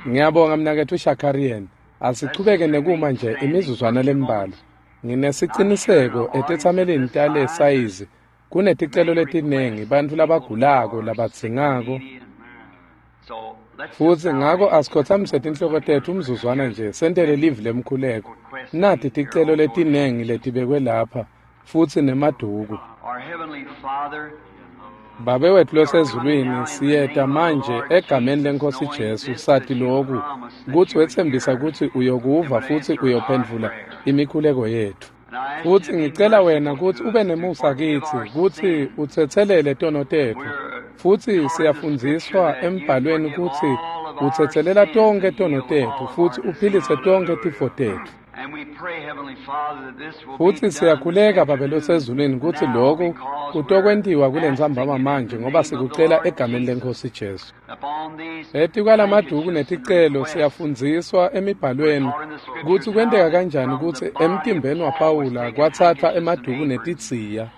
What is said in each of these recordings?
Ngiyabonga mnaketfu Shakarian. Asichubeke nekuma nje imizuzwana lembalwa. Nginesiciniseko etetsamelini tale sayizi kuneticelo letinengi bantfu labagulako labadzingako. Futsi ngako asikhotsamise tinhloko tetfu umzuzwana nje sentele livi lemkhuleko. Nati ticelo letinengi letibekwe lapha futsi nemaduku. Babe wetfu losezulwini, siyeta manje egameni leNkhosi Jesu sati loku kutsi wetsembisa kutsi uyokuva futsi uyophendvula imikhuleko yetfu. Futsi ngicela wena kutsi ube nemusa kitsi kutsi utsetselele tono tetfu. Futsi siyafundziswa embhalweni kutsi utsetselela tonkhe tono tetfu futsi uphilise tonkhe tifo tetfu. Futsi siyakhuleka Babe losezulwini kutsi loku kutokwentiwa kulentsambama manje ngoba sikucela egameni leNkhosi Jesu. Etikwalamaduku neticelo siyafundziswa emibhalweni kutsi kwenteka kanjani kutsi emtimbeni waPawula kwatsatfwa emaduku netidziya.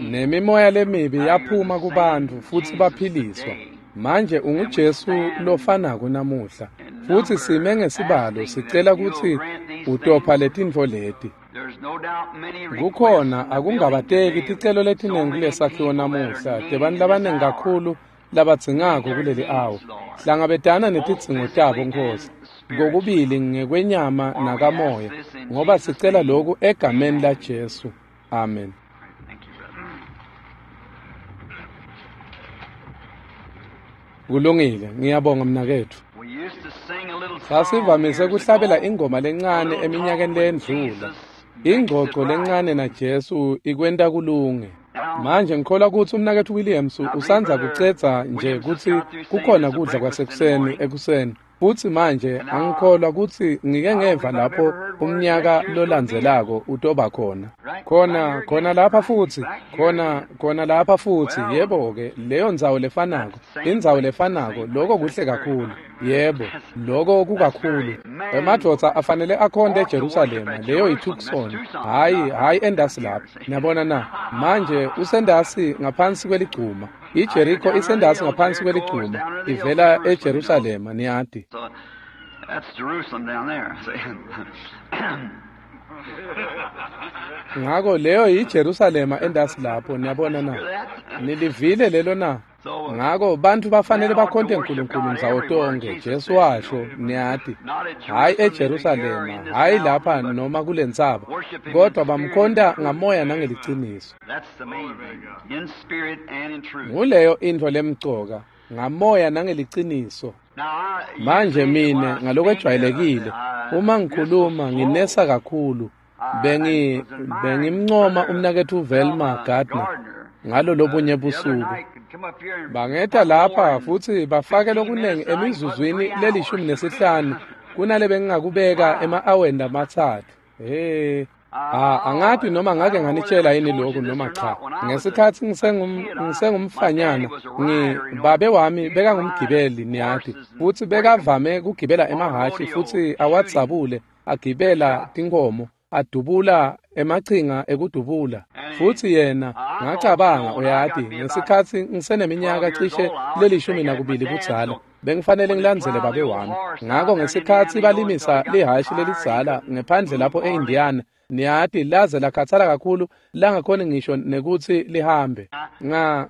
Nemimoya lemibi yaphuma kubantfu futsi baphiliswa. Manje unguJesu lofanako namuhla futsi sime ngesibalo sicela kutsi utopha letintfo leti. Kukhona akungabateki ticelo letinengi kulesakhiwo namuhla tebantfu labanengi kakhulu labadzingako kuleli awa. Hlangabetana netidzingo tabo Nkhosi, kokubili ngekwenyama nakamoya, ngoba sicela loku egameni laJesu. Amen. Kulungile, ngiyabonga mnaketfu. Sasivamise kuhlabela ingoma lencane eminyakeni leyendlula. Ingcoco lencane naJesu ikwenta kulunge. Manje ngikholwa kutsi umnaketfu Williams usandza kucedza nje kutsi kukhona kudla kwasekuseni ekuseni. Futsi manje angikholwa kutsi ngike ngeva lapho umnyaka lolandzelako utoba khona. Khona lapha futsi, khona lapha futsi, yebo-ke, leyo ndzawo lefanako, indzawo lefanako, loko kuhle kakhulu. Yebo, loko kukakhulu. Emadvodza afanele akhonte eJerusalema, leyo yiTucson, hhayi endasi lapha. Niyabona na? Manje usendasi ngaphansi kweligcuma. IJeriko isendasi ngaphansi kweligcuma, ivela eJerusalema, niyati. Ngako leyo yiJerusalema endasi lapho, niyabona na? Nilivile lelo na? Ngako bantfu bafanele bakhonte uNkulunkulu ndzawo tonkhe, Jesu washo, niyati. Hhayi eJerusalema, hhayi lapha noma kulentsaba, kodwa bamkhonta ngamoya nangeliciniso. Nguleyo intfo lemcoka, ngamoya nangeliciniso. Manje mine ngalokwejwayelekile uma ngikhuluma nginesa kakhulu, bengimncoma umnaketfu Velma Gardner ngalo lobunye busuku. Bangeta lapha futsi bafake lokunengi emizuzwini le-15 kunale bengingakubeka ema-aweni lamathathu. Angati noma ngake nganitshela yini lokhu noma cha. Ngesikhatsi ngisengumfanyana, babe wami bekangumgibeli, niyati, futsi bekavame kugibela emahhashi futsi awadzabule, agibela tinkhomo, adubula emachinga ekudubula. Futsi yena ngacabanga, uyati, ngesikhatsi ngiseneminyaka cishe le-12 budzala, bengifanele ngilandzele babe wami. Ngako ngesikhatsi balimisa lihhashi lelidzala ngephandle lapho e-Indiana, niyati, laze lakhatsala kakhulu langakhoni ngisho nekutsi lihambe.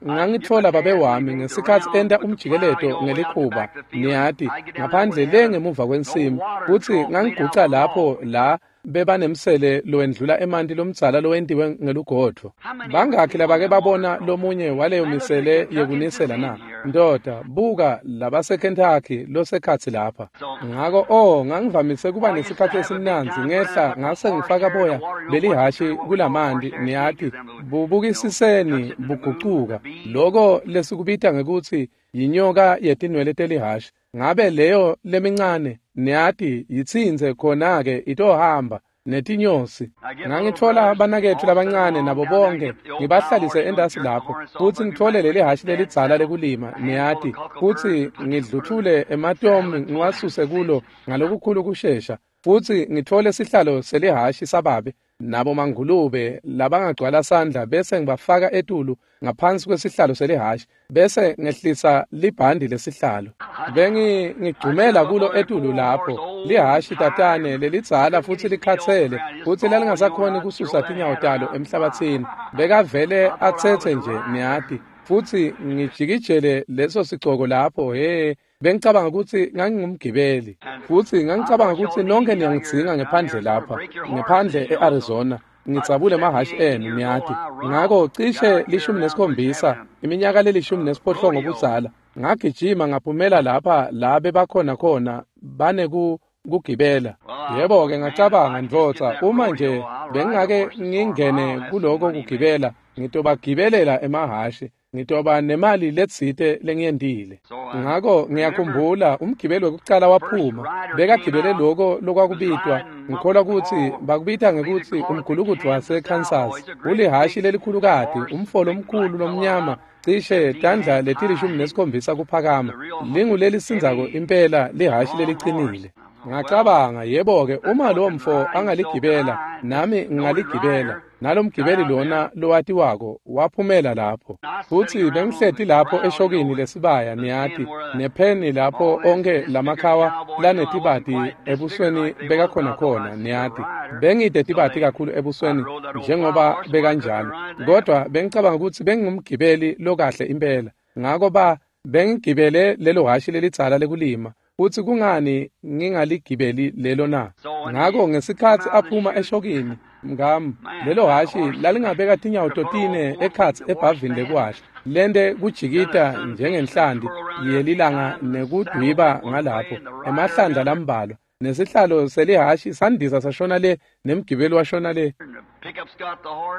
Ngangitfola babe wami ngesikhatsi enta umjikeleto ngelikhuba, niyati, ngaphandle le ngemuva kwensimu, futsi ngangiguca lapho la bebanemsele lowendlula emanti lomdzala lowentiwe ngelugodvo. Bangakhi labake babona lomunye waleyo misele yekunisela na? Ndoda, buka labaseKentucky losekhatsi lapha. Ngako ngangivamise kuba nesikhatsi esimnandzi ngehla ngase ngifaka boya belihhashi kulamanti, niyati, bubukisiseni bugucuka. Loko lesikubita ngekutsi yinyoka yetinwele telihhashi. Ngabe leyo lemincane, niyati, yitsintse khona-ke itohamba netinyosi. Ngangitfola banaketfu labancane nabo bonke ngibahlalise endasi lapho, futsi ngitfole leli hhashi lelidzala lekulima, niyati, futsi ngidluthule ematomu ngiwasuse kulo ngalokukhulu kushesha, futsi ngitfole sihlalo selihhashi sababe. nabo mangulube labangagcwala sandla bese ngibafaka etulu ngaphansi kwesihlalo selihhashi bese ngehlisa libhandi lesihlalo. Bengigcumela kulo etulu lapho lihhashi tatane lelidzala futsi likhatsele futsi lalingasakhoni kususa tinyawo talo emhlabatsini. Bekavele atsetse nje niyati futsi ngijikijele leso sicoko lapho. He, bengicabanga kutsi ngangingumgibeli futsi ngangicabanga kutsi nonke niyangidzinga ngephandle lapha, ngephandle e-Arizona. Ngitsabule emahhashi enu niyati. Ngako cishe 17, iminyaka le-18 budzala, ngagijima ngaphumela lapha la bebakhona khona banekugibela. Yebo-ke ngacabanga, ndvodza, uma nje bengingake ngingene kuloko kugibela, ngitobagibelela emahhashi, ngitoba nemali letsite lengiyentile. Ngako ngiyakhumbula umgibeli wekucala waphuma, bekagibele loko lokwakubitwa, ngikholwa kutsi bakubita ngekutsi umgulukudu waseKansas, ulihhashi lelikhulukati, umfolo omkhulu lomnyama, cishe tandla leti-17 kuphakama, lingulelisindzako impela lihhashi lelicinile. Ngacabanga, yebo-ke, uma lo mfo angaligibela, nami ngingaligibela. Nalomgibeli lona lowatiwako waphumela lapho. Futsi bengihleti lapho eshokini lesibaya niyati, nepheni lapho onke lamakhawa lanetibati ebusweni bekakhona khona niyati. Bengide tibati kakhulu ebusweni njengoba bekanjalo, kodwa bengicabanga kutsi bengingumgibeli lokahle impela. Ngako bengigibele lelo hhashi lelidzala lekulima. Futsi kungani ngingaligibeli lelo na? Ngako ngesikhatsi aphuma eshokini, mngami, lelo hhashi lalingabeka tinyawo totine ekhatsi ebhavini lekuwasha, lente kujikita njengenhlanti yelilanga nekudwiba ngalapho, emahlandla lambalwa, nesihlalo selihhashi sandisa sashona le, nemgibeli washona le.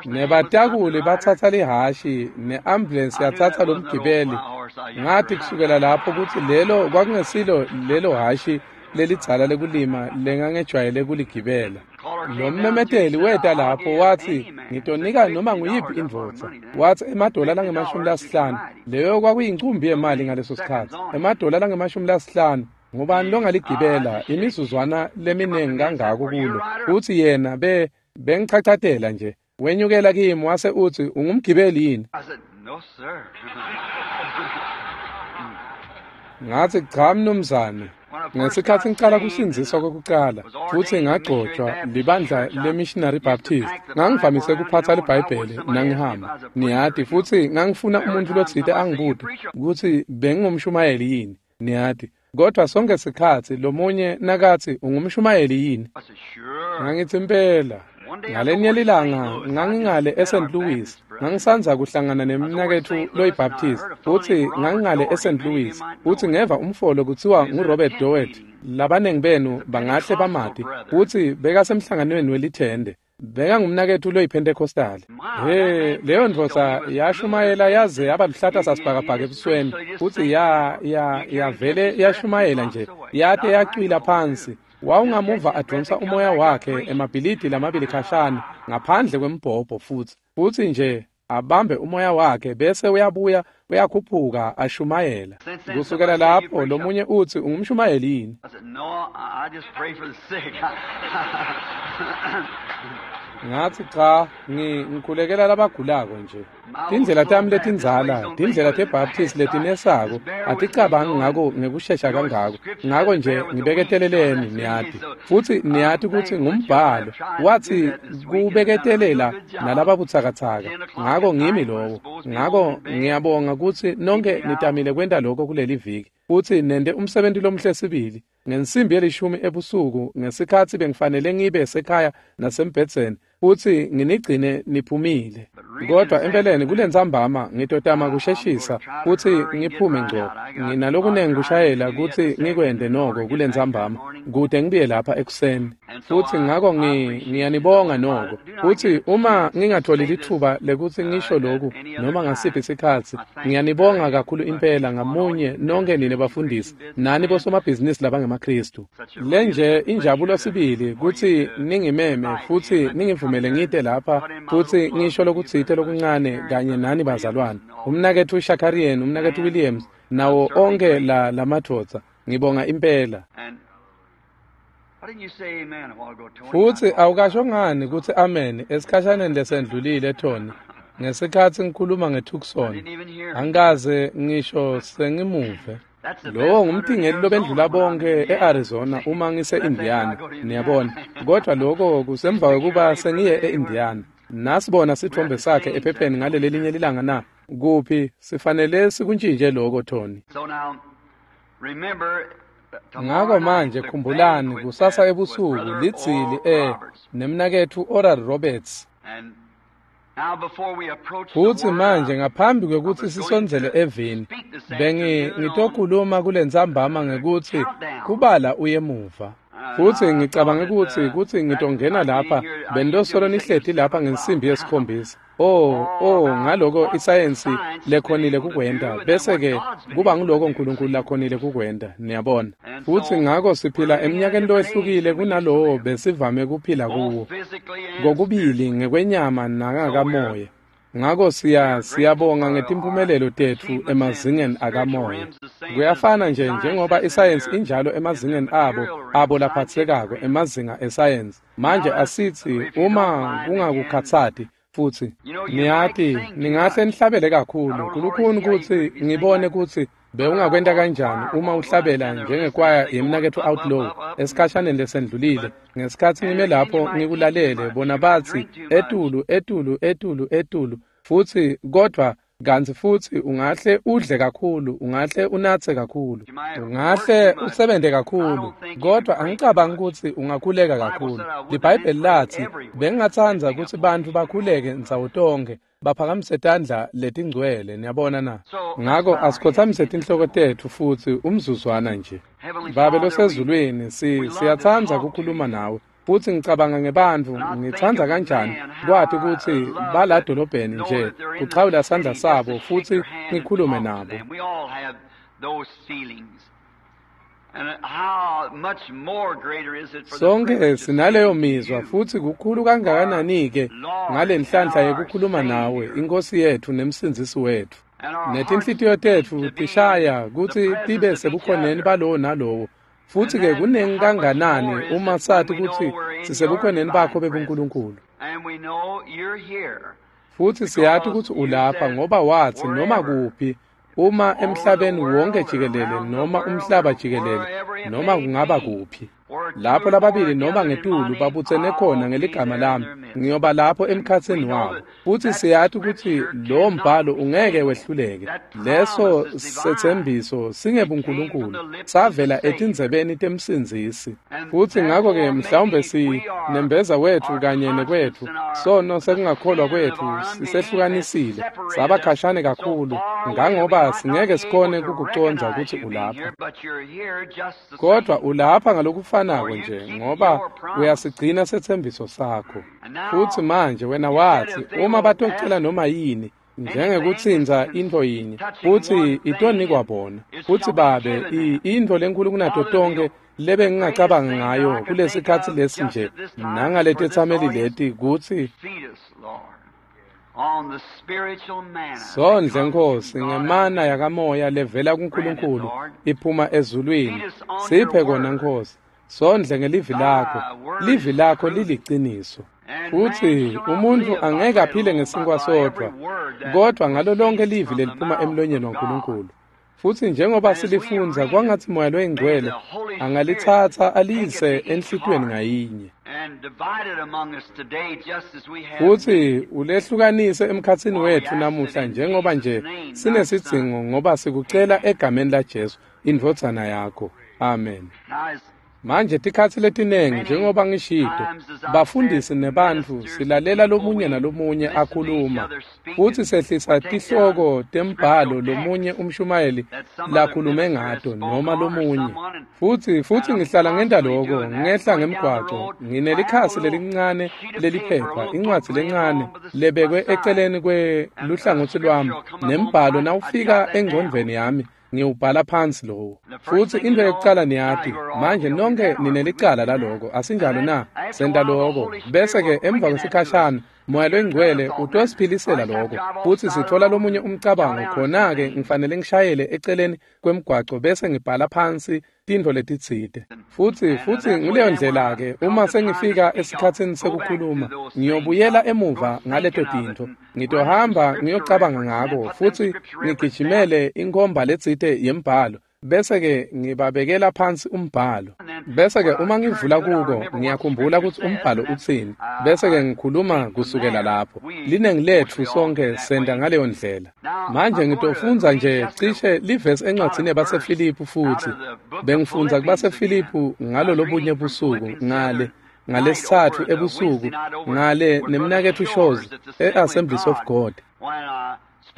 Nebatakuli batsatsa lihhashi, ne-ambulensi yatsatsa lomgibeli. Ngathi kusukela lapho kutsi lelo kwakungesilo lelo hhashi lelidzala lekulima lengangejwayele kuligibela. Lo mmemeteli weta lapho wathi, ngitonika noma nguyiphi indvodza. Wathi $50, leyo kwakuyincumbi yemali ngaleso sikhatsi. $50, ngubani longaligibela imizuzwana leminingi kangako kulo? Uthi yena bengichachatela nje. Wenyukela kimi wase uthi, ungumgibeli yini? Ngathi, cha mnumzane. Ngesikhatsi ngicala kusindziswa kwekucala futsi ngagcotshwa libandla le-Missionary Baptist, ngangivamise kuphatsa liBhayibheli nangihamba niyati, futsi ngangifuna umuntu lotsite angibute kutsi bengingumshumayeli yini niyati. Kodwa sonke sikhatsi lomunye nakathi ungumshumayeli yini, ngangithi impela. Ngalenye lilanga ngangingale eSt. Louis, ngangisandza kuhlangana nemnaketfu loyiBaptist, futsi ngangingale eSt. Louis, futsi ngeva umfolo kuthiwa nguRobert Doet, labanengi benu bangahle bamati, futsi bekasemhlanganweni welithende. Bekangumnaketfu loyiPentecostal. He, leyo ndvodza yashumayela yaze yaba luhlata sasibhakabhaka ebusweni, futsi yavele yashumayela nje, yate yacwila phansi. Wawungamuva adonsa umoya wakhe emabhilidi lamabili khashane ngaphandle kwembhobho, futsi nje abambe umoya wakhe bese uyabuya uyakhuphuka ashumayela. Kusukela lapho lomunye uthi, ungumshumayeli yini? Ngathi, cha, ngikhulekela labagulako nje. Tindlela tami letindzala, tindlela teBaptist letinesako, aticabangi ngako ngekushesha kangako. Ngako nje ngibeketeleleni niyati. Futsi niyati kutsi ngumbhalo wathi kubeketelela nalababutsakatsaka. Ngako ngimi lowo. Ngako ngiyabonga kutsi nonke nitamile kwenta lokho kuleli viki. Futsi nente umsebenzi lomuhle sibili. Ngensimbi ye-10 ebusuku ngesikhatsi bengifanele ngibe sekhaya nasembhedzeni, futsi nginigcine niphumile. Kodwa empeleni kulentsambama ngitotama kusheshisa futsi ngiphume ngco. Nginalokunengi kushayela kutsi ngikwente noko kulentsambama kute ngibuye lapha ekuseni. Futsi ngako ngiyanibonga noko. Futsi uma ngingatholi litfuba lekutsi ngisho loku noma ngasiphi sikhatsi, ngiyanibonga kakhulu impela ngamunye nonke nine bafundisi nani bosomabhizinisi labangemaKhristu. Lenje injabulo sibili kutsi ningimeme futsi ningivumele ngite lapha futsi ngisho lokutsite lokuncane kanye nani bazalwane. Umnaketfu Shakarian, umnaketfu Williams, nawo onke lamadvodza. Ngibonga impela. Futsi awukasho ngani kutsi amen esikhashaneni lesendlulile Tony ngesikhatsi ngikhuluma ngeTucson? Angikaze ngisho sengimuve. Lowo ngumtingeli lobendlula bonke e-Arizona uma ngise-Indiana, niyabona. Kodwa lokho kusemva kwekuba sengiye e-Indiana. Nasibona sitfombe sakhe ephepheni ngaleli linye lilanga na? Kuphi sifanele sikuntshintshe lokho Tony. Ngako manje khumbulani kusasa ebusuku lidzili nemnaketfu Oral Roberts. Futsi manje ngaphambi kwekutsi sisondzele evini, bengitokhuluma kulentsambama ngekutsi kubala uyemuva. Futsi ngicabange kutsi ngitongena lapha bendosolo nihleti lapha ngensimbi yesikhombisa. Oh ngaloko isayensi lekhonile kukwenta bese ke kuba ngiloko uNkulunkulu lakhonile kukwenta, niyabona. Futsi ngako siphila eminyakeni lowehlukile kunalowo besivame kuphila kuwo, kokubili ngekwenyama nangakamoya. Ngako siyabonga ngetimphumelelo tetfu emazingeni akamoya. Kuyafana nje njengoba isayensi injalo emazingeni abo laphatsekako emazinga esayensi. Manje asithi uma kungakukhatsati futsi niyati ningahle nihlabele kakhulu kulukhuni kutsi ngibone kutsi bewungakwenta kanjani uma uhlabela njengekwaya yemnaketfu Outlaw esikhashaneni lesendlulile. Ngesikhatsi ngime lapho ngikulalele bona batsi etulu etulu etulu etulu, futsi kodvwa kantsi futsi ungahle udle kakhulu, ungahle unatse kakhulu, ungahle usebente kakhulu, kodvwa angicabangi kutsi ungakhuleka kakhulu. LiBhayibheli lathi bengingatsandza kutsi bantfu bakhuleke ndzawo tonkhe baphakamise tandla letingcwele, niyabona na? Ngako asikhotsamise tinhloko tetfu futsi umzuzwana nje. Babe losezulwini, siyatsandza kukhuluma nawe. Futsi ngicabanga ngebantfu, ngitsandza kanjani kwati kutsi baladolobheni nje kuchawula sandla sabo futsi ngikhulume nabo. Sonke sinaleyo mizwa futsi kukhulu kangakanani-ke ngalenhlanhla yekukhuluma nawe, iNkhosi yetfu nemsindzisi wetfu. Netinhlitiyo tetfu tishaya kutsi tibe sebukhoneni balowo nalowo. Futsi ke kunengi kanganani uma sati kutsi sisebukhoneni bakho bebuNkulunkulu. Futsi siyati kutsi ulapha ngoba watsi noma kuphi, uma emhlabeni wonke jikelele noma umhlaba jikelele noma kungaba kuphi, lapho lababili noma ngetulu babutsene khona ngeligama lami, ngiyoba lapho emkhatsini wabo. Futsi siyati kutsi lowo mbhalo ungeke wehluleke. Leso setsembiso singebuNkulunkulu, savela etindzebeni temsindzisi. Futsi ngako-ke mhlawumbe sinembeza wetfu kanye nekwetfu, sono sekungakholwa kwetfu sisehlukanisile, saba khashane kakhulu, ngangoba singeke sikhone kukucondza kutsi ulapha. Kodwa ulapha ngalokufanako nje, ngoba uyasigcina setsembiso sakho. Futsi manje wena watsi uma batocela noma yini njengekutsintsa intfo yinye, futsi itonikwa bona. Futsi Babe, intfo lenkhulu kunato tonkhe lebengingacabanga ngayo kulesikhatsi lesi nje nangaletetsameli leti kutsi sondle Nkhosi ngemana yakamoya levela kuNkulunkulu iphuma ezulwini. Siphe kona Nkhosi, sondle ngelivi lakho, livi lakho liliciniso. Futsi umuntfu angeke aphile ngesinkwa sodvwa, kodvwa ngalo lonke livi leliphuma emlonyeni waNkulunkulu. Futsi njengoba silifundza, kwangatsi Moya loyiNgcwele angalitsatsa aliyise enhlitiyweni ngayinye, futsi ulehlukanise emkhatsini wetfu namuhla njengoba nje sinesidzingo, ngoba sikucela egameni laJesu indvodzana yakho. Amen. Manje tikhatsi letinengi njengoba ngishito, bafundisi nebantfu silalela lomunye nalomunye akhuluma, futsi sehlisa tihloko tembhalo lomunye umshumayeli lakhulume ngato noma lomunye. Futsi ngihlala ngenta loko, ngehla ngemgwaco, nginelikhasi lelincane leliphepha, incwadzi lencane lebekwe eceleni kweluhlangotsi lwami, nembhalo nawufika engcondvweni yami ngiwubhala phansi lowo. Futsi intfo yekucala niyati, manje nonke ninelicala laloko, asinjalo na? Senta loko, bese-ke emva kwesikhashana, Moya loyingcwele utosiphilisela lokho, futsi sithola lomunye umcabango. Khona-ke ngifanele ngishayele eceleni kwemgwaco bese ngibhala phansi tintfo letitsite. Futsi nguleyo ndlela-ke uma sengifika esikhatsini sekukhuluma, ngiyobuyela emuva ngaleto tintfo. Ngitohamba ngiyocabanga ngako futsi ngigijimele inkhomba letsite yembhalo, bese-ke ngibabekela phansi umbhalo. Bese-ke uma ngivula kuko, ngiyakhumbula kutsi umbhalo utsini, bese-ke ngikhuluma kusukela lapho. Linengi letfu sonke senta ngaleyo ndlela. Manje ngitofundza nje cishe livesi encwadzini yabaseFiliphu futsi. Bengifundza kubaseFiliphu ngalo lobunye busuku ngale ngalesithathu ebusuku ngale nemnaketfu Shows e-Assemblies of God.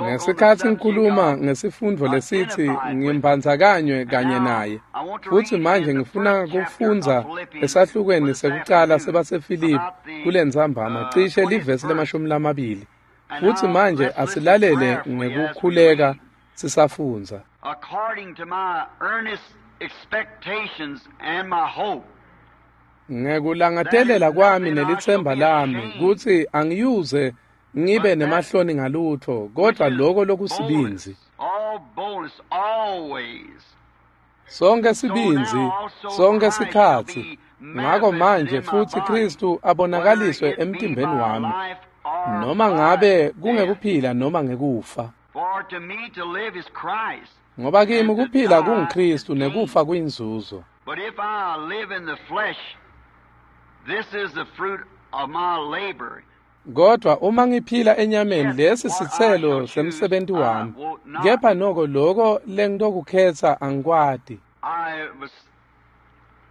Ngesikhatsi ngikhuluma ngesifundvo lesithi ngimbandzakanywe kanye naye, futsi manje ngifuna kufundza esahlukweni sekucala sebaseFiliphu kulentsambama cishe livesi le-20. Futsi manje asilalele ngekukhuleka sisafundza. According to my earnest expectations and my hope, Ngekulangatelela kwami nelitsemba lami kutsi angiyuze ngibe nemahloni ngalutho, kodwa lokho lokusibindzi. all boldness always. Sonke sibindzi, sonke sikhatsi. Ngako manje futsi Kristu abonakaliswe emtimbeni wami, noma ngabe kungekuphila noma ngekufa. For to me to live is Christ, Ngoba kimi kuphila kunguKristu nekufa kuyinzuzo. but if I live in the flesh, this is the fruit of my labor. Kodwa uma ngiphila enyameni, lesi sitselo semsebenti wami. Kepha noko loko lengitokukhetsa angikwati. I was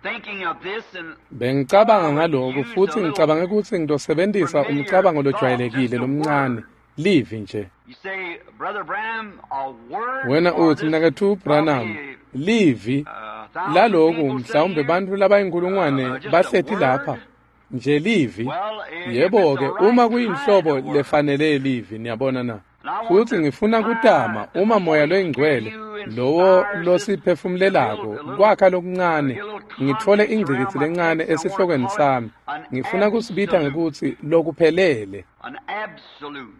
thinking of this and Bengicabanga ngalokhu futhi ngicabange kutsi ngitosebentisa umcabango lojwayelekile lomncane, livi nje. you say, Brother Branham, a word Wena for uthi, this mnaketfu Branham, probably, livi thousand laloku people mhlawumbe sitting here. bantfu labayinkulungwane bahleti lapha nje livi. Well, if Yebo it's ke, the right uma kind kuyinhlobo of word. lefanele livi, niyabona na. And I want Futsi to ngifuna kutama try uma Moya the Holy loyingcwele Spirit you lowo inspires us losiphefumulelako to build a little kwakha lokuncane, get a little ngitfole context ingcikitsi around my lencane text. I want to esihlokweni call it sami. an Ngifuna kusibita absolute. ngekutsi lokuphelele. An absolute.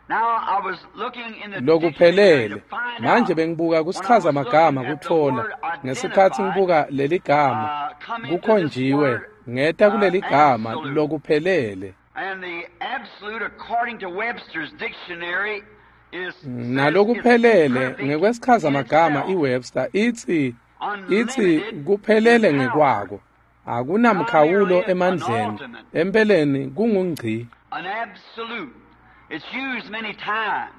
Now I was looking in the dictionary to Lokuphelele. find Manje out bengibuka when I kusichaza was magama looking at the kutfola word ngesikhatsi identified, ngibuka leli gama come into this kukhonjiwe word ngeta kuleli gama absolute. lokuphelele. And the absolute, according to Webster's dictionary, is says it's Nalokuphelele perfect ngekwesichaza in magama itself, iWebster ithi unlimited in kuphelele power, ngekwako, not akunamkhawulo merely an emandleni, ultimate, empeleni kungungci. an absolute. It's used many times.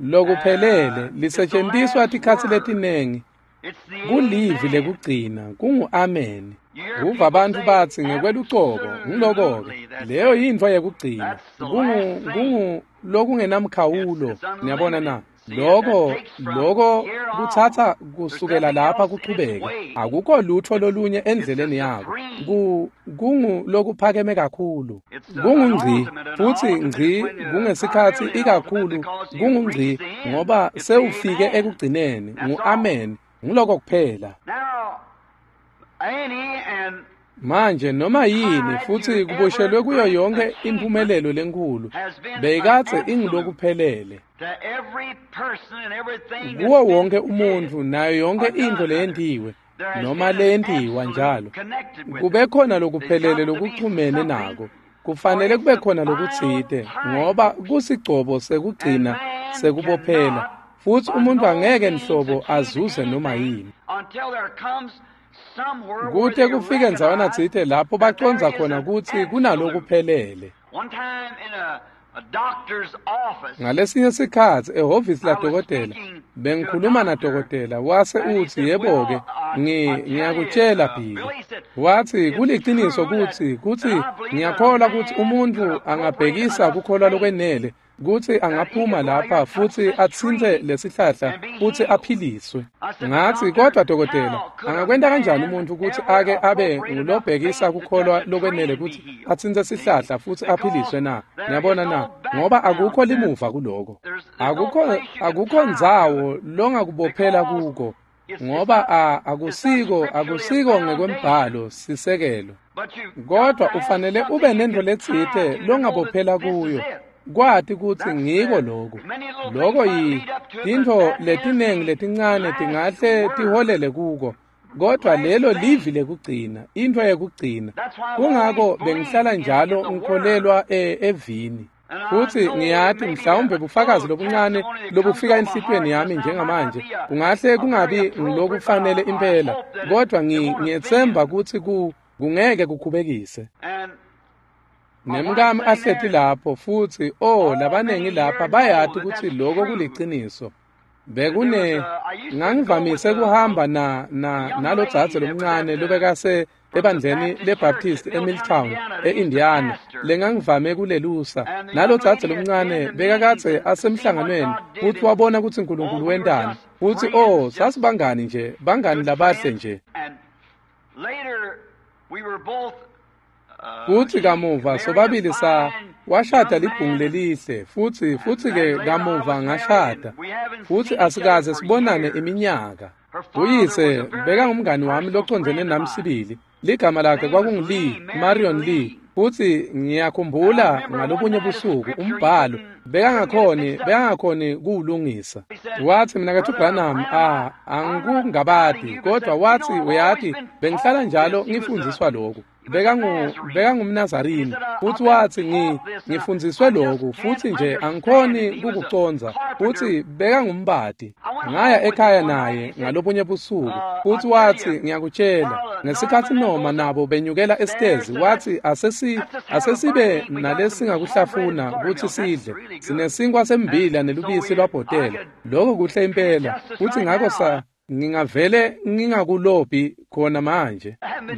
Lokuphelele It's the lisetjentiswa last tikhatsi word. letinengi, It's the kulivi amen. lekugcina, kungu-amen. You hear Kuva people bantfu say, batsi ngekwelucobo, nguloko-ke. absolutely, that's Leyo it. yintfo yekugcina. That's the Kungu last thing. kungu lokungenamkhawulo, It's niyabona unlimited. na. See, that Loko takes from loko here on. kutsatsa There's kusukela nothing lapha else in its kuchubeke. way. Akukho lutho lolunye It's the endleleni yako. supreme. Kungu lokuphakeme kakhulu. It's an Kungungci ultimate. An futsi ultimate is ngci when not kungesikhatsi really an ultimate ikakhulu because you've kungungci reached the end. ngoba It's the sewufike amen. ekugcineni, That's all. ngu-amen. Nguloko kuphela. Now, any and Manje noma yini tied futhi to every kuboshelwe kuyo great yonke achievement impumelelo lenkulu has been an beyikadze absolute ingulokuphelele to every person and everything kuwo that's been wonke said umuntfu nayo yonke or intfo done rather. leyentiwe There has noma been an leyentiwa absolute njalo, connected with kube it. khona There's lokuphelele got to be lokuchumene something, nako. for Kufanele it's kube the khona final lokutsite tying ngoba post. kusigcobo And sekugcina man sekubophela, cannot futsi by umuntfu no angeke means nhlobo achieve azuze noma anything yini. until there comes somewhere where Kute they kufike ndzawana recognize tsite lapho that there bacondza is khona an kutsi absolute. kunalokuphelele. One time in a doctor's office, Ngalesinye sikhatsi ehhovisi I was ladokotela, speaking to a bengikhuluma doctor, nadokotela wase and he utsi, said, yebo-ke, Well, I tell you, ngiyakutjela Billy. Billy said, Watsi it's kuliciniso true that, kutsi that I believe that a ngiyakholwa kutsi man could umuntfu appropriate angabhekisa enough kukholwa faith lokwenele kutsi that he angaphuma could go out here lapha and touch futsi this atsintse tree lesihlahla and be futsi healed. aphiliswe. I said, Ngatsi, Doctor, kodwa dokotela, how could a angakwenta kanjani man umuntfu kutsi ever ake abe appropriate enough ngulobhekisa faith to touch kukholwa a tree lokwenele and be kutsi healed? atsintse See? sihlahla futsi aphiliswe Because na? there is Niyabona na? no Ngoba background akukho to that. limuva kuloko. There's no Akukho place you can akukho tie to it ndzawo longakubophela because kuko it's ngoba not it's not akusiko scripturally a akusiko foundation. ngekwembhalo sisekelo. Kodwa ufanele ube nentfo letsite longabophela kuyo, kwati kutsi ngiko loku. Loko tintfo letinengi letincane tingahle tiholele kuko, kodwa lelo livi lekugcina, intfo yekugcina. Kungako bengihlala njalo ngikholelwa evini. Futsi ngiyati mhlawumbe bufakazi lobuncane lobufika enhlitiyweni yami njengamanje kungahle kungabi ngilokufanele impela, kodwa ngiyetsemba kutsi kungeke kukhubekise. Nemkami ahleti lapho futsi labanengi lapha bayati kutsi loko kuliciniso. Ngangivamise kuhamba nalodzadze lomncane lobekase ebandleni leBaptist eMilltown eIndiana lengangivame kulelusa. Nalodzadze lomncane bekakadze asemhlanganweni futsi wabona kutsi uNkulunkulu wentani. Futsi sasibangani nje, bangani labahle nje. Futsi kamuva sobabili washada libhungu lelihle futsi-ke kamuva ngashada futsi asikaze sibonane iminyaka. Uyise bekangumngani wami locondzene nami sibili. Ligama lakhe kwakungu-Lee, Marion Lee. Futsi ngiyakhumbula ngalobunye busuku umbhalo bekangakhoni kuwulungisa. Wathi mina kathi Branham angikungabadi, kodwa wathi uyati bengihlala njalo ngifundziswa lokhu. BekangumNazarini futsi wathi ngifundziswe lokhu futsi nje angikhoni kukucondza. Futsi bekangumbati. Ngaya ekhaya naye ngalobunye busuku futsi wathi ngiyakutshela ngesikhatsi noma nabo benyukela esitezi wathi asesibe nalesingakuhlafuna kutsi sidle sinesinkwa sembila nelubisi lwabhotela. Lokho kuhle impela. Futsi ngako ngingavele ngingakulobhi khona manje.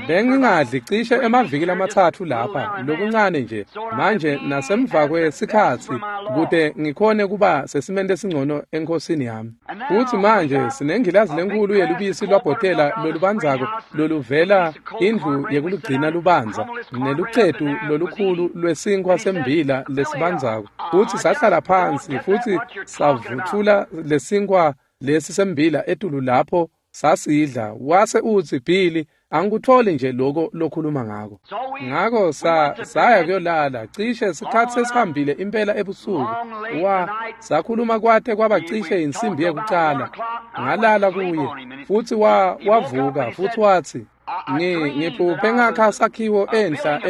Bengingadli cishe emaviki lamathathu lapha lokuncane nje manje nasemva kwesikhatsi kute ngikhone kuba sesimende esingcono enkosini yami. Futsi manje sinengilazi lenkulu yelubisi lwabhotela lolubandzako loluvela indlu yekulugcina lubanza nelucetu lolukhulu lwesinkwa sembila lesibandzako. Futsi sahlala phansi futsi savuthula lesinkwa lesi sembila etulu lapho sasidla. Wase utsi Billy angikutholi nje lokho lokhuluma ngako. Ngako saya kuyolala cishe sikhatsi sesihambile impela ebusuku. Sakhuluma kwate kwaba cishe insimbi yekucala. Ngalala kuye futsi wavuka futsi wathi ngiphuphe ngakha sakhiwo enhla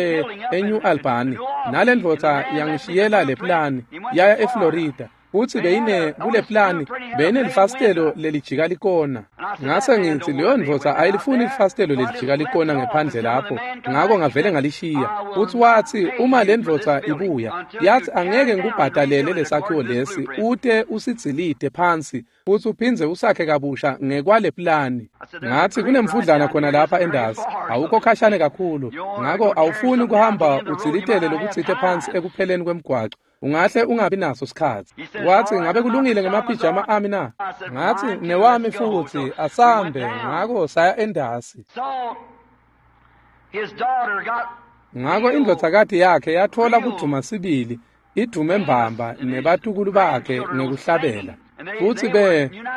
eNew Albany nalendvodza yangishiyela le plani yaya eFlorida. Futsi beyine kule plani beyinelifasitelo lelijika likona. Ngase ngithi leyo ndvodza ayilifuni ilifasitelo lelijika likona ngephandle lapho, ngako ngavele ngalishiya. Futsi wathi uma le ndvodza ibuya yathi angeke ngikubhadalele lesakhiwo lesi ute usidzilite phansi futsi uphindze usakhe kabusha ngekwale plani. Ngathi kunemfudlana khona lapha endasi, awukho khashane kakhulu, ngako awufuni kuhamba udzilitele lokutsite phansi ekupheleni kwemgwaco. Ungahle ungabi naso sikhatsi. Wathi ngabe kulungile ngemapijama ami na? Ngathi newami futhi asambe. Ngako saya endasi. Ngako indvodzakati yakhe yathola kudvuma sibili, idume mbamba nebatukulu bakhe ngekuhlabela. Futsi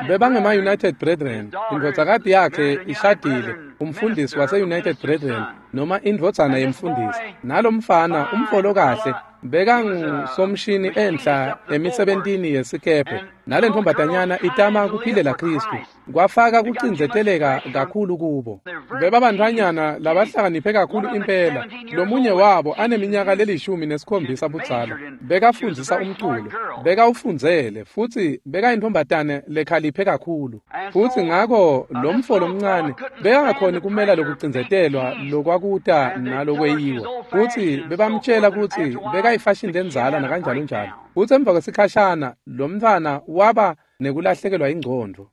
bebangema United Brethren. Indvodzakati yakhe ishadile umfundisi wase United Brethren noma indvodzana yemfundisi. Nalomfana umfolo kahle bekangusomshini enhla emisebentini yesikebhe. Nalentfombatanyana itama kuphilela Kristu. Kwafaka kucindzeteleka kakhulu kubo. Bebabantfwanyana labahlakaniphe kakhulu impela. Lomunye wabo aneminyaka le-17 budzala. Bekafundzisa umculo, bekawufundzele futsi bekayintfombatane lekhaliphe kakhulu. Futsi ngako lomfo lomncane bekangakhoni kumela lokucindzetelwa lokwakuta nalokweyiwa. Futsi bebamtshela kutsi bekayifashini lendzala nakanjalo njalo. Futsi emva kwesikhashana lomntfwana waba nekulahlekelwa ingcondvo.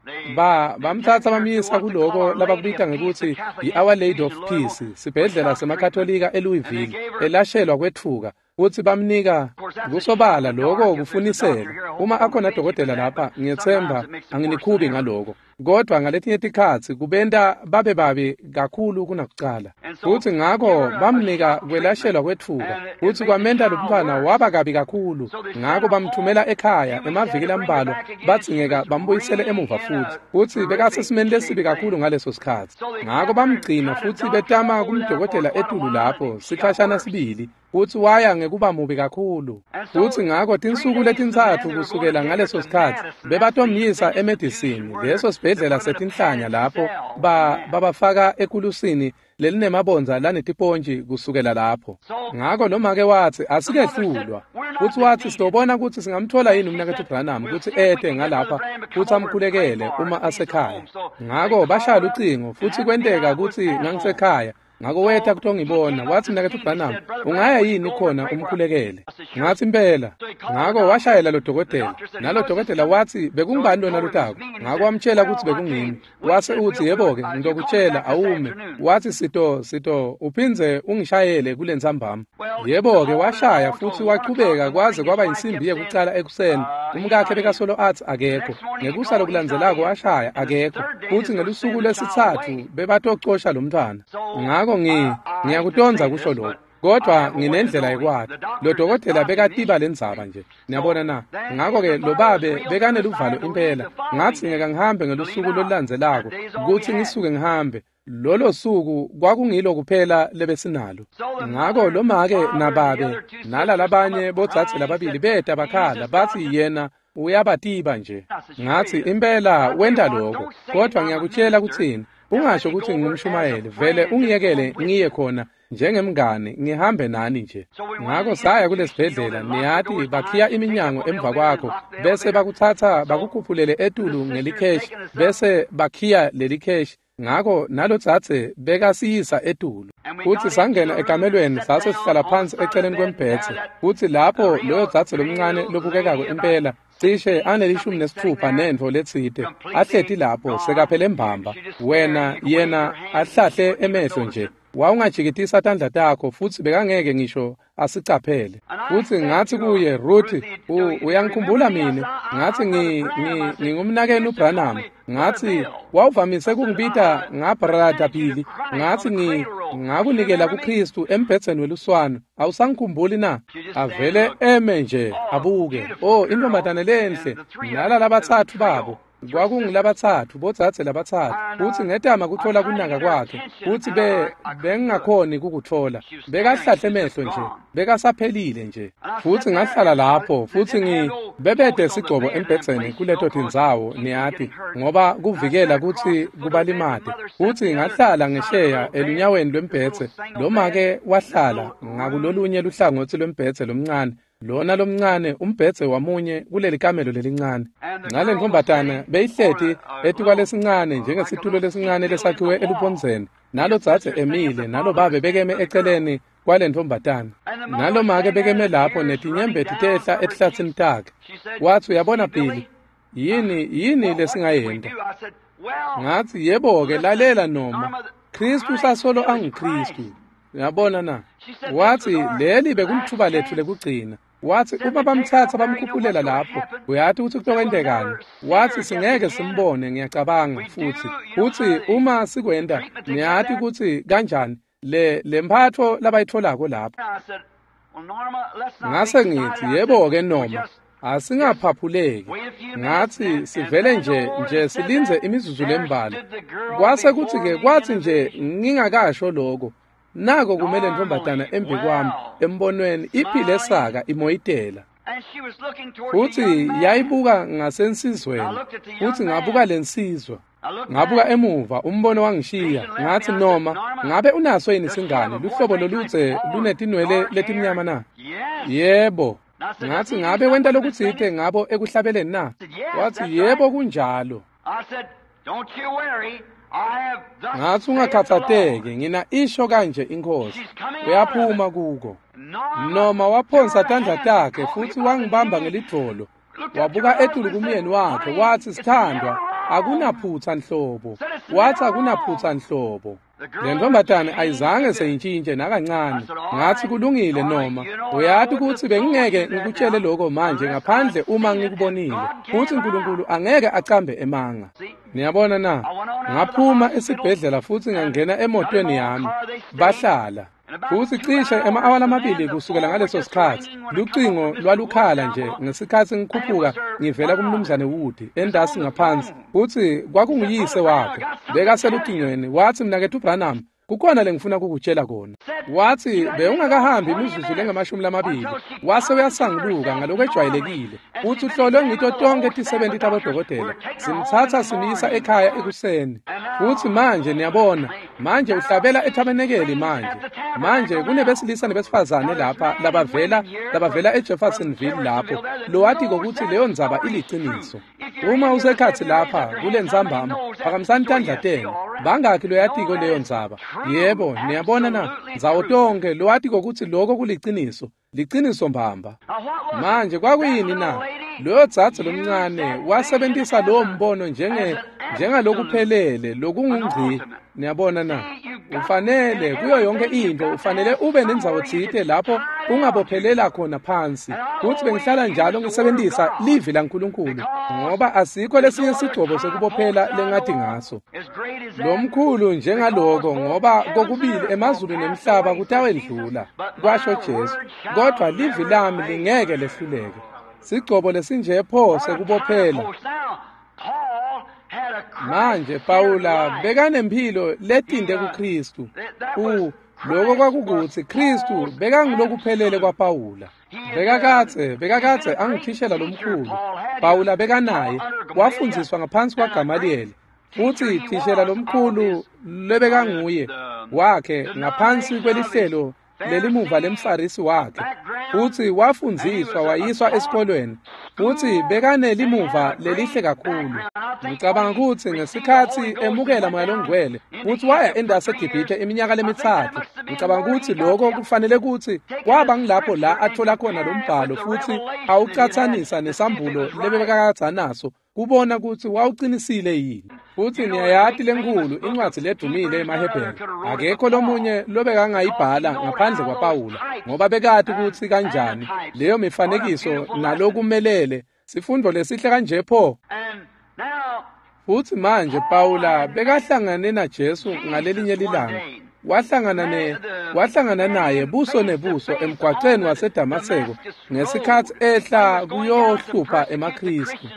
Bamthatha bamyisa kuloko labakubita ngekutsi i-Our Lady of Peace, sibhedlela semaKatolika eLouisville, elashelwa kwetfuka. Futsi bamnika kusobala lokho kufunisela. Uma akhona dokotela lapha, ngiyetsemba anginikhubi ngaloko. Kodwa ngaletinye tikhatsi kubenta babe babi kakhulu kunakucala. Futsi ngako bamnika kwelashelwa kwetfuka, futsi kwamenta lo mntfwana waba kabi kakhulu. Ngako bamthumela ekhaya emaviki lambalwa, badzingeka bambuyisele emuva futsi. Futsi bekasesimeni lesibi kakhulu ngaleso sikhatsi. Ngako bamgcina futsi betama kumdokotela etulu lapho sikhashana sibili. Futsi waya ngekuba mubi kakhulu. Futsi ngako tinsuku letintsatfu kusukela ngaleso sikhatsi bebatomyisa emedisini, leso sibhedlela setinhlanya lapho babafaka ekulusini lelinemabondza lanetipontji kusukela lapho. Ngako lomake watsi asikehlulwa. Futsi watsi sitobona kutsi singamthola yini umnaketfu Branham kutsi ete ngalapha futsi amkhulekele uma asekhaya. Ngako bashaya lucingo futsi kwenteka kutsi ngangisekhaya. Ngako weta kutongibona, watsi mnaketfu Branham, ungaya yini khona umkhulekele? Ngatsi impela. Ngako washayela lo dokotela, nalo dokotela watsi bekungubani lona lotako. Ngako wamtshela kutsi bekungimi. Wase utsi yebo-ke, ngitokutshela awume. Watsi sito uphindze ungishayele kulentsambama. Yebo-ke washaya futsi wachubeka kwaze kwaba insimbi yekucala ekuseni. Umkakhe bekasolo atsi akekho. Ngekusa lokulandzelako washaya akekho. Futsi ngelusuku lwesitsatfu bebatocosha lo mntfwana. Ngako ngiyakutondza kusho lokho, kodwa nginendlela yekwati. Lo dokotela bekatiba lendzaba nje, niyabona na. Ngako-ke lo babe bekaneluvalo impela. Ngatsi ngeke ngihambe ngelusuku lolulandzelako kutsi ngisuke ngihambe. Lolo suku kwakungilo kuphela lebesinalo. Ngako lo make nababe nala labanye bodzadze lababili beta bakhala batsi yena uyabatiba nje. Ngatsi impela wenta lokho, kodwa ngiyakutshela kutsini. Ungasho kutsi ngingumshumayeli, vele ungiyekele ngiye khona njengemngani, ngihambe nani nje. Ngako saya kulesibhedlela, niyati bakhiya iminyango emva kwakho, bese bakutsatsa bakukhuphulele etulu ngelikheshi, bese bakhiya lelikheshi. Ngako nalodzadze bekasiyisa etulu. Futsi sangena ekamelweni sase sihlala phansi eceleni kwembhedze. Futsi lapho loyo dzadze lomncane lobukekako impela cishe anelishumi nesitfupha nentfo letsite ahleti lapho sekaphele mbamba. Wena yena ahlahle emehlo nje. Wawungajikitisa tandla takho futsi bekangeke ngisho asicaphele. Futsi ngatsi kuye, Ruth, uyangikhumbula mine? Ngatsi ngingumnakenu Branham. Ngatsi wawuvamise kungibita ngaBrother Billy. Ngatsi ngakunikela kuKristu embhedzeni weluswane. Awusangikhumbuli na? Avele eme nje abuke. Oh, intombazane lenhle. Nala labatsatfu babo. Kwakungilabatsatfu, bodzadze labatsatfu. Futsi ngetama kutfola kunaka kwakhe, futsi bengingakhoni kukutfola. Bekahlahle emehlo nje, bekasaphelile nje. Futsi ngahlala lapho, futsi bebede sigcobo embhedzeni kuleto tindzawo, niyati, ngoba kuvikela kutsi kubalimate. Futsi ngahlala ngesheya elunyaweni lwembhedze, lomake wahlala ngakulolunye luhlangotsi lwembhedze lomncane. Lona lomncane umbhedze wamunye kuleli kamelo lelincane. Ngale ntombazana beyihleti etikwalesincane njengesitulo lesincane lesakhiwe elubondzeni. Nalo dzadze emile, nalo babe bekeme eceleni kwale ntombazana. Nalo make bekeme lapho netinyembeti tehla etihlatsini takhe. Watsi uyabona Billy, yini lesingayenta? Ngatsi yebo-ke lalela noma Kristu usasolo anguKristu. Uyabona na? Watsi leli bekulithuba letfu lekugcina. Watsi uma bamtsatsa bamkhuphulela lapho, uyati kutsi kutokwentekani? Watsi singeke simbone, ngiyacabanga futsi. Futsi uma sikwenta, niyati kutsi kanjani le mphatfo labayitfolako lapho. Ngase ngitsi yebo-ke noma asingaphaphuleki. Ngatsi sivele nje silindze imizuzu lembalwa. Kwase kutsi-ke kwatsi nje ngingakasho lokho, nako kumele ntombazana embi kwami embonweni iphile saka imoyitela. Futsi yayibuka ngasensizweni, futsi ngabuka lensizwa. Ngabuka emuva, umbono wangishiya. Ngatsi noma ngabe unaso yini singane luhlobo loludze lunetinwele letimnyama na? Yebo. Ngatsi ngabe wenta lokutsite ngabo ekuhlabeleni na? Watsi yebo kunjalo. Ngatsi ungakhatsateki, ngina isho kanje iNkhosi. Uyaphuma kuko. Noma waphonsa tandla takhe futsi wangibamba ngelidvolo. Wabuka etulu kumyeni wakhe watsi sithandwa. Akunaphutsa nhlobo. Wathi akunaphutsa nhlobo. Le ntombazane ayizange seyintshintshe nakancane. Ngathi kulungile noma uyati ukuthi bengingeke ngikutshele lokho manje ngaphandle uma ngikubonile. Futhi uNkulunkulu angeke acambe emanga. Niyabona na? Ngaphuma esibhedlela futhi ngangena emotweni yami. Bahlala. Futhi cishe ema-awa lamabili kusukela ngaleso sikhathi lucingo lwalukhala nje ngesikhathi ngikhuphuka ngivela kumnumzane Wood endasi ngaphansi, futhi kwakunguyise wakhe bekaselucingweni. Wathi, mnaketfu Branham, kukhona lengifuna kukutshela kona. Wathi bewungakahambi imizuzu lengamashumi lamabili wase uyasanguluka ngalokwejwayelekile, futhi uhlolwe ngito tonke tisebenti tabodokotela, simthatha simyisa ekhaya ekuseni. Futhi manje niyabona, manje uhlabela ethabenekeli manje kunebesilisa nebesifazane lapha labavela eJeffersonville lapho lowatiko kutsi leyo ndzaba iliciniso. Uma usekhatsi lapha kule ntsambama, phakamisani tandla tenu. Bangakhi loyatiko leyo ndzaba? Yebo, niyabona na? Ndzawo tonke lowatiko kutsi loko kuliciniso, liciniso mbamba. Manje kwakuyini na? Loyo dzadze lomncane wasebentisa lowo mbono njengalokuphelele lokungungci. Niyabona na? Ufanele kuyo yonke into ufanele ube nendzawo tsite lapho ungabophelela khona phansi. Futhi bengihlala njalo ngisebenzisa livi laNkulunkulu ngoba asikho lesinye sigcobo sekubophela lengathi ngaso. Lomkhulu njengaloko, ngoba kokubili emazulu nemhlaba kutawendlula, kwasho Jesu, kodwa livi lami lingeke lehluleke. Sigcobo lesinje pho sekubophela. Manje Pawula bekanempilo letinde kuKristu. Lokho kwakukuthi Kristu bekangilokuphelele kwaPawula. Bekakadze angithishela lomkhulu. Pawula bekanaye, wafundziswa ngaphansi kwaGamaliyeli. Futhi thishela lomkhulu lebekanguye wakhe ngaphansi kwelihlelo lelimuva lemfarisi wakhe, futhi wafundziswa wayiswa esikolweni, futhi bekanelimuva lelihle kakhulu. Ngicabanga ukuthi ngesikhathi emukela Moya Longcwele futhi waya endasi eGibhithe iminyaka lemithathu, ngicabanga ukuthi lokho kufanele ukuthi kwaba ngilapho la athola khona lo mbhalo futhi awucathanisa nesambulo lebekakadza naso kubona ukuthi wawuqinisile yini. Futhi niyayati lenkulu incwadi ledumile emaHebheru, akekho lomunye lobekangayibhala ngaphandle kwaPawula, ngoba bekati ukuthi kanjani leyo mifanekiso nalokumelele sifundo lesihle kanje pho. Futhi manje Pawula bekahlangane naJesu ngalelinye lilanga, wahlangana naye buso nebuso emgwaqeni waseDamaseko ngesikhathi ehla kuyohlupha emaKristu.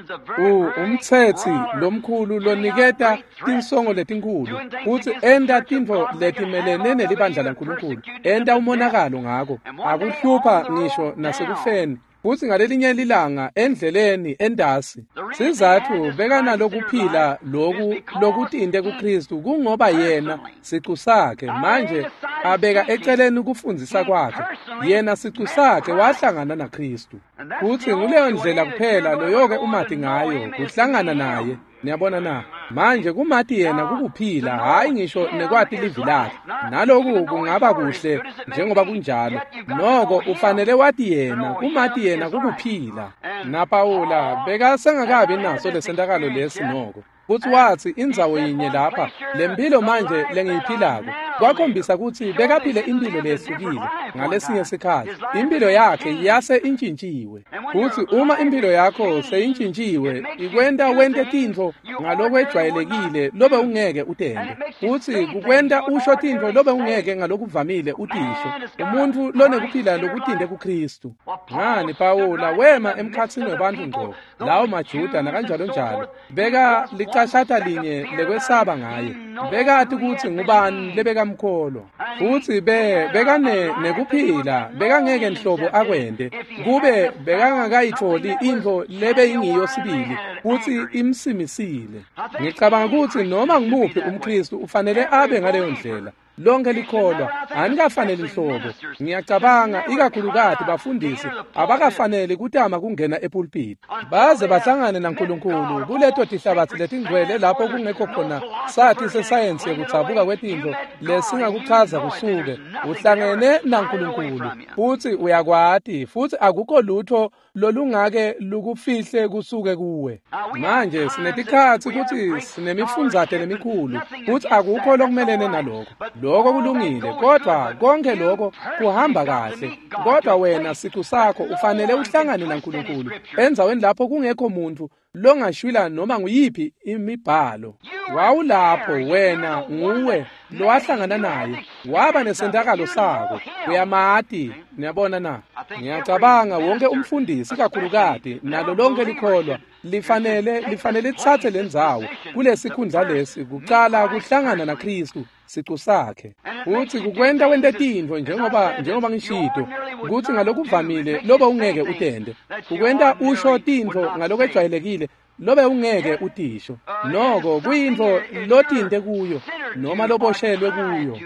Umthetsi lomkhulu loniketa tinsongo letinkhulu futhi enta tintfo letimelene nelibandla laNkulunkulu, enta umonakalo ngako, akuhlupha ngisho nasekufeni. Futhi ngalelinye lilanga endleleni endasi, sizathu bekanalokuphila loku lokutinte kuKristu kungoba yena sicu sakhe manje abeka eceleni kufundzisa kwakhe, yena sicu sakhe wahlangana naKristu. Futhi nguleyo ndlela kuphela loyoke umati ngayo, kuhlangana naye. Niyabona na? Manje kumati yena kukuphila, hhayi ngisho nekwati livi lakhe. Naloku kungaba kuhle njengoba kunjalo, noko ufanele wati yena, kumati yena kukuphila. NaPawula bekasengakabi naso lesentakalo lesi noko. Futhi wathi indzawo yinye lapha, lempilo manje lengiyiphilako, kwakhombisa ukuthi bekaphile impilo lehlukile ngalesinye sikhathi. Impilo yakhe yase intshintshiwe. Futhi uma impilo yakho seyintshintshiwe, ikwenta wente tintfo ngalokwejwayelekile lobe ungeke utente. Futhi kukwenta usho tintfo lobe ungeke ngalokuvamile utisho. Umuntfu lonekuphila lokutinde kuKristu. Ngani Pawula wema emkhatsini webantfu ngco, lawo maJuda nakanjalo njalo, beka licashata linye lekwesaba ngaye. Bekati kutsi ngubani lebekamkholwa. Futhi bekane nekuphila, bekangeke nhlobo akwente kube bekangakayitholi intfo lebeyingiyo sibili futhi imsimisile. Ngicabanga kutsi noma ngumuphi umKristu ufanele abe ngaleyo ndlela. Lonke likholwa anikafaneli nhlobo. Ngiyacabanga ikakhulukati bafundisi abakafaneli kutama kungena epulpiti baze bahlangane naNkulunkulu kuleto tihlabathi letingcwele lapho kungekho khona sathi sesayensi yekudzabuka kwetintfo lesingakuchaza kusuke. Uhlangene naNkulunkulu futhi uyakwati, futhi akukho lutho lolungake lukufihle kusuke kuwe. Manje sinetikhatsi kutsi sinemifundzate lemikhulu futhi akukho lokumelene naloko. Lokho kulungile, kodwa konke lokho kuhamba kahle. Kodwa wena sicu sakho ufanele uhlangane naNkulunkulu endzaweni lapho kungekho muntu longashwila noma nguyiphi imibhalo. Wawulapho wena, nguwe lowahlangana naye, waba nesentakalo sako, uyamati. Niyabona na? Ngiyacabanga wonke umfundisi kakhulukati nalo lonke likholwa lifanele litsatse lendzawo kulesikhundla lesi kucala kuhlangana naKristu sicu sakhe. Futhi kukwenta wente tintfo njengoba ngishito kutsi ngalokuvamile lobe ungeke utende, kukwenta usho tintfo ngalokwejwayelekile lobe ungeke utisho. Noko kuyintfo lotinte kuyo noma loboshelwe kuyo,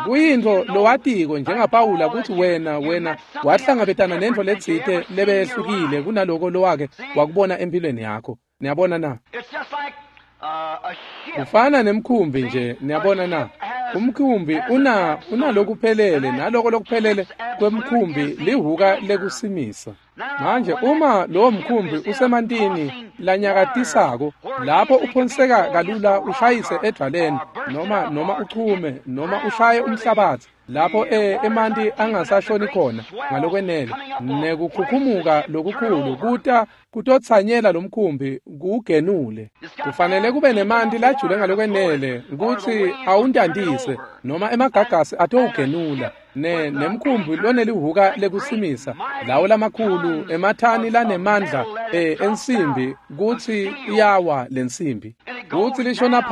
kuyintfo lowatiko njengaPawula kutsi wena wahlangabetana nentfo letsite lebehlukile kunaloko lowake wakubona empilweni yakho. Niyabona na? Kufana nemkhumbi nje. Niyabona na? Umkhumbi unalokuphelele, naloko lokuphelele kwemkhumbi lihuka lekusimisa. Manje uma lowo mkhumbi usemantini lanyakatisako lapho uphonseka kalula ushayise edvwaleni noma uchume noma ushaye umhlabathi lapho emanti angasashoni khona ngalokwenele, nekukhukhumuka lokukhulu kuta kutotsanyela lomkhumbi kuwugenule. Kufanele kube nemanti lajule ngalokwenele kutsi awuntantise noma emagagasi atowugenula. Nemkhumbi lonelihuka lekusimisa lawo lamakhulu emathani lanemandla ensimbi kutsi iyawa lensimbi kutsi lishona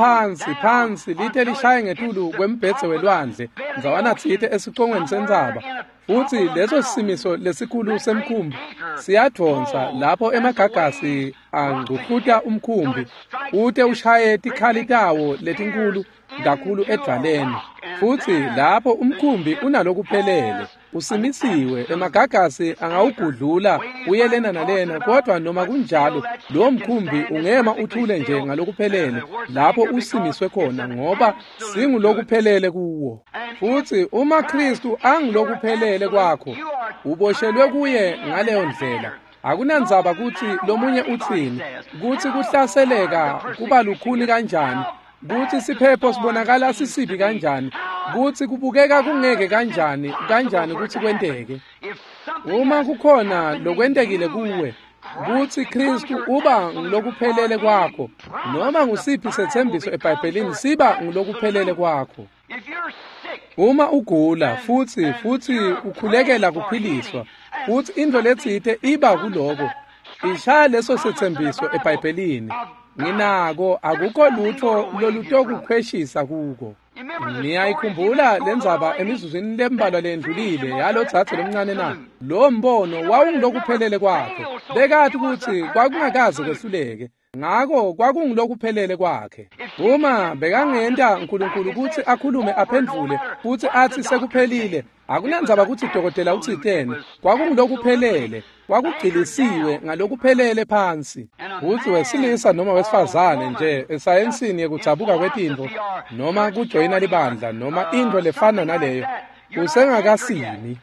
phansi lite lishaye ngetulu kwembhedze welwandle ndzawana tsite esicongweni sentsaba. Futhi leso simiso lesikhulu semkhumbi siyadvonsa lapho emagagasi angcuhluta umkhumbi ute ushaye tikhali tawo letinkulu kakhulu edvwaleni. Futhi lapho umkhumbi unalokuphelele usimisiwe, emagagasi angawugudlula uye lena nalena, kodwa noma kunjalo lo mkhumbi ungema uthule nje ngalokuphelele lapho usimiswe khona, ngoba singulokuphelele kuwo. Futhi uma Kristu angulokuphelele kwakho, uboshelwe kuye ngaleyo ndlela. Akunandzaba kutsi lomunye utsini, kutsi kuhlaseleka kuba lukhuni kanjani, kutsi siphepho sibonakala sisibi kanjani, kutsi kubukeka kungeke kanjani kutsi kwenteke. Uma kukhona lokwentekile kuwe, kutsi Kristu uba ngulokuphelele kwakho, noma ngusiphi setsembiso eBhayibhelini siba ngulokuphelele kwakho. Uma ugula futhi ukhulekela kuphiliswa, futhi intfo letsite iba kuloko, ishaya leso setsembiso eBhayibhelini. Nginako, akukho lutho lolutokukhweshisa kuko. Niyayikhumbula lendzaba emizuzwini lembalwa lendlulile yalodzadze lomncane na? Lo mbono wawungulokuphelele kwakhe. Bekati kutsi kwakungakaze kwehluleke, ngako kwakungulokuphelele kwakhe. Uma bekangenta uNkulunkulu kutsi akhulume aphendvule futsi atsi sekuphelile, akunandzaba kutsi dokotela utsiteni, kwakungulokuphelele, kwakugcilisiwe ngalokuphelele phansi. Kutsi wesilisa noma wesifazane nje esayensini yekudzabuka kwetintfo noma kujoyina libandla noma intfo lefana naleyo, usengakasimi.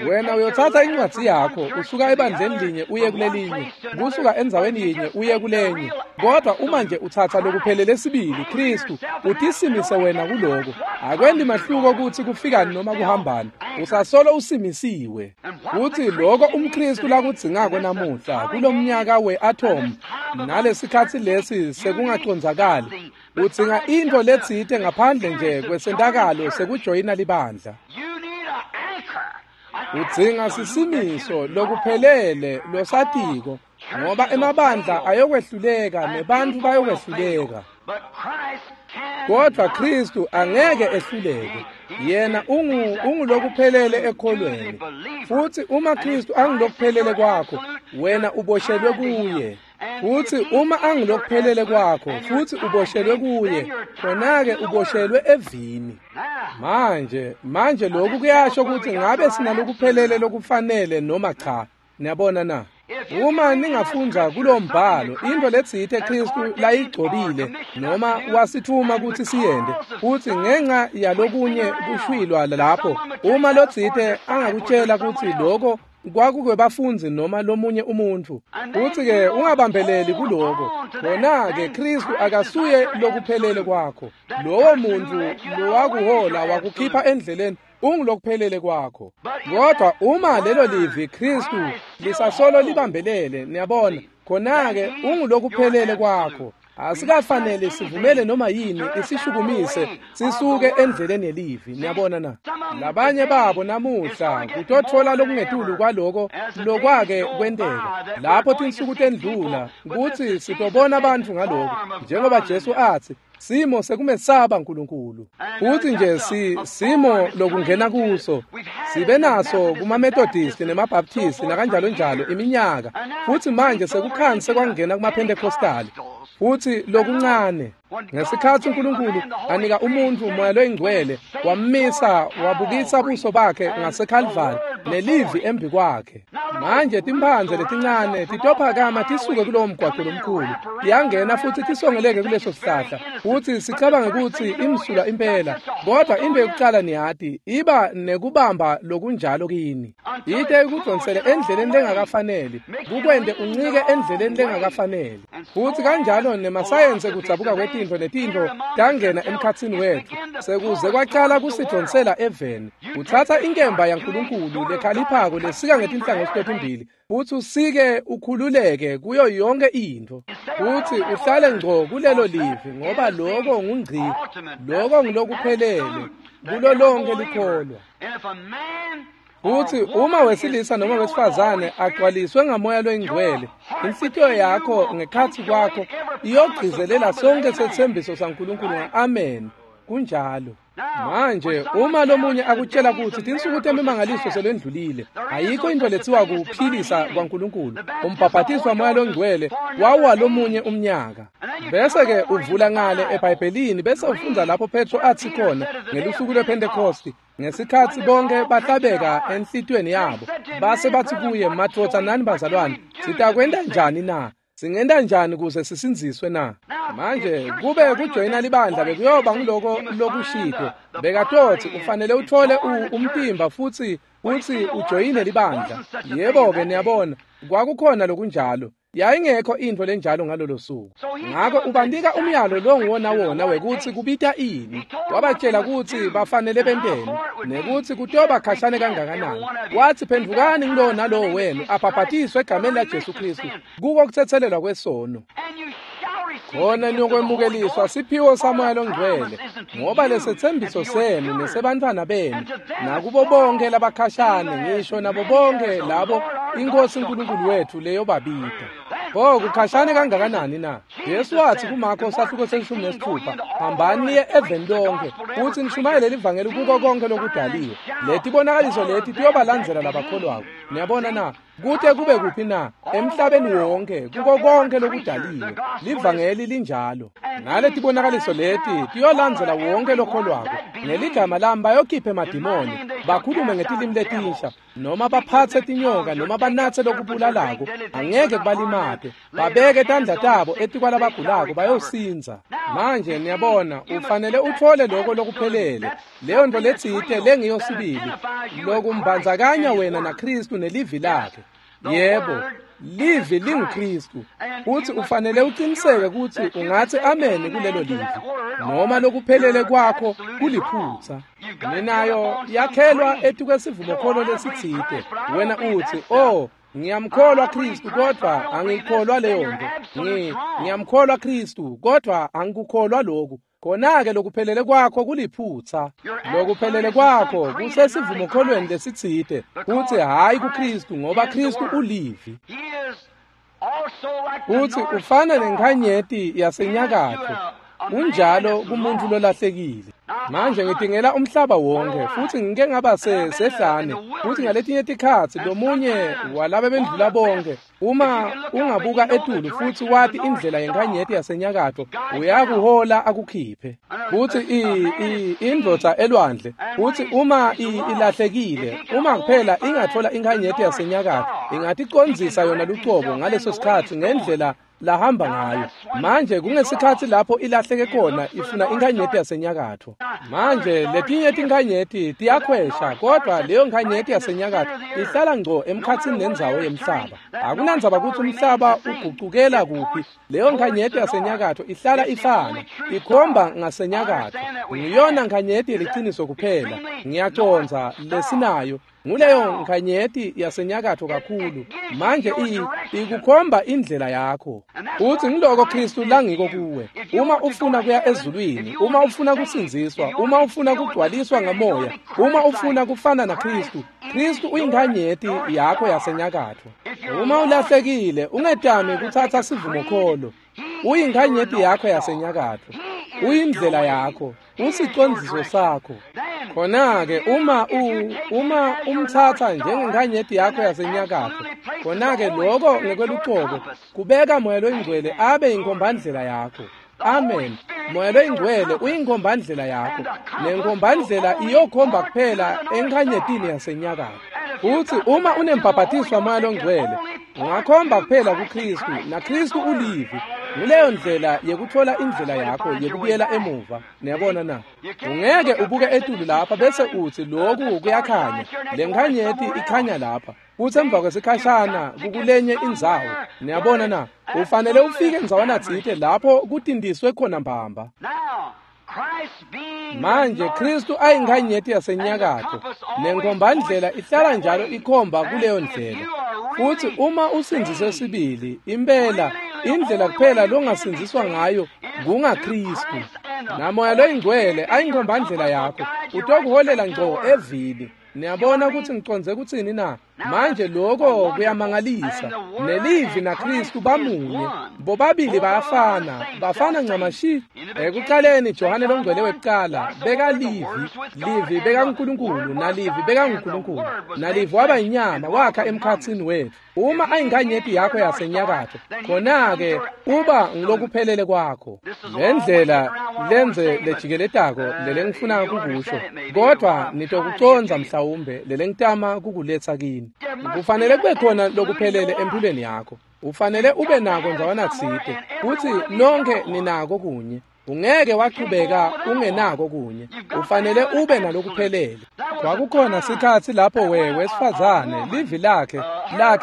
Wena uyotsatsa incwadzi yakho usuka ebandleni linye uye kulelinye, kusuka endzaweni yinye uye kulenye, kodwa uma nje utsatsa lokuphelele sibili Kristu, utisimise wena kuloko. Akwendi mahluko kutsi kufikani noma kuhambani, usasolo usimisiwe. Kutsi loko umKristu lakudzingako namuhla kulomnyaka we-atom nalesikhatsi lesi sekungacondzakali, udzinga intfo letsite ngaphandle nje kwesentakalo sekujoyina libandla. Udzinga sisimiso lokuphelele losatiko, ngoba emabandla ayokwehluleka nebantfu bayokwehluleka. Kodwa Kristu angeke ehluleke. Yena ungulokuphelele ekholweni. Futhi uma Kristu angulokuphelele kwakho, wena uboshelwe kuye. Futhi uma angilokuphelele kwakho futhi uboshelwe kuye, khona-ke uboshelwe evini. Manje lokhu kuyasho ukuthi ngabe sinalokuphelele lokufanele noma cha. Niyabona na? Uma ningafundza kulo mbhalo into letsite Kristu layigcobile noma wasithuma ukuthi siyende, futhi ngenxa yalokunye kushwilwa lapho, uma lotsite angakutshela ukuthi lokho kwakukwebafundi noma lomunye umuntu, futhi-ke ungabambeleli kuloko, khona-ke Kristu akasuye lokuphelele kwakho. Lowo muntu lowakuhola wakukhipha endleleni ungulokuphelele kwakho. Kodwa uma lelo livi Kristu lisasolo libambelele, niyabona, khona-ke ungulokuphelele kwakho. Asikafanele sivumele noma yini isishukumise sisuke endleleni yelivi. Niyabona na? Labanye babo namuhla kutothola lokungetulu kwaloko lokwake kwenteka lapho tinsuku tendlula, kutsi sitobona abantu ngaloko, njengoba Jesu athi simo sekumesaba uNkulunkulu. Futhi nje simo lokungena kuso sibe naso kuma-Methodist nema-Baptist nakanjalo njalo iminyaka, futhi manje sekukhanse kwangena kuma-Pentecostal. Futhi lokuncane ngesikhathi uNkulunkulu anika umuntu umoya loyingcwele, wammisa wabukisa buso bakhe ngaseKalvari nelivi embi kwakhe. Manje timphandze letincane titophakama tisuke kulowo mgwaqo lomkhulu, tiyangena futhi tisongeleke kuleso sihlahla, futhi sicabange ukuthi imsulwa impela. Kodwa into yokucala niyati iba nekubamba lokunjalo kini, ite ikudonsele endleleni lengakafaneli, kukwente uncike endleleni lengakafaneli. Futhi kanjalo nemasayensi kudzabuka kwetintfo netintfo tangena emkhatsini wethu, sekuze kwacala kusidonsela eveni. Utsatsa inkemba yaNkulunkulu lekhaliphako lesika ngetinhlangothi totimbili, futhi usike ukhululeke kuyo yonke intfo, futhi uhlale ngco kulelo livi, ngoba lokho ngungci, lokho ngilokuphelele kulo lonke likholwa. Futhi uma wesilisa noma wesifazane agcwaliswe ngamoya loyingcwele, inhlitiyo yakho ngekhatsi kwakho iyogcizelela sonke sethembiso saNkulunkulu nga-amen. Kunjalo. Manje uma lomunye akutshela ukuthi tinsuku temimangaliso selendlulile, ayikho into letsiwa kuphilisa kwaNkulunkulu, umbhabhatiso wamoya longcwele wawuwa lomunye umnyaka. Bese-ke uvula ngale eBhayibhelini bese ufundza lapho Petro athi khona ngelusuku lwePhentekosti, ngesikhatsi bonke bahlabeka enhlitiyweni yabo, base bathi kuye, madvodza nani bazalwane, sitakwenta njani na? Singenta njani kuze sisindziswe na? Manje kube kujoyina libandla bekuyoba ngiloko lokushito, bekatothi ufanele uthole umtimba futhi ujoyine libandla. Yebo-ke niyabona, kwakukhona lokunjalo. Yayingekho intfo lenjalo ngalolo suku. Ngakho ubanika umyalo longuwona wona wekuthi kubita ini. Wabatshela ukuthi bafanele benteni nekuthi kutoba khashane kangakanani. Wathi phendvukani ngulowo nalowo wenu abhabhatiswe egameni laJesu Kristu kuko kuthethelelwa kwesono, khona niyokwemukeliswa siphiwo samoya longcwele, ngoba lesethembiso senu nesebantfwana benu nakubo bonke labakhashane, ngisho nabo bonke labo iNkosi uNkulunkulu wethu leyobabita. Pho kukhashane kangakanani na? Jesu wathi kuMarko sahluko se-16, hambani niye eveni lonke futhi nishumayele livangeli kuko konke lokudaliwe. Letibonakaliso leti tiyobalandzela labakholwako. Niyabona na? Kute kube kuphi na? Emhlabeni wonke, kuko konke lokudaliwe. Livangeli linjalo. Naletibonakaliso leti tiyolandzela wonke lokholwako. Ngeligama lami bayokhipha emadimoni, bakhulume ngetilimi letinsha, noma baphatse tinyoka noma banatse lokubulalako, angeke kubalimate. Babeke tandla tabo etikwalabagulako bayosindza. Manje niyabona, ufanele uthole lokho lokuphelele, leyo nto letsite lengiyo sibili, lokumbandzakanya wena naKristu nelivi lakhe. Yebo, livi linguKristu, futhi ufanele uqiniseke ukuthi ungathi amen kulelo livi, noma lokuphelele kwakho kuliphutha. Ninayo yakhelwa etukwesivumokholo lesitsite. Wena uthi, oh, ngiyamkholwa Kristu kodwa angikholwa leyo nto. Ngiyamkholwa Kristu kodwa angikukholwa lokhu. Khona-ke lokuphelele kwakho kuliphutha. Lokuphelele kwakho kusesivumokholweni lesitsite, futhi hhayi kuKristu, ngoba Kristu ulivi. Futhi ufana nenkhanyeti yasenyakatfo, unjalo kumuntu lolahlekile. Manje ngidingela umhlaba wonke, futhi ngike ngaba sehlane, futhi ngaletinye tikhatsi lomunye walaba bendlula bonke Uma ungabuka etulu futhi wati indlela yenkhanyeti yasenyakatfo, uyakuhola akukhiphe. Futhi indvodza elwandle, futhi uma ilahlekile, uma kuphela ingathola inkhanyeti yasenyakatfo, ingaticondzisa yona lucobo ngaleso sikhatsi ngendlela lahamba ngayo. Manje kungesikhatsi lapho ilahleke khona ifuna inkhanyeti yasenyakatfo. Manje letinye tinkhanyeti tiyakhwesha, kodwa leyo nkhanyeti yasenyakatfo ihlala ngco emkhatsini nendzawo yemhlaba. Akunandzaba kutsi umhlaba ugucukela kuphi, leyo nkhanyeti yasenyakatfo ihlala ifana, ikhomba ngasenyakatfo. Ngiyona nkhanyeti yeliciniso kuphela, ngiyacondza lesinayo. Nguleyo nkhanyeti yasenyakatfo kakhulu. Manje ikukhomba indlela yakho. Uthi ngiloko Kristu langiko kuwe. Uma ufuna kuya ezulwini, uma ufuna kusindziswa, uma ufuna kugcwaliswa ngamoya, uma ufuna kufana naKristu, Kristu uyinkhanyeti yakho yasenyakatfo. Uma ulahlekile, ungetami kutsatsa sivumokholo. Uyinkhanyeti yakho yasenyakatfo. Uyindlela yakho, usicondziso sakho. Khona-ke uma umtsatsa njengenkhanyeti yakho yasenyakatfo, khona-ke loko ngekwelucobo kubeka Moya Loyingcwele abe yinkhombandlela yakho. Amen. Moya Loyingcwele uyinkombandlela yakho, nenkombandlela iyokhomba kuphela enkhanyetini yasenyakatfo. Futhi uma unembhabhatiso waMoya Longcwele, ungakhomba kuphela kuKristu, naKristu ulivi. Nguleyo ndlela yekuthola indlela yakho yekubuyela emuva. Niyabona na? Ungeke ubuke etulu lapha bese uthi lokhu kuyakhanya, le nkhanyeti ikhanya lapha, futhi emva kwesikhashana kukulenye indzawo. Niyabona na? Ufanele ufike ndzawana tsite lapho kutindiswe khona mbamba. Manje Kristu ayinkhanyeti yasenyakatfo, nenkombandlela ihlala njalo ikhomba kuleyo ndlela. Futhi uma usindziswe sibili, impela indlela kuphela longasindziswa ngayo kungaKristu. NaMoya Loyingcwele ayinkombandlela yakho, utokuholela ngco evini. Niyabona ukuthi ngicondze kutsini na? Manje lokho kuyamangalisa. Nelivi naKristu bamunye, bobabili bayafana, bafana ncamashi. Ekuqaleni Johane Longcwele wekuqala bekalivi, livi bekaNkulunkulu, nalivi bekaNkulunkulu, nalivi waba inyama wakha emkhatsini wethu. Uma ayinkhanyeti yakho yasenyakatfo, khona-ke uba ngilokuphelele kwakho. Le ndlela lenze lejikeletako lelengifuna kukusho, kodwa nitokucondza mhlawumbe lelengitama kukuletsa kini. Kufanele kube khona lokuphelele empilweni yakho. Ufanele ube nako ndzawana tsite, kutsi nonke ninako kunye. Ungeke wachubeka ungenako kunye. Ufanele ube nalokuphelele. Kwakukhona sikhatsi lapho wesifazane livi lakhe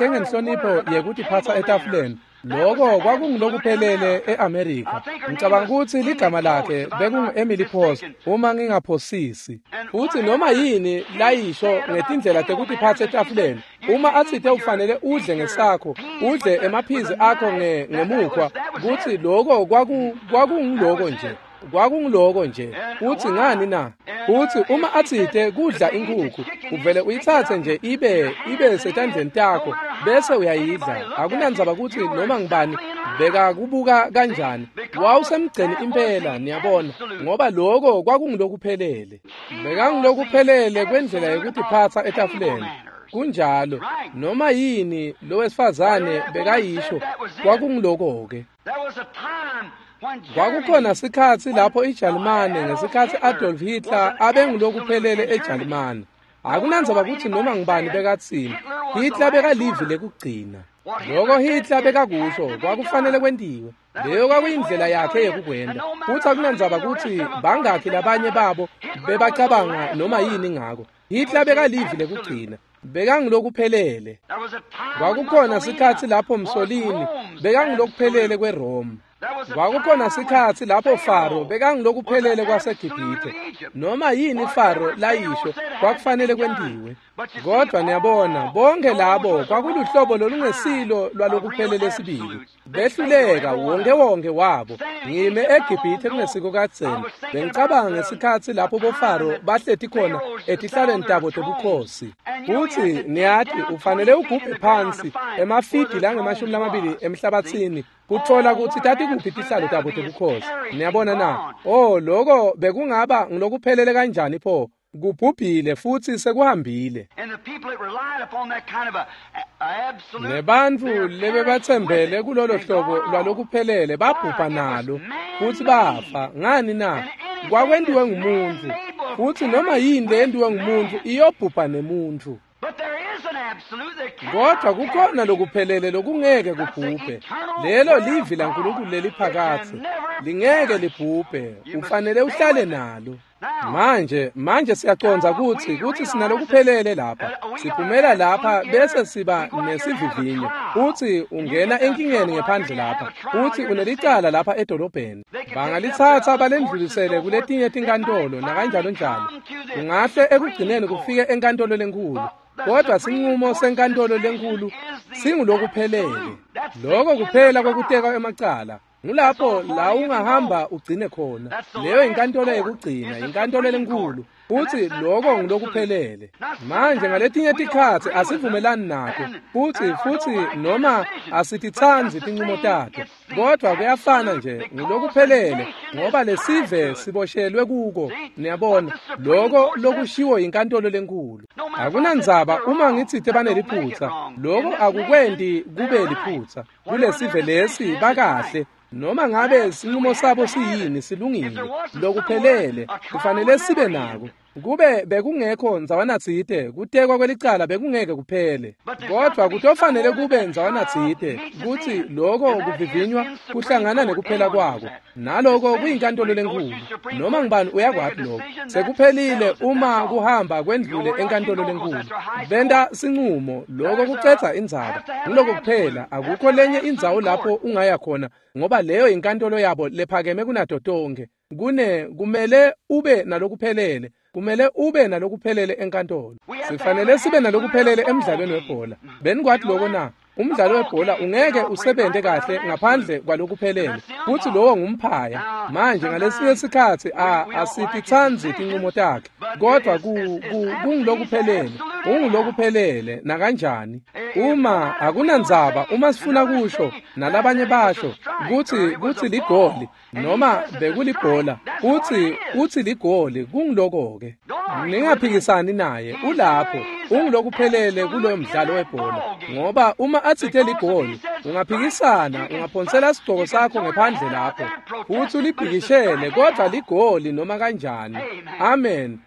ngenhlonipho yekutiphatsa etafuleni. Loko kwakungilokuphelele eAmerika. Ngicabanga ukuthi ligama lakhe bekungu-Emily Post, uma ngingaphosisi. Futhi noma yini layisho ngetindlela tekutiphatsa etafuleni, uma atsite ufanele udle ngesakho, udle emaphizi akho ngemukhwa, kutsi loko kwakungiloko nje. Kwakungiloko nje. Uthi ngani na? Uthi uma atsite kudla inkukhu, uvele uyitsatse nje ibe setandleni takho bese uyayidla. Akunandzaba ukuthi noma ngibani bekakubuka kanjani. Wawusemgceni impela, niyabona, ngoba loko kwakungilokuphelele. Bekangilokuphelele kwendlela yekutiphatsa etafuleni. Kunjalo, noma yini lowesifazane bekayisho kwakungiloko-ke. Kwakukhona sikhatsi lapho iJalimane ngesikhatsi Adolf Hitler abengulokuphelele eJalimane. Akunandzaba kutsi noma ngibani bekatsini, Hitler bekalivi lekugcina. Loko Hitler bekakusho kwakufanele kwentiwe. Leyo kwakuyindlela yakhe yekukwenta. Futsi akunandzaba kutsi bangakhi labanye babo bebacabanga noma yini ngako. Hitler bekalivi lekugcina. Bekangulokuphelele. Kwakukhona sikhatsi lapho Mussolini bekangulokuphelele kweRome. Kwakukhona sikhatsi lapho Faro bekangilokuphelele kwaseGibhithe. Noma yini Faro layisho kwakufanele kwentiwe. Kodwa niyabona, bonke labo kwakuluhlobo lolungesilo lwalokuphelele sibili. Behluleka wonke wonke wabo. Ngime eGibhithe kungesiko kadzeni. Bengicabanga ngesikhatsi lapho boFaro bahleti khona etihlalweni tabo tebukhosi. Futhi niyati ufanele ugubhe phansi emafidi langama-20 emhlabatsini kuthola kutsi tatikuphi tihlalo tabo tebukhosi. Niyabona na? Oh, loko bekungaba ngilokuphelele kanjani pho? Kubhubhile futhi sekuhambile. Nebantfu lebebatsembele kulolo hlobo lwalokuphelele babhubha nalo futhi bafa. Ngani na? Kwakwentiwe ngumuntu, futhi noma yini leyentiwe ngumuntu iyobhubha nemuntu. Kodwa kukhona lokuphelele lokungeke kubhubhe. Lelo livi laNkulunkulu leliphakathe, lingeke libhubhe, ufanele uhlale nalo. Manje siyacondza kutsi sinalokuphelele lapha. Siphumela lapha bese siba nesivivinyo. Uthi ungena enkingeni ngephandle lapha. Uthi unelicala lapha edolobheni. Bangalitsatsa balendlulisele kuletinye tinkantolo nakanjalo njalo. Ungahle ekugcineni kufike enkantolo lenkulu. Kodwa sinqumo senkantolo lenkulu singulokuphelele. Lokho kuphela kwekuteka emacala. Ngulapho la ungahamba ugcine khona. Leyo inkantolo yekugcina, inkantolo lenkulu. Futhi lokho ngilokuphelele. Manje ngaletinye tikhatsi asivumelani nato. Futhi noma asititsandzi tinqumo tato. Kodwa kuyafana nje ngilokuphelele ngoba lesive siboshelwe kuko. Niyabona, lokho lokushiwo inkantolo lenkulu. Akunandzaba uma ngitsite baneliphutsa, lokho akukwenti kube liphutsa. Kulesive lesi bakahle. Noma ngabe sinqumo sabo siyini silungile, lokuphelele kufanele sibe nako. Kube bekungekho ndzawanatsite, kutekwa kwelicala bekungeke kuphele. Kodwa kutofanele kube ndzawanatsite kutsi lokho kuvivinywa kuhlangana nekuphela kwako. Naloko kuyinkantolo lenkulu. Noma ngubani uyakwati lokho. Sekuphelile uma kuhamba kwendlule enkantolo lenkulu. Benta sinqumo, lokho kucedza indzaba. Ngiloko kuphela, akukho lenye indzawo lapho ungaya khona ngoba leyo inkantolo yabo lephakeme kunato tonkhe. Kumele ube nalokuphelele. Kumele ube nalokuphelele enkantolo. Sifanele sibe nalokuphelele emdlalweni webhola. Benikwati lokho na? Umdlalo webhola ungeke usebente kahle ngaphandle kwalokuphelele. Futhi lowo ngumphaya. Manje ngalesinye sikhatsi asititsandzi tinqumo takhe. Kodwa kungulokuphelele. Ungulokuphelele nakanjani. Uma akunandzaba uma sifuna kusho nalabanye basho kutsi ligoli noma bekulibhola uthi ligoli kungiloko-ke. Ningaphikisani naye, ulapho ungilokuphelele kuloyo mdlalo webhola. Ngoba uma atsite ligoli ungaphikisana, ungaphonsela sigcoko sakho ngephandle lapho futhi uliphikishele, kodwa ligoli noma kanjani. Amen.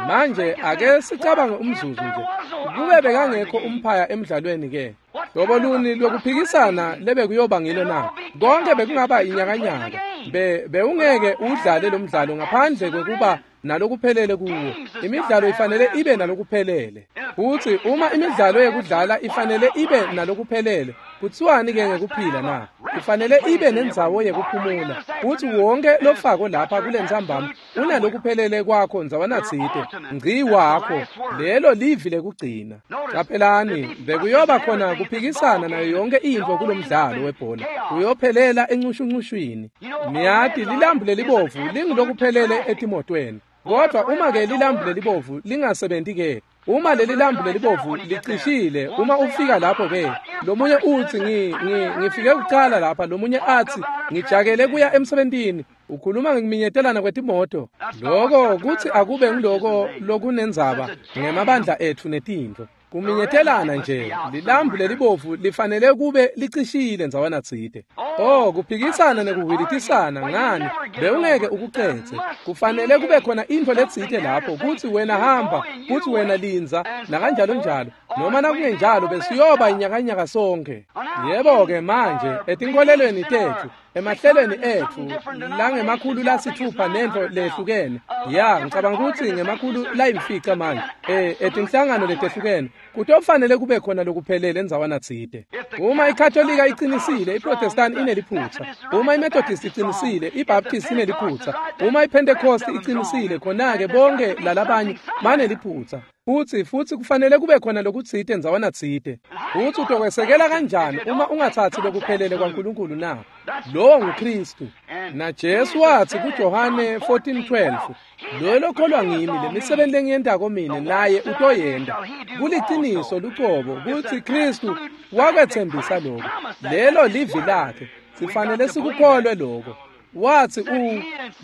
Manje ake sicabange umzuzu nje. Kube bekangekho umphaya emdlalweni ke, hlobo luni lwekuphikisana lebekuyoba ngilo na? Konke bekungaba inyakanyaka. Bewungeke udlale lo mdlalo ngaphandle kwekuba nalokuphelele kuwo. Imidlalo ifanele ibe nalokuphelele. Futhi uma imidlalo yekudlala ifanele ibe nalokuphelele, kutsiwani ke ngekuphila na? Ifanele ibe nendzawo yekuphumula. Futhi wonke lofako lapha kule ntsambama unalokuphelele kwakho ndzawanatsite, ngci wakho. Lelo livi lekugcina. Caphelani, bekuyoba khona kuphikisana nayo yonke intfo kulomdlalo webhola. Uyophelela encushuncushwini. Niyati lilambu lelibovu lingulokuphelele etimotweni. Kodwa uma ke lilambu lelibovu lingasebenti ke, uma leli lambu lelibovu licishile, uma ufika lapho ke, lomunye utsi ngifike kucala lapha, lomunye atsi ngijakele kuya emsebentini. Ukhuluma ngekuminyetelana kwetimoto. Lokho kutsi akube ngiloko lokunendzaba ngemabandla etfu netintfo. Kuminyetelana nje, lilambu lelibovu lifanele kube licishile ndzawanatsite. Oh, kuphikisana nekuhwilitisana ngani, bewungeke ukucedze. Kufanele kube khona intfo letsite lapho kutsi wena hamba, kutsi wena lindza, nakanjalo njalo. Noma nakungenjalo besiyoba inyakanyaka sonke. Yebo-ke manje, etinkolelweni tetfu, emahlelweni etfu langemakhulu lasithupha nentfo lehlukene. Ya, ngicabanga kutsi ngemakhulu layimfica manje. Etinhlangano letehlukene kutofanele kube khona lokuphelele ndzawanatsite. Uma iKatolika iqinisile, iProtestant ineliphutsa. Uma iMethodist iqinisile, iBaptist ineliphutsa. Uma iPentecost iqinisile, khona-ke bonke lalabanye baneliphutsa. Futhi kufanele kube khona lokutsite ndzawanatsite. Futhi utokwesekela kanjani uma ungatsatsi lokuphelele kwaNkulunkulu na? Lowo nguKristu. Na Jesu watsi kuJohane 14:12, loyo lokholwa ngimi, lemisebenti lengiyentako mine naye utoyenta. Kuliciniso lucobo kutsi Kristu wakwetsembisa lokho. Lelo livi lakhe. Sifanele sikukholwe lokho. Wathi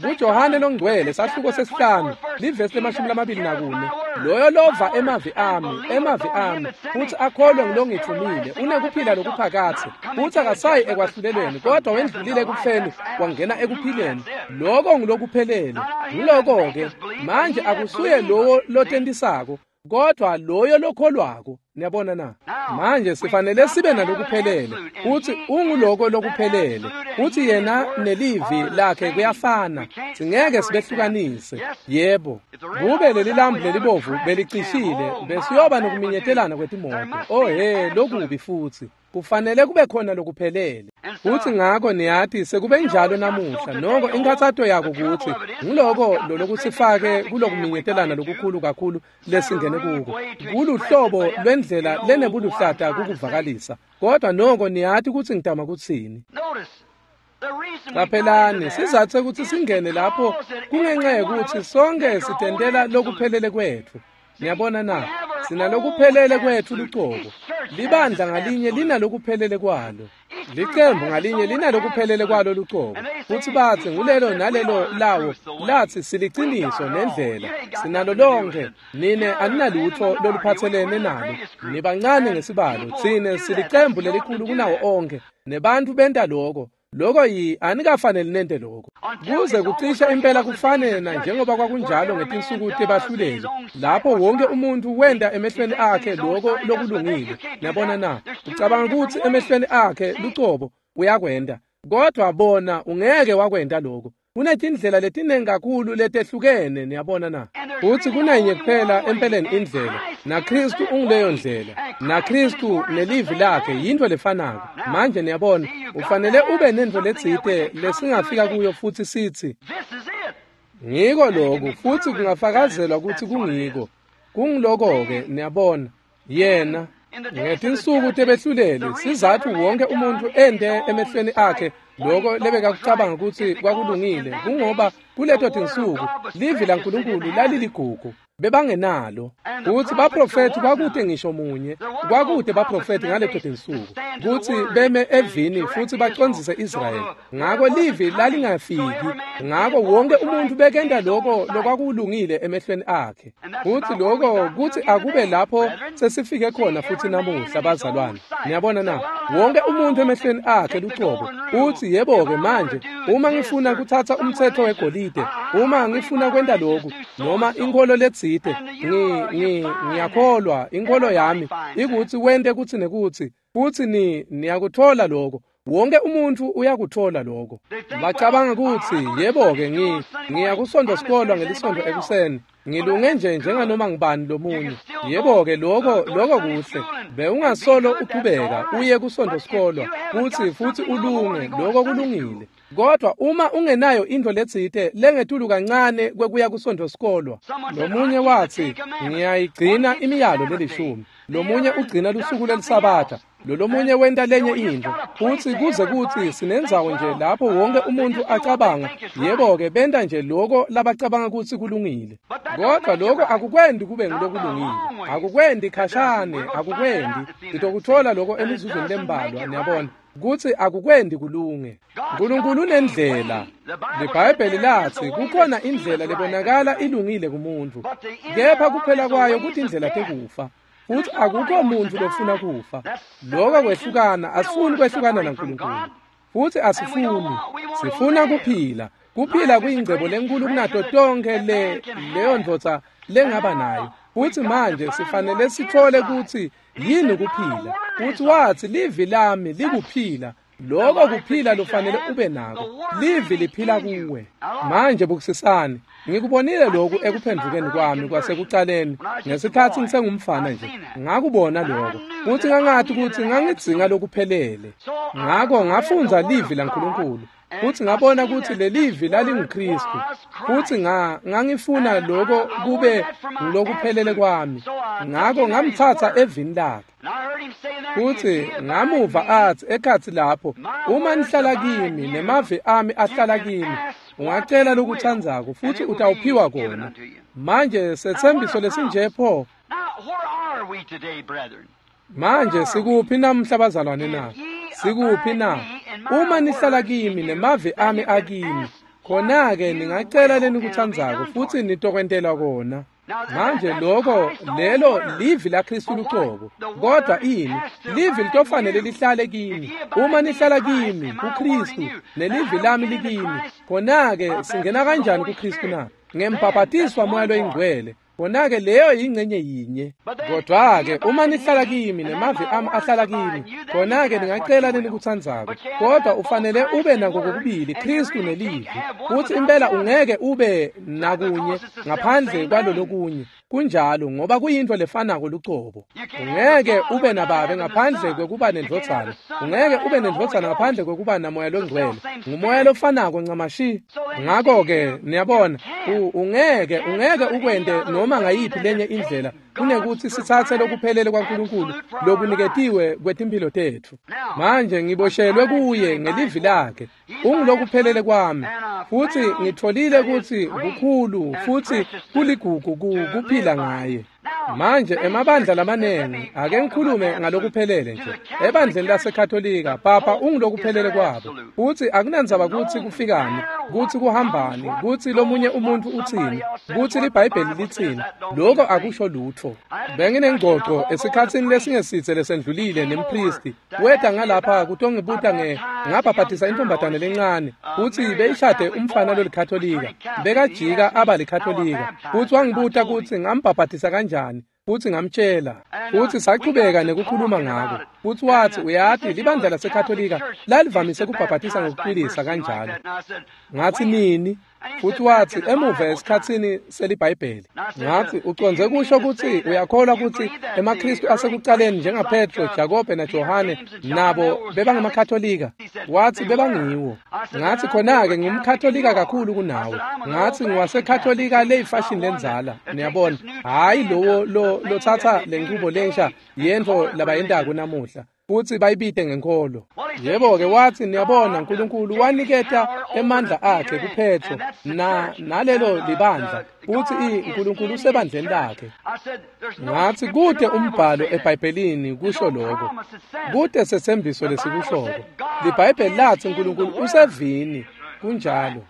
kuJohane longcwele sahluko sesihlanu livesi le-24, loyo lova emavi ami futhi akholwe ngilongithumile unekuphila lokuphakathe, futhi akasayi ekwahlulelweni, kodwa wendlulile ekufeni wangena ekuphileni. Lokho ngilokuphelele. Ngiloko-ke manje akusuye lowo lotentisako, kodwa loyo lokholwako. Niyabona na? Manje sifanele sibe nalokuphelele, futhi unguloko lokuphelele, futhi yena nelivi lakhe kuyafana, singeke sibehlukanise. Yebo, kube leli lambu lelibovu belicishile, besiyoba nokuminyetelana kwetimoto. Oh he, lokubi futhi. Kufanele kube khona lokuphelele. Futhi ngakho niyathi sekube njalo namuhla. Noko inkathatho yako ukuthi ngiloko lolokusifake kulokuminyetelana lokukhulu kakhulu lesingene kuko. Kuluhlobo lwendlela lenebuluhlata kukuvakalisa. Kodwa noko niyathi ukuthi ngitama kutsini. Qaphelani, sizathu ukuthi singene lapho kungenxa yokuthi sonke sitendela lokuphelele kwethu. Niyabona na? Sinalokuphelele kwethu lucobo. Libandla ngalinye linalokuphelele kwalo. Licembu ngalinye linalokuphelele kwalo lucobo. Futhi bathi ngulelo nalelo lawo lathi siliciniso nendlela. Sinalo lonke. Nine aninalutho loluphathelene nalo. Nibancane ngesibalo. Thine silicembu lelikhulu kunawo onke. Nebantu benta lokho. Lokho yi anikafanele nente lokho. Kuze kucisha impela kufane na njengoba kwakunjalo ngetinsuku tebahluleli, lapho wonke umuntu wenda emehlweni akhe lokho lokulungile. Niyabona na? Ucabanga ukuthi emehlweni akhe lucobo uyakwenda, kodwa bona ungeke wakwenda lokho. Kunetindlela letiningi kakhulu letehlukene, niyabona na? Futhi kunenye kuphela empeleni indlela, naKristu unguleyo ndlela, naKristu nelivi lakhe yinto lefanako. Manje niyabona, ufanele ube nento letsite lesingafika kuyo futhi sithi ngiko lokhu, futhi kungafakazelwa ukuthi kungiko. Kungiloko-ke, niyabona, yena ngetinsuku tebehluleli sizathu wonke umuntu ende emehlweni akhe lokho lebekakucabanga ukuthi kwakulungile, kungoba kuleto tinsuku livi laNkulunkulu laliligugu, bebangenalo. Kuthi baprofethi kwakude ngisho munye, kwakude baprofethi ngaleto tinsuku kuthi beme evini futhi bacondzise Israyeli. Ngako livi lalingafiki, ngako wonke umuntu bekenda lokho lokwakulungile emehlweni akhe. Futhi lokho kuthi akube lapho sesifike khona futhi namuhla bazalwane. Niyabona na? Wonke umuntu emehlweni akhe lucobo uthi yebo-ke manje uma ngifuna kuthatha umthetho wegolide, uma ngifuna kwenta lokhu noma inkolo letsite, ngiyakholwa inkolo yami ikuthi wente kuthi nekuthi, futhi niyakuthola lokho. Wonke umuntu uyakuthola lokho. Bacabanga ukuthi yebo-ke ngiya kusonto sikolwa ngelisonto ekuseni, ngilunge nje njenganoma ngibani lomunye. Yebo-ke lokho kuhle. Bewungasolo uqhubeka uye kusonto sikolwa futhi ulunge, lokho kulungile. Kodwa uma ungenayo into letsite lengetulu kancane kwekuya kusonto sikolwa. Lomunye wathi ngiyayigcina imiyalo lelishumi, lomunye ugcina lusuku lelisabatha, lolomunye wenta lenye into. Futhi kuze kuthi sinendzawo nje lapho wonke umuntu acabanga yebo-ke benta nje lokho labacabanga ukuthi kulungile. Kodwa lokho akukwendi kube ngulokulungile, akukwendi khashane, akukwendi. Ngitokuthola lokho emizuzwini lembalwa, niyabona kuthi akukwendi kulunge. uNkulunkulu unendlela. LiBhayibheli lathi kukhona indlela lebonakala ilungile kumuntu, kepha kuphela kwayo kuthi indlela tekufa. Futhi akukho muntu lofuna kufa. Lokho kwehlukana, asifuni kwehlukana naNkulunkulu. Futhi asifuni, sifuna kuphila. Kuphila kuyingcebo lenkulu kunato tonke leyo ndvodza lengaba nayo. Futhi manje sifanele sithole ukuthi yini kuphila. Futhi wathi livi lami likuphila. Lokho kuphila lufanele ube nako. Livi liphila kuwe. Manje bukusisani, ngikubonile lokhu ekuphendukeni kwami kwasekuqaleni ngesikhathi ngisengumfana nje. Ngakubona lokho. Futhi ngangathi ukuthi ngangidzinga lokuphelele. Ngakho ngafundza livi laNkulunkulu. Futhi ngabona ukuthi lelivi lalinguKristu. Futhi ngangifuna lokho kube ngilokuphelele kwami. Ngakho ngamthatha evini lakhe. Futhi ngamuva athi ekhathi lapho, uma nihlala kimi nemavi ami ahlala kimi, ungacela lokuthandzako futhi utawuphiwa kona. Manje sethembiso lesinje pho. Manje sikuphi namuhla bazalwane na? Sikuphi na? Uma nihlala kimi nemavi ami akimi, khona-ke ningacela lenikutsandzako futsi nitokwentelwa kona. Manje lokho lelo livi laKristu lucobo. Kodwa ini? Livi litofanele lihlale kini. Uma nihlala kimi kuKristu nelivi lami likini, khona-ke singena kanjani kuKristu na? Ngembhabhatiswa Moya loyiNgcwele. Khona-ke leyo yingcenye yinye. Kodwa-ke uma nihlala kimi nemavi ami ahlala kimi, khona-ke ningacela lenikutsandzako. Kodwa ufanele ube nako kokubili, Kristu nelivi. Futsi impela ungeke ube nakunye ngaphandle kwalolokunye. Kunjalo, ngoba kuyintfo lefanako lucobo. Ungeke ube nababe ngaphandle kwekuba nendvodzana. Ungeke ube nendvodzana ngaphandle kwekuba naMoya loNgcwele. Ngumoya lofanako ncamashi. Ngakho-ke niyabona, ungeke ukwente noma ngayiphi lenye indlela kunekuthi sitsatse lokuphelele kwaNkulunkulu lokuniketiwe kwetimphilo tetfu. Manje ngiboshelwe kuye ngelivi lakhe. Ungilokuphelele kwami, futsi ngitfolile kutsi kukhulu futsi kuligugu kuphila ngaye. Manje emabandla lamanengi, ake ngikhulume ngalokuphelele nje. Ebandleni laseKatolika, papa ungilokuphelele kwabo. Futsi akunandzaba kutsi kufikani, kutsi kuhambani, kutsi lomunye umuntu utsini, kutsi liBhayibheli litsini, lokho akusho lutfo. Benginengcoco esikhatsini lesingesitse lesendlulile nempristi. Weta ngalapha kutongibuta ngabhabhatisa intombazane lencane, futsi beyishade umfana lolikatolika. Bekajika aba likatolika. Futsi wangibuta kutsi ngambhabhatisa kanjani, futsi ngamtshela. Futsi sachubeka nekukhuluma ngako. Futsi watsi, uyati, libandla laseKatolika lalivamise kubhabhatisa ngokucwilisa kanjalo. Ngatsi, nini? Futsi watsi, emuva esikhatsini seliBhayibheli. Ngatsi, ucondze kusho kutsi uyakholwa kutsi emaKristu asekucaleni njengaPetro, Jakobe naJohane nabo bebangemakatolika? Watsi bebangiwo. Ngatsi, khona-ke ngumkatolika kakhulu kunawe. Ngatsi ngiwasekatolika leyifashini lendzala, niyabona, hhayi lowo lotsatsa lenchubo lensha yentfo labayentako namuhla, futsi bayibite ngenkholo. Yebo-ke, watsi, niyabona, Nkulunkulu waniketa emandla akhe kuPetro nalelo libandla, futsi Nkulunkulu usebandleni lakhe. Ngatsi, kute umbhalo eBhayibhelini kusho lokho, kute setsembiso lesikushoko. LiBhayibheli latsi Nkulunkulu usevini. Kunjalo.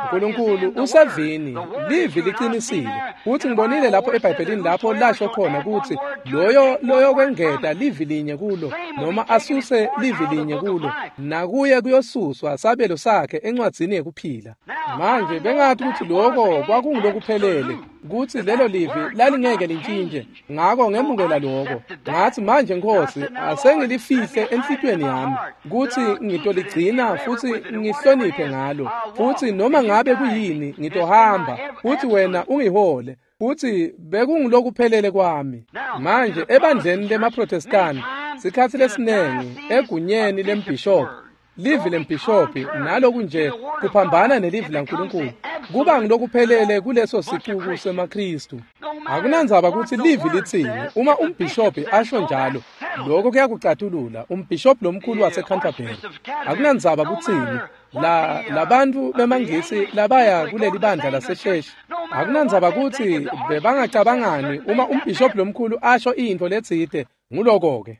Nkulunkulu usevini, livi liqinisile. Futsi ngibonile lapho eBhayibhelini lapho lasho khona kutsi loyo loyokwengeta livi linye kulo noma asuse livi linye kulo, nakuye kuyosuswa sabelo sakhe encwadzini yekuphila. Manje bengathi kutsi lokho kwakungulokuphelele, kutsi lelo livi lalingeke lintshintshe. Ngako ngemukela lokho. Ngatsi, manje Nkosi, asengilifihle enhlitiyweni yami kutsi ngitoligcina futsi ngihloniphe ngalo, futsi noma ngabe kuyini ngitohamba, futsi wena ungihole. Futsi bekungulokuphelele kwami. Manje ebandleni lemaProtestani, sikhatsi lesinengi egunyeni lembhishobhi, livi lembhishobhi naloku nje kuphambana nelivi laNkulunkulu, kuba ngilokuphelele kuleso sicuku semaKristu. Akunandzaba kutsi livi litsini, uma umbhishobhi asho njalo, lokho kuyakucatulula. Umbhishobhi lomkhulu waseCanterbury, akunandzaba kutsini, labantu bemangisi labaya kuleli bandla laseSheshi, akunandzaba kutsi bebangacabangani, uma umbhishobhi lomkhulu asho intfo letsite, nguloko-ke.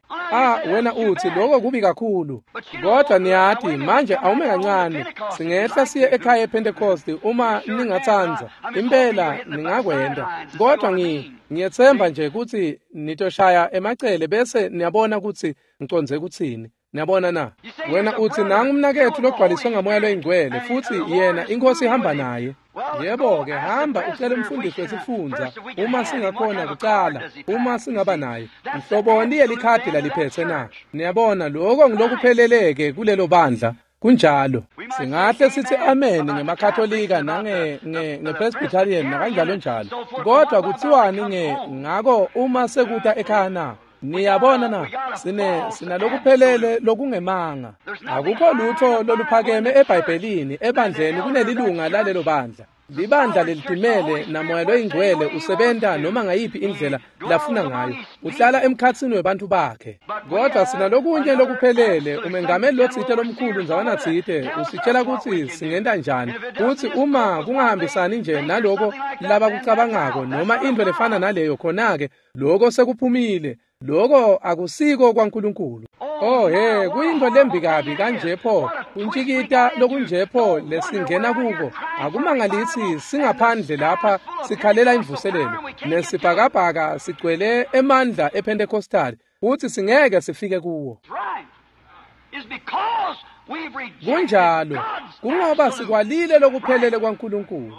Wena utsi lokho kubi kakhulu. Kodwa niyati, manje awume kancane, singehla siye ekhaya ePentecost uma ningatsandza, impela ningakwenta. Kodwa ngiyetsemba nje kutsi nitoshaya emacele bese niyabona kutsi ngicondze kutsini. Niyabona na? Wena utsi, nangu umnaketfu logcwaliswe ngaMoya loyiNgcwele, futsi yena iNkhosi ihamba naye. Yebo-ke, hamba ucele umfundisi wesifundza, uma singakhona kucala, uma singaba naye. Mhloboni yelikhadi laliphetse na? Niyabona, lokho ngilokupheleleke kulelo bandla. Kunjalo. Singahle sithi amen ngemaKatolika nange-Presbyterian nakanjalo njalo. Kodwa kutsiwani ngako uma sekuta ekhaya na? Niyabona na? Sinalokuphelele lokungemanga. Akukho lutho loluphakeme eBhayibhelini ebandleni kunelilunga lalelo bandla. Libandla lelitimele naMoya loyiNgcwele usebenta noma ngayiphi indlela lafuna ngayo. Uhlala emkhatsini webantfu bakhe. Kodwa sinalokunye lokuphelele, umengameli lotsite lomkhulu ndzawana tsite usitshela kutsi singenta njani. Kutsi uma kungahambisani nje naloko labakucabangako noma intfo lefana naleyo, khona-ke lokho sekuphumile. Lokho akusiko kwaNkulunkulu. Oh he, kuyinto lembi kabi kanje pho, kuntshikita lokunje pho lesingena kuko. Akumangalisi singaphandle lapha sikhalela imvuselelo, nesibhakabhaka sigcwele emandla ePentecostal, futhi singeke sifike kuwo. Kunjalo, kungoba sikwalile lokuphelele kwaNkulunkulu.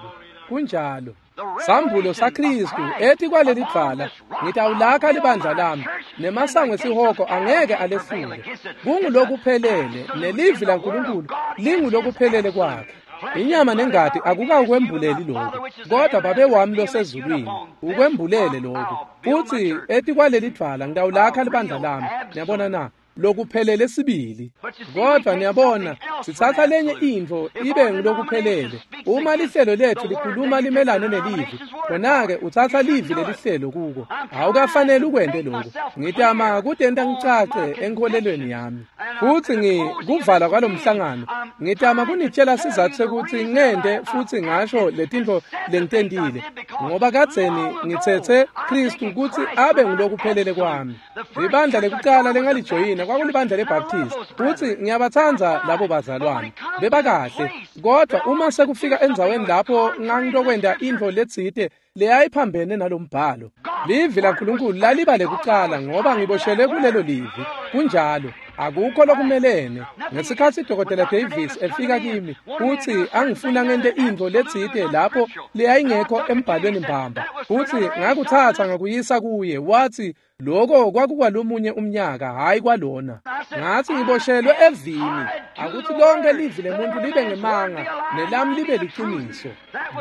Kunjalo. Sambulo saKristu ethi kwaleli dvwala, ngitawulakha libandla lami, nemasango esihogo angeke alehlule. Kungulokuphelele, nelivi laNkulunkulu lingulokuphelele kwakhe. Inyama nengati akukakwembuleli lokhu, kodwa Babe wami losezulwini ukwembulele lokhu. Futhi ethi kwaleli dvwala ngitawulakha libandla lami. Niyabona na? Lokuphelele sibili. Kodwa niyabona, sithatha lenye intfo ibe ngulokuphelele. Uma lihlelo lethu likhuluma limelane nelivi, khona-ke utsatsa livi lelihlelo kuko. Awukafanele ukwente lokhu. Ngitama kutenta ngicace enkholelweni yami. Futhi ngikuvala kwalomhlangano, ngitama kunitshela sizathu sekuthi ngente futhi ngasho letintfo lengitentile, ngoba kadzeni ngitsetse Kristu kutsi abe ngulokuphelele kwami. Libandla lekucala lengalijoyina kwakulibandla leBaptist, futhi ngiyabatsandza labo bazalwane, bebakahle. Kodwa uma sekufika endzaweni lapho ngangitokwenta intfo letsite leyayiphambene nalombhalo, livi laNkulunkulu laliba lekucala, ngoba ngiboshelwe kulelo livi. Kunjalo, akukho lokumelene. Ngesikhatsi Dr. Davis efika kimi futhi angifuna ngente intfo letsite lapho leyayingekho embhalweni mbamba, futhi ngakutsatsa ngakuyisa kuye, wathi lokho kwakukwalomunye umnyaka, hayi kwalona. Ngathi ngiboshelwe evini, akuthi lonke livi lemuntu libe ngemanga nelami libe liqiniso.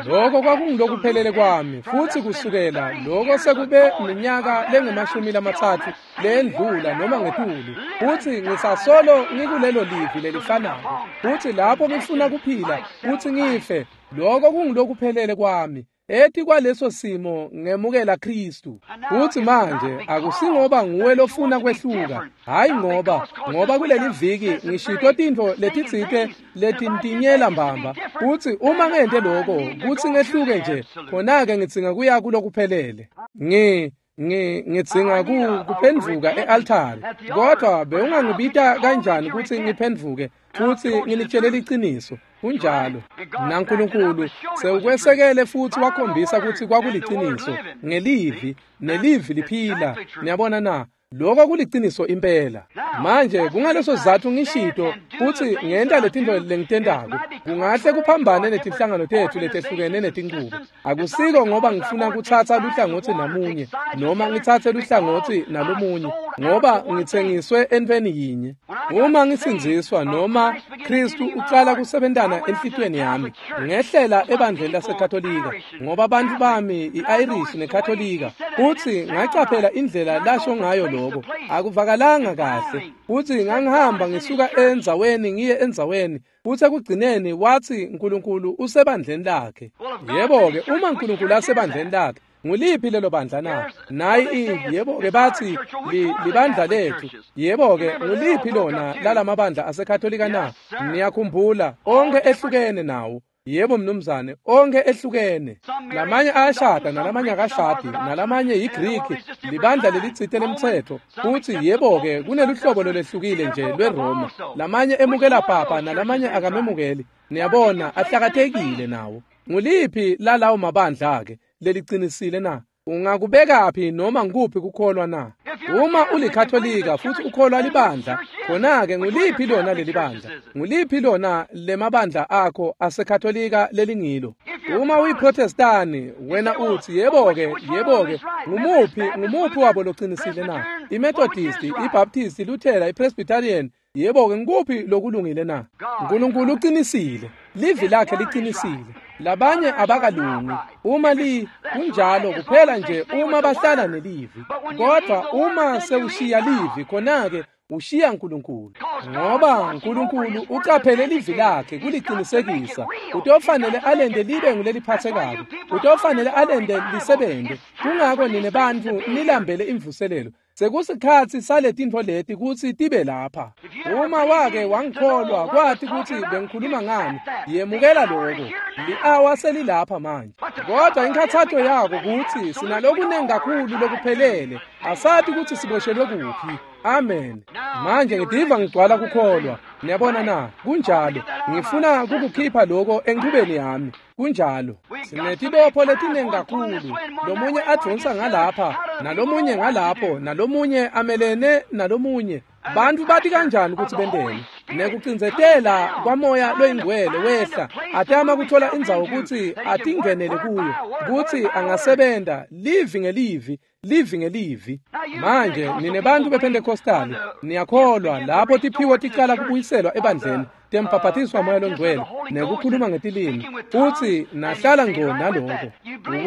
Lokho kwakungilokuphelele kwami, futhi kusukela lokho sekube minyaka lengama-30 lendlula noma ngetulu, futhi ngisasolo ngikulelo livi lelifanako. Futhi lapho ngifuna kuphila futhi ngife, lokho kungilokuphelele kwami. Ethi kwaleso simo ngemukela Kristu. Futhi manje akusingoba nguwe lofuna kwehluka, hayi ngoba kuleli viki ngishito tintfo letitsite letintinyela mbamba. Futhi uma ngente lokho kuthi ngehluke nje, khona-ke ngidzinga kuya kulokuphelele. Ngidzinga kuphendvuka e-altari. Kodwa bewungangibita kanjani kutsi ngiphendvuke futhi nginitshele liciniso? Kunjalo. NaNkulunkulu sewukwesekele futhi wakhombisa kutsi kwakuliciniso ngelivi, nelivi liphila. Niyabona na? Lokho kuliciniso impela. Manje kungaleso sizatfu ngishito futhi ngenta letintfo lengitentako. Kungahle kuphambane netinhlangano tetfu letehlukene netinqubo. Akusiko ngoba ngifuna kutsatsa luhlangotsi namunye noma ngitsatse luhlangotsi nalomunye, ngoba ngitsengiswe entfweni yinye. Uma ngisindziswa noma Kristu ucala kusebentana enhlitiyweni yami, ngehlela ebandleni laseKatolika, ngoba bantfu bami i-Irish neKatolika, futhi ngacaphela indlela lasho ngayo lokho. Akuvakalanga kahle, futhi ngangihamba ngisuka endzaweni ngiye endzaweni, futhi ekugcineni wathi uNkulunkulu usebandleni lakhe. Yebo-ke, uma uNkulunkulu asebandleni lakhe, nguliphi lelo bandla na? Nayi yebo-ke bathi libandla lethu. Yebo-ke, nguliphi lona lalamabandla aseKatolika na? Niyakhumbula, onke ehlukene nawo. Yebo mnumzane, onke ehlukene. Lamanye ayashada nalamanye akashadi, nalamanye yiGreek, libandla lelitsite lemtsetfo. Futhi yebo-ke kuneluhlobo lolwehlukile nje lweRoma. Lamanye emukela papa nalamanye akamemukeli. Niyabona, ahlakatekile nawo. Nguliphi lalawo mabandla-ke lelicinisile na? Ungakubekaphi noma ngikuphi kukholwa na? Uma ulikatolika futhi ukholwa libandla, khona-ke nguliphi lona leli bandla? Nguliphi lona lemabandla akho asekatolika lelingilo? Uma uyiprotestani, wena uthi yebo-ke, yebo-ke, ngumuphi wabo locinisile na? IMethodist, iBaptist, iLuthela, iPresbyterian, yebo-ke ngikuphi lokulungile na? uNkulunkulu uqinisile, livi lakhe liqinisile. Labanye abakalungi, uma li kunjalo kuphela nje uma bahlala nelivi. Kodwa uma sewushiya livi, khona-ke ushiya uNkulunkulu, ngoba uNkulunkulu ucaphele livi lakhe kuliqinisekisa. Utofanele alende libe nguleliphathekako, utofanele alende lisebenze. Kungako nine bantfu nilambele imvuselelo. Sekusikhatsi saletintfo leti kutsi tibe lapha. Uma wake wangikholwa kwathi kutsi bengikhuluma ngani, yemukela lokho. Li-awa selilapha manje. Kodwa inkhathato yako kutsi sinalokunengi kakhulu lokuphelele, asati kutsi siboshelwe kuphi. Amen. Manje ngidiva ngigcwala kukholwa. Niyabona na? Kunjalo. Ngifuna kukukhipha lokho enchubeni yami. Kunjalo. Sinetibopho letinengi kakhulu. Lomunye advonsa ngalapha, nalomunye ngalapho, nalomunye amelene nalomunye. Bantu bathi kanjani ukuthi benteni? Nekucindzetela kwamoya loyingcwele wehla atama kuthola indzawo ukuthi atingenele kuyo, ukuthi angasebenta livi ngelivi, livi ngelivi. Manje nine bantu bePentecostali niyakholwa lapho tiphiwo ticala kubuyiselwa ebandleni tembhaphatiswa moya longcwele nekukhuluma ngetilimi, futsi nahlala ngco naloko.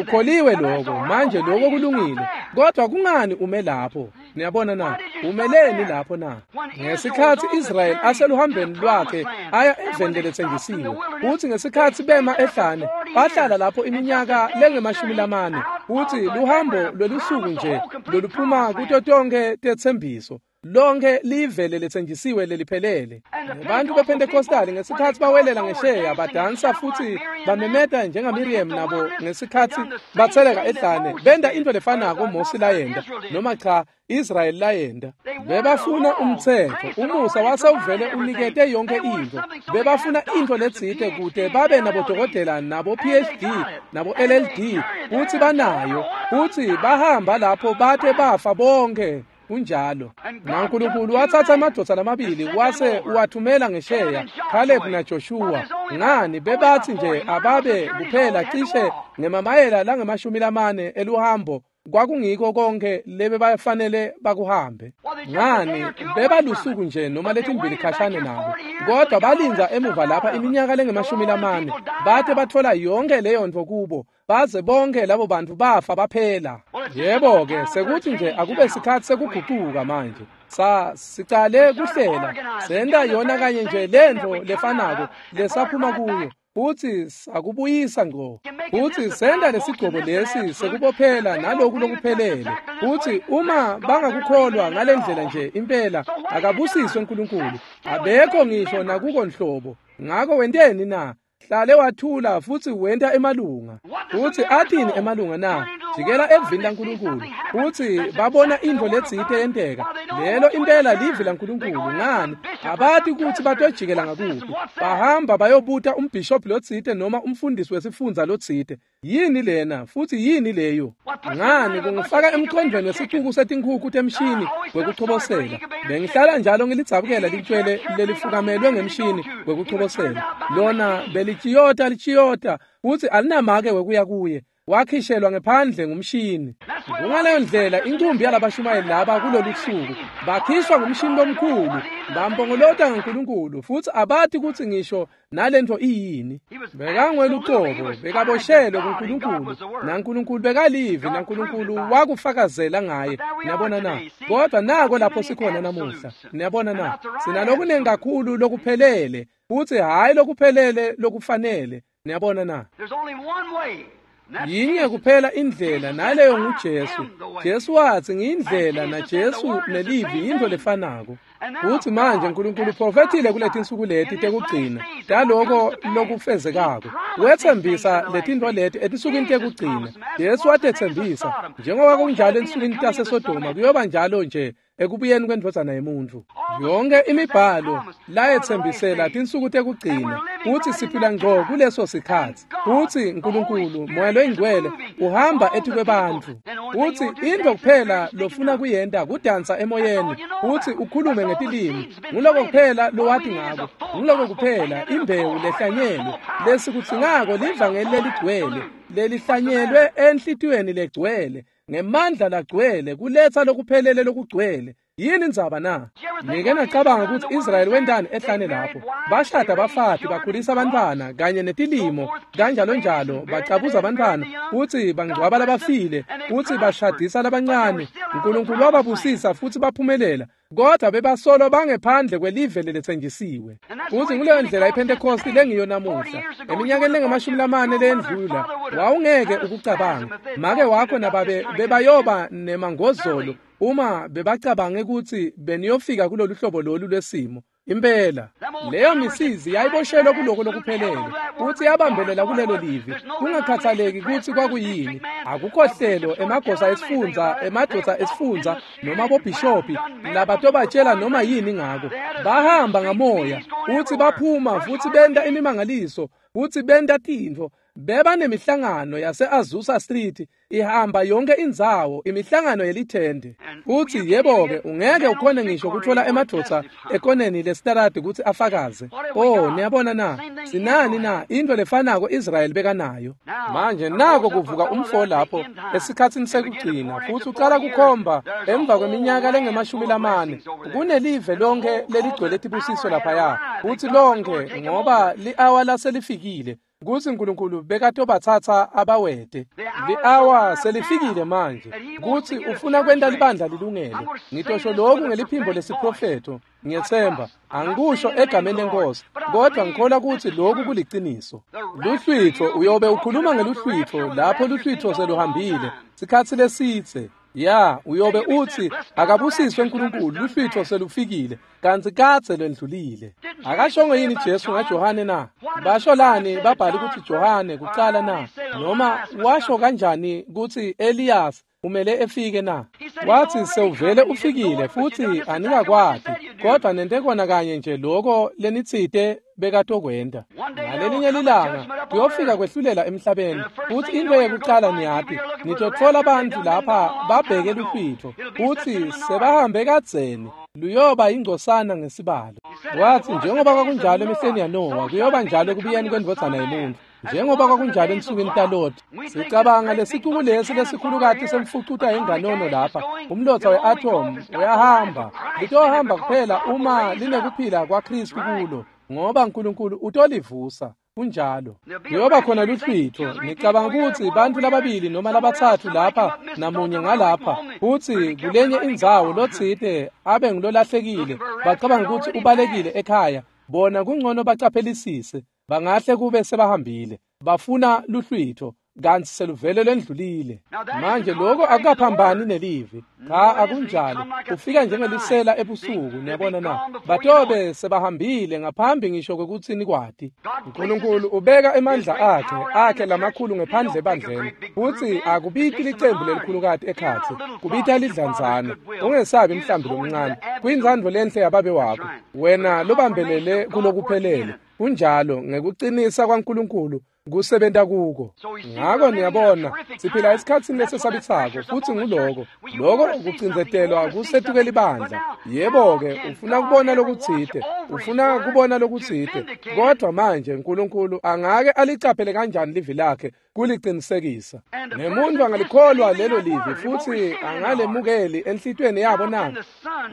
Ukukholiwe lokho. Manje lokho kulungile, kodwa kungani ume lapho? Niyabona na? Umeleni lapho na? Ngesikhatsi Israyeli aseluhambeni lwakhe aya eveni leletsenjisiwe, futsi ngesikhatsi bema ehlane bahlala lapho iminyaka lengemashumi lamane, futsi luhambo lwelusuku nje loluphuma kuto tonke tetsembiso, lonke live leletsenjisiwe leliphelele. Abantu bePentecostali ngesikhatsi bawelela ngesheya badansa futhi bamemeta njengaMiriam nabo ngesikhatsi batseleka ehlane, benta into lefanako Mosi layenta, noma cha, Israyeli layenta. Bebafuna umtsetfo. Umusa wasewuvele unikete yonke intfo. Bebafuna intfo letsite kute babe nabodokotela nabo PhD nabo LLD, futsi banayo, futsi bahamba lapho bate bafa bonke. Kunjalo. NaNkulunkulu watsatsa amadvodza lamabili wase uwathumela ngesheya, Caleb naJoshua. Ngani, bebathi nje ababe kuphela cishe ngemamayela langemashumi lamane eluhambo, kwakungiko konke lebebafanele bakuhambe. Ngani, bebalusuku nje noma letimbili khashane nabo, kodwa balindza emuva lapha iminyaka lengemashumi lamane bate bathola yonke leyo ntfo kubo, baze bonke labo bantu bafa baphela. Yebo-ke, sekuthi nje akube sikhatsi sekugucuka manje. Sa sicale kuhlela, senta yona kanye nje lentfo lefanako lesaphuma kuyo, futsi sakubuyisa ngco, futsi senta lesigcobo lesi sekubophela naloku lokuphelele. Futsi uma bangakukholwa ngalendlela nje impela, akabusiswe uNkulunkulu, abekho ngisho nakuko nhlobo. Ngako wenteni na? Hlale wathula futsi wenta emalunga. Futsi athini emalunga na? Jikela evini laNkulunkulu, futsi babona intfo letsite yenteka, lelo impela livi laNkulunkulu. Ngani, abati kutsi batojikela ngakuphi. Bahamba bayobuta umbhishobhi lotsite noma umfundisi wesifundza lotsite, yini lena futsi yini leyo? Ngani, kungifaka emcondvweni wesicuku setinkhukhu temshini wekuchobosela. Bengihlala njalo ngilidzabukela litshwele lelifukamelwe ngemshini wekuchobosela. Lona belitshiyota litshiyota, futsi alinamake wekuya kuye, wakhishelwa ngephandle ngumshini. Kungaleyo ndlela inkumbi yalabashumayeli laba kulolu suku, bakhishwa ngumshini lomkhulu, bampongolota ngaNkulunkulu, futsi abati kutsi ngisho nalentfo iyini. Bekangwelucobo, bekaboshelwe kuNkulunkulu, naNkulunkulu bekalivi, naNkulunkulu wakufakazela ngaye. Niyabona na? Kodwa nako lapho sikhona namuhla. Niyabona na? Sinalokunengi kakhulu lokuphelele, futsi hhayi lokuphelele lokufanele. Niyabona na? There's only one way. And that's Yinye Jesus. kuphela indlela, naleyo nguJesu. Jesu watsi, "Ngiyindlela," naJesu nelivi yintfo lefanako. Futsi manje Nkulunkulu uprofethile kuletinsuku leti tekugcina taloko lokufezekako. Wetsembisa letintfo leti etinsukwini tekugcina. Jesu watetsembisa, njengoba kunjalo ensukwini taseSodoma, kuyoba njalo nje ekubuyeni kwendvodzana yemuntfu. Yonke imibhalo layetsembisela tinsuku tekugcina, futsi siphila ngco kuleso sikhatsi. Futsi Nkulunkulu, Moya loyiNgcwele, uhamba etikwebantfu. Futsi intfo kuphela lofuna kuyenta kudansa emoyeni futsi ukhulume ngetilimi. Nguloko kuphela lowati ngako. Nguloko kuphela imbewu lehlanyelwe. Lesikudzingako livangeli leligcwele, lelihlanyelwe enhlitiyweni legcwele, ngemandla lagcwele, kuletsa lokuphelele lokugcwele. Yini indzaba na? Nike nacabanga kutsi Israyeli wentani ehlane lapho? Bashada bafati, bakhulisa abantwana kanye netilimo kanjalo njalo, bacabuza abantwana futsi bangcwaba labafile, futsi bashadisa labancane. Nkulunkulu wababusisa futsi baphumelela, kodwa bebasolo bangephandle kwelive leletsenjisiwe. Futsi nguleyo ndlela iPhentekosti lengiyo namuhla. Eminyakeni lengemashumi lamane leyendlula wawungeke ukucabanga, make wakho nababe bebayoba nemangozolo. Uma bebacabange kutsi beniyofika kulolu hlobo lolu lwesimo, impela leyo misizi yayiboshelwe kuloko lokuphelele futsi yabambelela kulelo livi, kungakhathaleki kutsi kwakuyini. Akukho hlelo emagosa esifundza, emadvodza esifundza noma bobhishopi labatobatshela noma yini ngako. Bahamba ngamoya futsi baphuma futsi benta imimangaliso futsi benta tintfo. Beba nemihlangano yase-Azusa Street ihamba yonke indzawo, imihlangano yelithende. Futsi yebo-ke, ungeke ukhone ngisho kutfola emadvodza ekoneni lesitaradi kutsi afakaze. Oh, niyabona na? Sinani na? Into lefanako Israyeli bekanayo. Manje nako kuvuka umfo lapho esikhatsini sekugcina, futsi ucala kukhomba emva kweminyaka lengemashumi lamane. Kunelive lonke leligcwele tibusiso laphaya, futsi lonke ngoba li-awa laselifikile kutsi Nkulunkulu bekatobatsatsa abawete. Li-awa selifikile manje kutsi ufuna kwenta libandla lilungele. Ngitosho lokhu ngeliphimbo lesiprofetho, ngiyetsemba angikusho egameni lenkosi, kodwa ngikholwa kutsi lokhu kuliciniso. Luhlwitfo, uyobe ukhuluma ngeluhlwitfo lapho luhlwitfo seluhambile sikhatsi lesitse. Ya, uyobe utsi akabusiswe Nkulunkulu, luhlwitfo selufikile, kantsi kadze lwendlulile. Akashongo yini Jesu ngaJohane na? Basho lani babhali kutsi Johane kucala na? Noma washo kanjani kutsi Elias umele efike na? Wathi sewuvele ufikile futsi anikakwati, kodwa nente kona kanye nje loko lenitsite bekatokwenta. Ngalelinye lilanga kuyofika kwehlulela emhlabeni, futsi into yekucala niyati, nitotfola bantfu lapha babheke luhlwitfo, futsi sebahambe kadzeni, luyoba ingcosana ngesibalo. Wathi njengoba kwakunjalo emihleni yaNowa, kuyoba njalo ekubuyeni kwendvodzana yemuntfu. Njengoba kwakunjalo ensukwini taLoti. Sicabanga lesicuku lesi lesikhulukati semfucuta yenganono lapha, umlotsa we-atom uyahamba. Litohamba kuphela uma linekuphila kwaKristu kulo, ngoba Nkulunkulu utolivusa. Kunjalo. Kuyoba khona luhlwitfo. Ngicabanga kutsi bantfu lababili noma labatsatfu lapha namunye ngalapha, futsi kulenye indzawo lotsite abe ngulolahlekile, bacabanga kutsi ubalekile ekhaya. Bona kungcono bacaphelisise, bangahle kube sebahambile. Bafuna luhlwitfo, kantsi seluvele lwendlulile. Manje lokho akukaphambani nelivi. Cha, akunjalo. Ufika njengelisela ebusuku, niyabona na? Batobe sebahambile ngaphambi ngisho kwekutsi nikwati. Nkulunkulu ubeka emandla akhe lamakhulu ngephandle ebandleni, futsi akubiti licembu lelikhulukati ekhatsi, kubita lidlanzana. Ungesabi mhlambi lomncane, kuyintsandvo lenhle yababe wakho, wena lobambelele kulokuphelele. Kunjalo, ngekucinisa kwaNkulunkulu kusebenta kuko. Ngako niyabona, siphila esikhatsini lesesabisako, futsi nguloko loko kucindzetelwa kusetuke libandla. Yebo-ke, ufuna kubona lokutsite, ufuna kubona lokutsite, kodwa manje Nkulunkulu angake alicaphele kanjani livi lakhe kulicinisekisa? Nemuntu angalikholwa lelo livi futsi angalemukeli enhlitiyweni yabo na?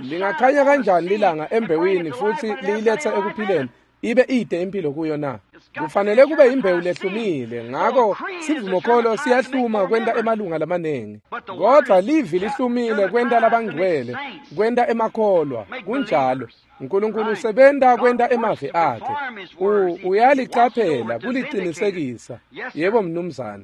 Lingakhanya kanjani lilanga embewini futsi liyiletsa ekuphileni, ibe ide impilo kuyo na? Kufanele kube imbewu lehlumile. Ngako sivumokholo siyahluma kwenta emalunga lamanengi, kodvwa livi lihlumile kwenta labangcwele, kwenta emakholwa. Kunjalo. Nkulunkulu usebenta kwenta emavi akhe. Uyalicaphela kulicinisekisa. Yebo mnumzane.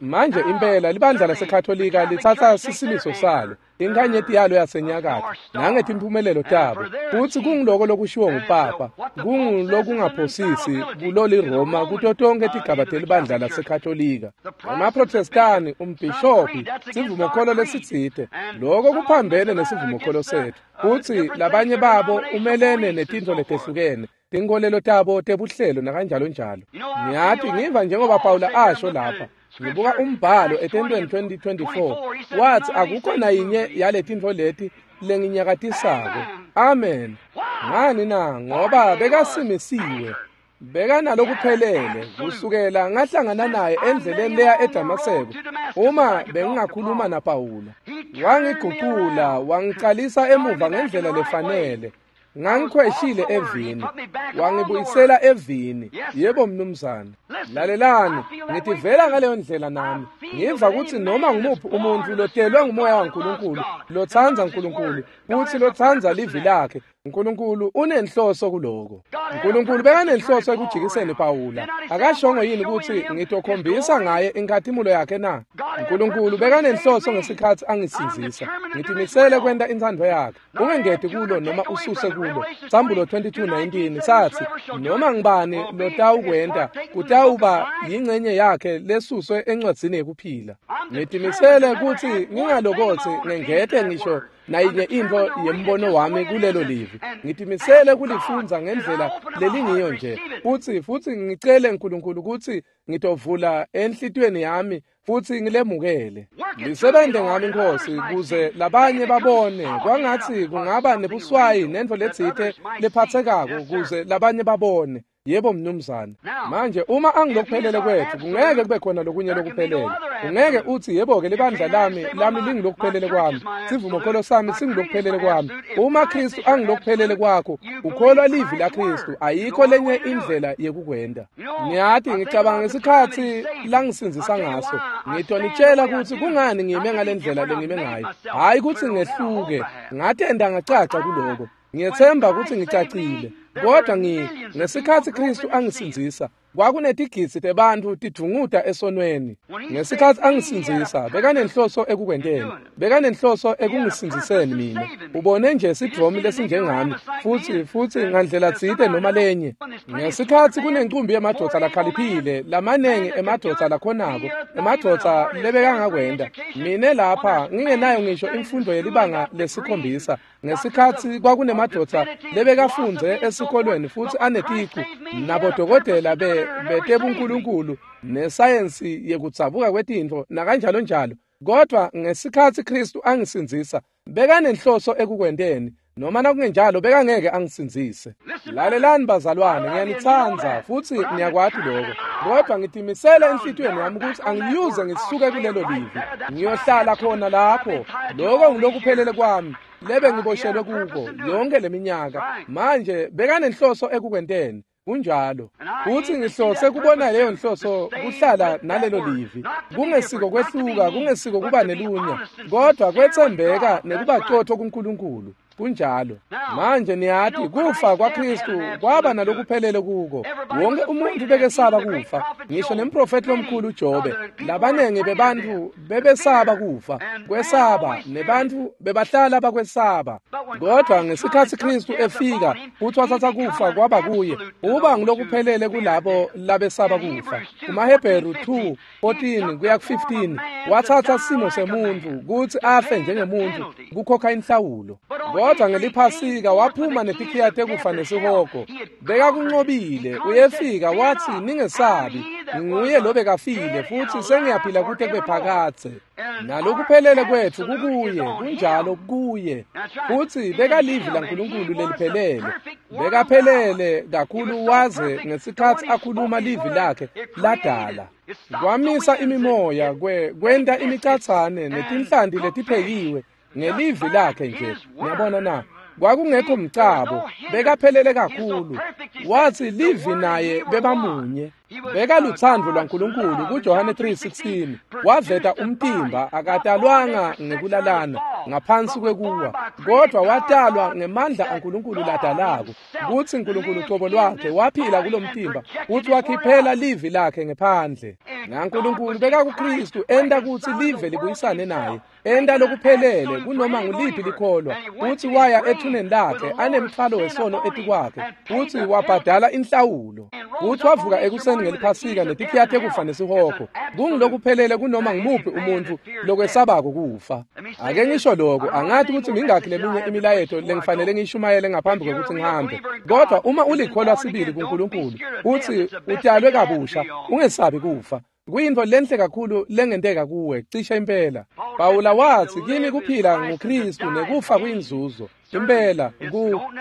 Manje impela libandla laseKatolika litsatsa sisimiso salo, inkhanyeti yalo yasenyakatfo, nangetimphumelelo tabo, futsi kunguloko lokushiwo ngupapa, kungulokungaphosisi kuloliRoma kuto tonkhe tigaba telibandla laseKatolika. EmaProtestani, umbhishopi, sivumokholo lesitsite, loko kuphambene nesivumokholo setfu, futsi labanye babo umelene netintfo letehlukene, tinkholelo tabo tebuhlelo nakanjalo njalo. Ngiyati ngiva njengoba Pawula asho lapha, ngibuka umbhalo etentweni 20:24, wathi akukho nayinye yaletintfo leti lenginyakatisako. Amen. Ngani na? Ngoba bekasimisiwe, bekanalokuphelele kusukela ngahlangana naye endleleni leya eDamaseko. Uma bengingakhuluma naPawula, wangigucula wangicalisa emuva ngendlela lefanele. Ngangikhweshile evini, wangibuyisela evini. Yebo mnumzane. Lalelani, ngitivela ngaleyo ndlela nami. Ngiva kutsi noma ngumuphi umuntfu lotelwe ngumoya waNkulunkulu, lotsandza Nkulunkulu, futsi lotsandza livi lakhe, Nkulunkulu unenhloso kuloko. Nkulunkulu bekanenhloso ekujikiseni Pawula. Akashongo yini kutsi ngitokhombisa ngaye inkhatimulo yakhe na? Nkulunkulu bekanenhloso ngesikhatsi angisindzisa. Ngitimisele kwenta intsandvo yakhe. Ungengeti kulo noma ususe kulo. Sambulo 22:19 satsi noma ngibani lotawukwenta kutawuba yingcenye yakhe lesuswe encwadzini yekuphila. Ngitimisele kutsi ngingalokotsi ngengete ngisho nayinye intfo yembono wami kulelo livi. Ngitimisele kulifundza ngendlela lelingiyo nje. Futsi ngicele uNkulunkulu kutsi ngitovula enhlitiyweni yami futsi ngilemukele. Lisebenze ngami Nkosi kuze labanye babone kwangatsi kungaba nebuswayi nentfo letsite lephatsekako kuze labanye babone. Yebo mnumzane. Manje uma angilokuphelele kwethu kungeke kube khona lokunye lokuphelele. Ungeke uthi yebo ke libandla lami lingilokuphelele kwami. Sivumokholo sami singilokuphelele kwami. Uma Kristu angilokuphelele kwakho, ukholwa livi la Kristu, ayikho lenye indlela yekukwenta. Ngiyathi ngicabanga ngesikhatsi langisindzisa ngaso. Ngitonitshela kutsi kungani ngime ngalendlela lengime ngayo. Hayi kutsi ngehluke, ngatenda ngacaca kuloko. Ngiyethemba kutsi ngicacile. Kodwa ngesikhatsi Kristu angisindzisa kwakunetigidzi tebantfu tidvunguta esonweni. Ngesikhatsi angisindzisa bekanenhloso ekukwenteni, bekanenhloso ekungisindziseni mina. Ubone nje sidvomi lesinjengami futsi ngandlela tsite noma lenye. Ngesikhatsi kunencumbi yemadvodza lakhaliphile, lamanengi emadvodza lakhonako, emadvodza lebekangakwenta. Mine lapha ngingenayo ngisho imfundo yelibanga lesikhombisa. Ngesikhatsi kwakunemadvodza lebekafundze esikolweni futsi aneticu nabodokotela betebunkulunkulu nesayensi yekudzabuka kwetintfo nakanjalo njalo. Kodwa ngesikhatsi Kristu angisindzisa bekanenhloso ekukwenteni, noma nakungenjalo bekangeke angisindzise. Lalelani bazalwane, ngiyanitsandza futsi niyakwati lokho. Kodwa ngitimisele enhlitiyweni yami kutsi angiyuze ngisuke kulelo livi. Ngiyohlala khona lapho. Lokho ngilokuphelele kwami lebe ngiboshelwe kuko yonke leminyaka. Manje bekanenhloso ekukwenteni. Kunjalo. Futsi ngihlose kubona leyo nhloso kuhlala nalelo livi. Kungesiko kwehluka, kungesiko kuba nelunya, kodwa kwetsembeka nekuba qotho kuNkulunkulu. Kunjalo. Manje niyati kufa kwaKristu kwaba nalokuphelele kuko. Wonke umuntu bekesaba kufa, ngisho nemprofeti lomkhulu Jobe. Labanengi bebantfu bebesaba kufa, kwesaba, nebantfu bebahlala bakwesaba. Kodwa ngesikhatsi Kristu efika futhi wathatha kufa kwaba kuye, uba ngilokuphelele kulabo labesaba kufa. KumaHebheru 2:14 kuya ku-15 wathatha simo semuntu kutsi afe njengemuntu kukhokha inhlawulo. Kodwa ngeliphasika waphuma netikhiya tekufa nesihogo. Bekakunqobile, uyefika wathi ningesabi, nguye lo bekafile futhi sengiyaphila kute kube phakadze. Nalokuphelele kwethu kukuye, kunjalo kuye. Futhi bekalivi laNkulunkulu leliphelele. Bekaphelele kakhulu waze ngesikhatsi akhuluma livi lakhe ladala. Kwamisa imimoya kwenta imicatsane netinhlanti letiphekiwe ngelivi lakhe nje. Niyabona na? Kwakungekho mcabo, bekaphelele kakhulu. Wathi livi naye bebamunye. Bekalutsandvo lwaNkulunkulu kuJohane 3:16. Waveta umtimba akatalwanga ngekulalana ngaphansi kwekuwa, kodwa watalwa ngemandla aNkulunkulu ladalako. Kutsi uNkulunkulu cobo lwakhe waphila kulomtimba futhi wakhiphela livi lakhe ngephandle. NaNkulunkulu bekakuKristu enta kutsi live libuyisane naye, enta lokuphelele kunoma nguliphi likholwa. Futhi waya ethuneni lakhe anemthwalo wesono etikwakhe, futhi wabhadala inhlawulo. Futhi wavuka ekuseni ngeliphasika netikhiya tekufa nesihogo. Kungilokuphelele kunoma ngimuphi umuntu lokwesabako kufa. Ake ngisho lokho, angathi kutsi mingakhi leminye imilayeto lengifanele ngiyishumayele ngaphambi kwekutsi ngihambe. Kodwa uma ulikholwa sibili kuNkulunkulu uthi utalwe kabusha, ungesabi kufa. Kuyintfo lenhle kakhulu lengenteka kuwe, cishe impela. Pawula wathi kimi kuphila nguKristu nekufa kuyinzuzo. Impela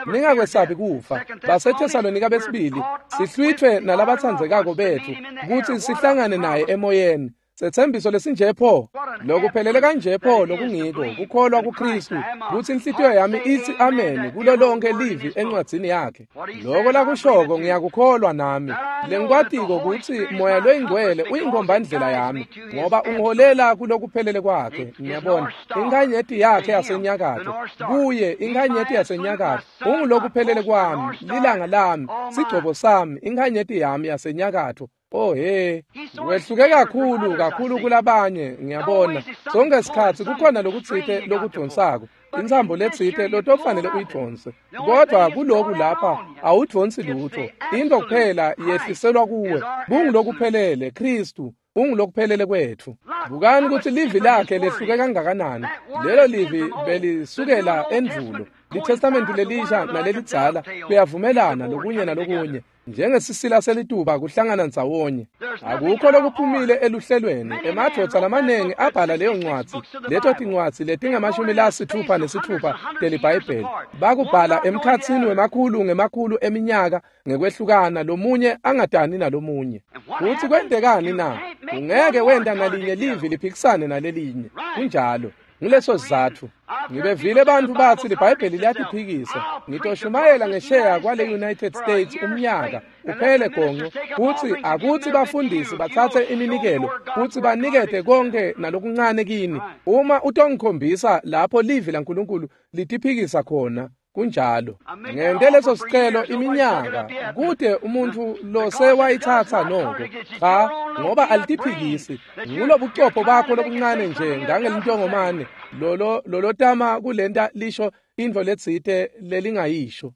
ningakwesabi kufa. BaseThesalonika besibili sihlwithwe nalabatsandzekako betfu kutsi sihlangane naye emoyeni. Setsembiso lesinje pho, lokuphelele kanje pho lokungiko kukholwa kuKristu, kutsi inhlitiyo yami itsi amen kulo lonke livi encwadzini yakhe. Loko lakushoko ngiyakukholwa nami. Lengikwatiko kutsi Moya loyiNgcwele uyinkombandlela yami, ngoba ungiholela kulokuphelele kwakhe. Ngiyabona inkhanyeti yakhe yasenyakatfo, kuye inkhanyeti yasenyakatfo ungulokuphelele kwami, lilanga lami, sigcobo sami, inkhanyeti yami yasenyakatfo. Oh he, wehluke kakhulu kakhulu kulabanye. Ngiyabona sonke sikhatsi kukhona lokutsite lokudvonsako, intsambo letsite lotofanele uyidvonse, kodwa kuloku lapha awudvonsi lutho. Into kuphela yehliselwa kuwe kungulokuphelele. Kristu ungulokuphelele kwetfu. Bukani kutsi livi lakhe lehluke kangakanani. Lelo livi belisukela endvulo. LiTestamenti lelisha nalelidzala kuyavumelana lokunye nalokunye, njengesisila selituba kuhlangana ndzawonye. Akukho lokuphumile eluhlelweni. Emadvodza lamanengi abhala leyo ncwadzi, leto tincwadzi letingama-66 teliBhayibheli. Bakubhala emkhatsini wemakhulu ngemakhulu eminyaka ngekwehlukana, lomunye angadani nalomunye. Futsi kwentekani na? Ungeke wenta nalinye livi liphikisane nalelinye. Kunjalo. Nguleso sizatfu ngibevile bantfu batsi liBhayibheli liyatiphikisa. Ngitoshumayela ngesheya kwale United States umnyaka uphele gonco, kutsi akutsi bafundisi batsatse iminikelo kutsi banikete konke nalokuncane kini, uma utongikhombisa lapho livi laNkulunkulu litiphikisa khona. Kunjalo. Ngente leso sicelo iminyaka, kute umuntfu losewayitsatsa noko. Cha, ngoba alitiphikisi. Ngulobucopho bakho lobuncane nje ngangelintongomane lolo lolotama kulenta lisho intfo letsite lelingayisho.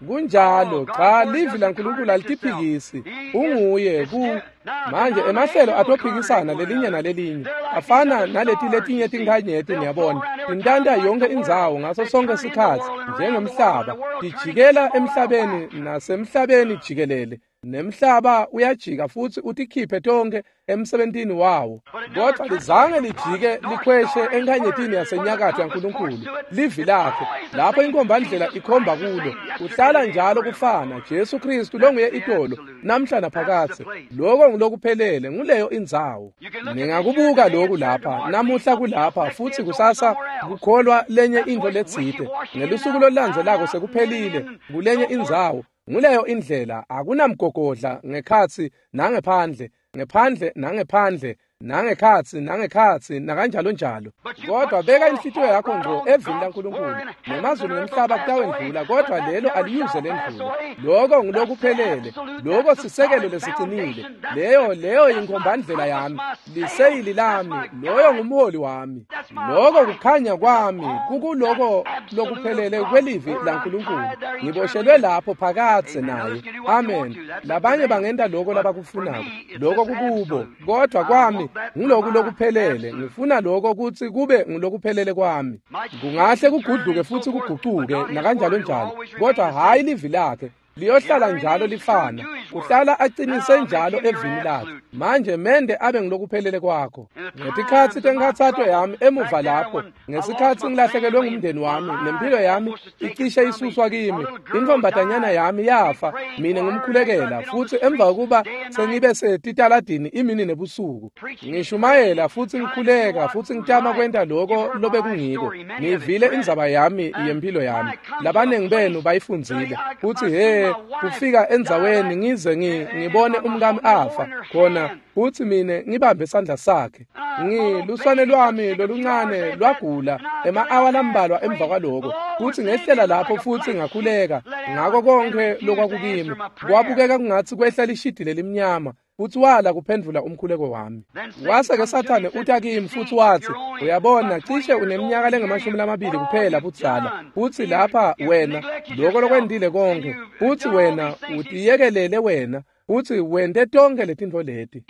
Kunjalo. Cha, livi laNkulunkulu alitiphikisi. Unguye ku manje emahlelo atophikisana lelinye nalelinye, afana naleti letinye tinkhanyeti. Niyabona, tintanta yonke indzawo ngaso sonke sikhatsi njengemhlaba, tijikela emhlabeni nasemhlabeni jikelele, nemhlaba uyajika futsi utikhiphe tonke emsebentini wawo, kodwa lizange lijike likhweshe enkhanyetini yasenyakatfo yaNkulunkulu. Livi lakhe lapho inkombandlela ikhomba kulo, kuhlala njalo kufana. Jesu Kristu longuye itolo namhla naphakadze. Loko ngulokuphelele, nguleyo indzawo. Ningakubuka loku lapha namuhla, kulapha futsi kusasa kukholwa lenye intfo letsite, ngelusuku lolulandzelako sekuphelile kulenye indzawo. Nguleyo indlela. Akunamgogodla ngekhatsi nangephandle, ngephandle nangephandle, nangekhatsi nangekhatsi, nakanjalo njalo. Kodwa beka inhlitiyo yakho ngqo evini laNkulunkulu. Nemazulu nemhlaba kutawendlula, kodwa lelo aliyuze lendlule. Loko ngulokuphelele, loko sisekelo lesicinile. Leyo yinkombandlela yami, liseyili lami, loyo ngumholi wami, loko kukhanya kwami, kukuloko lokuphelele kwelivi laNkulunkulu. Ngiboshelwe lapho phakadze naye. Amen. Labanye bangenta loko labakufunako, loko kukubo, kodwa kwami nguloku lokuphelele. Ngifuna loko kutsi kube ngulokuphelele kwami. Kungahle kugudluke futhi kugucuke nakanjalo njalo, kodwa hhayi livi lakhe. Liyohlala njalo lifana. Uhlala acinise njalo evini lakhe. Manje mende abe ngilokuphelele kwakho. Ngetikhatsi tenkhatsato yami emuva lapho, ngesikhatsi ngilahlekelwe ngumndeni wami, nempilo yami icishe isuswa kimi, intfombatanyana yami yafa, mina ngimkhulekela, futhi emva kokuba sengibe setitaladini imini nebusuku, ngishumayela futhi ngikhuleka futhi ngitama kwenta loko lobekungiko. Ngivile indzaba yami yempilo yami. Labanengi benu bayifundzile. Futhi he, kufika endzaweni ngize ngibone umkami afa khona, futhi mina ngibambe isandla sakhe. Ngiluswane lwami loluncane lwagula ema-awa lambalwa emva kwaloko, futhi ngehlela lapho futhi ngakhuleka ngako konke lokwakukimi. Kwabukeka kungatsi kwehla lishidi lelimnyama, futhi wala kuphendvula umkhuleko wami. Wase-ke Sathane uta kimi futhi watsi, uyabona, cishe uneminyaka lengamashumi kuphela budzala, futhi lapha wena loko lokwentile konke, futhi wena utiyekelele wena, futhi wente tonke letintfo leti.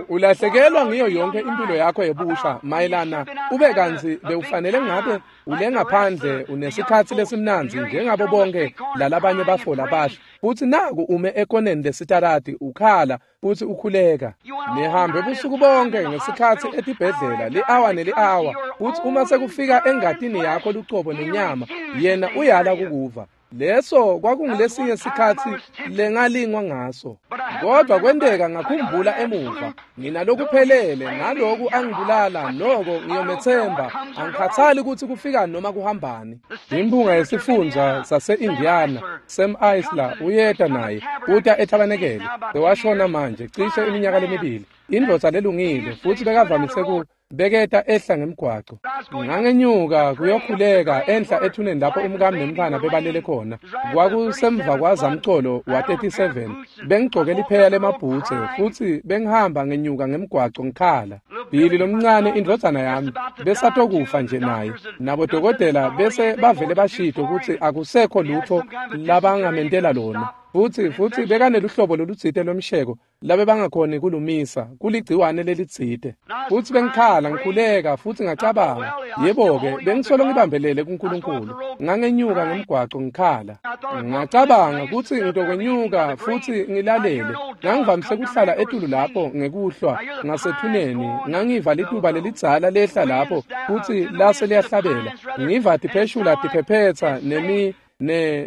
Ulahlekelwa ngiyo yonke impilo yakho yebusha mayelana ube kantsi bewufanele ngabe ulengaphandle unesikhatsi lesimnandzi njengabo bonke lalabanye bafo labasha, futhi naku ume ekoneni lesitarati ukhala futhi ukhuleka. Nihambe busuku bonke ngesikhatsi etibhedlela li-awa neli-awa, futhi uma sekufika engatini yakho lucobo nenyama, yena uyala kukuva. Leso kwakungulesinye sikhatsi lengalingwa ngaso. Kodwa kwenteka ngakhumbula emuva, nginalokuphelele naloku angibulala noko ngiyomethemba, angikhathali ukuthi kufika noma kuhambani. Imphunga yesifundza sase-Indiana, Sam Isler, uyeta naye, uta ethabanekele, sewashona manje cishe iminyaka lemibili. Indvodza lelungile futhi bekavamise beketa ehla ngemgwaco. Ngangenyuka kuyokhuleka enhla ethuneni lapho umkami nemntfwana bebalele khona. Kwakusemva kwazamcolo wa-37. Bengigcoke lipheya lemabhutse futhi bengihamba ngenyuka ngemgwaco ngikhala. Billy lomncane indvodzana yami besatokufa nje naye. Nabodokotela bese bavele bashito ukuthi akusekho lutho labangamentela lona. Futhi bekaneluhlobo lolutsite lwemsheko labe bangakhoni kulumisa kuligciwane lelitsite. Futhi bengikhala ngikhuleka futhi ngacabanga, yebo-ke bengisolo ngibambelele kuNkulunkulu. Ngangenyuka ngemgwaco ngikhala. Ngacabanga kutsi ngitokwenyuka futhi ngilalele. Ngangivamise kuhlala etulu lapho ngekuhlwa ngasethuneni. Ngangiva lituba lelidzala lehla lapho futhi lase liyahlabela. Ngiva tipheshula tiphephetsa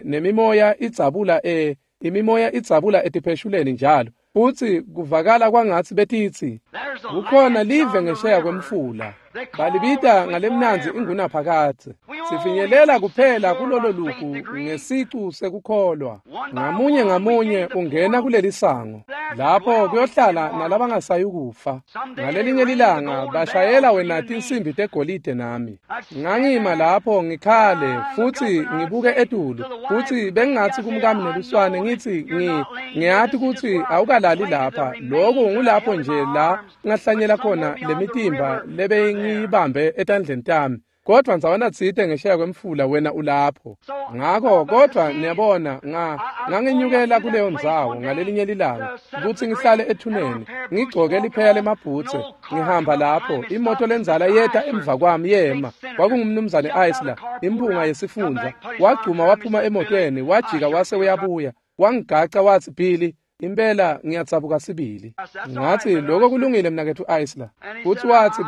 nemimoya idzabula imimoya idzabula etipheshuleni njalo. Futhi kuvakala kwangathi betitsi kukhona live ngesheya kwemfula, balibita ngalemnandzi ingunaphakadze. Sifinyelela kuphela kulolo lugu ngesicu sekukholwa. Ngamunye ngamunye ungena kuleli sango, lapho kuyohlala nalabangasayukufa. Ngalelinye lilanga bashayela wena tinsimbi tegolide nami. Ngangima lapho ngikhale futhi ngibuke etulu, futhi bengingathi kumkami neluswane ngithi ngiyati kutsi awukalali lapha. Lokhu ngulapho nje la ngahlanyela khona lemitimba lebengiyibambe etandleni tami. Kodwa ndzawana tsite ngesheya kwemfula wena ulapho. Ngakho kodwa niyabona ngangenyukela kuleyo ndzawo ngalelinye lilanga kutsi ngihlale ethuneni ngigcoke lipheya lemabhutse ngihamba lapho imoto lenzala yeta emva kwami yema. Kwakungumnumzane Isler, imphunga yesifundza. Wagcuma waphuma emotweni wajika wase uyabuya wangigaca watsi, Billy, impela ngiyatsabuka sibili. Ngathi, lokho kulungile mnaketfu Isler. Futhi wathi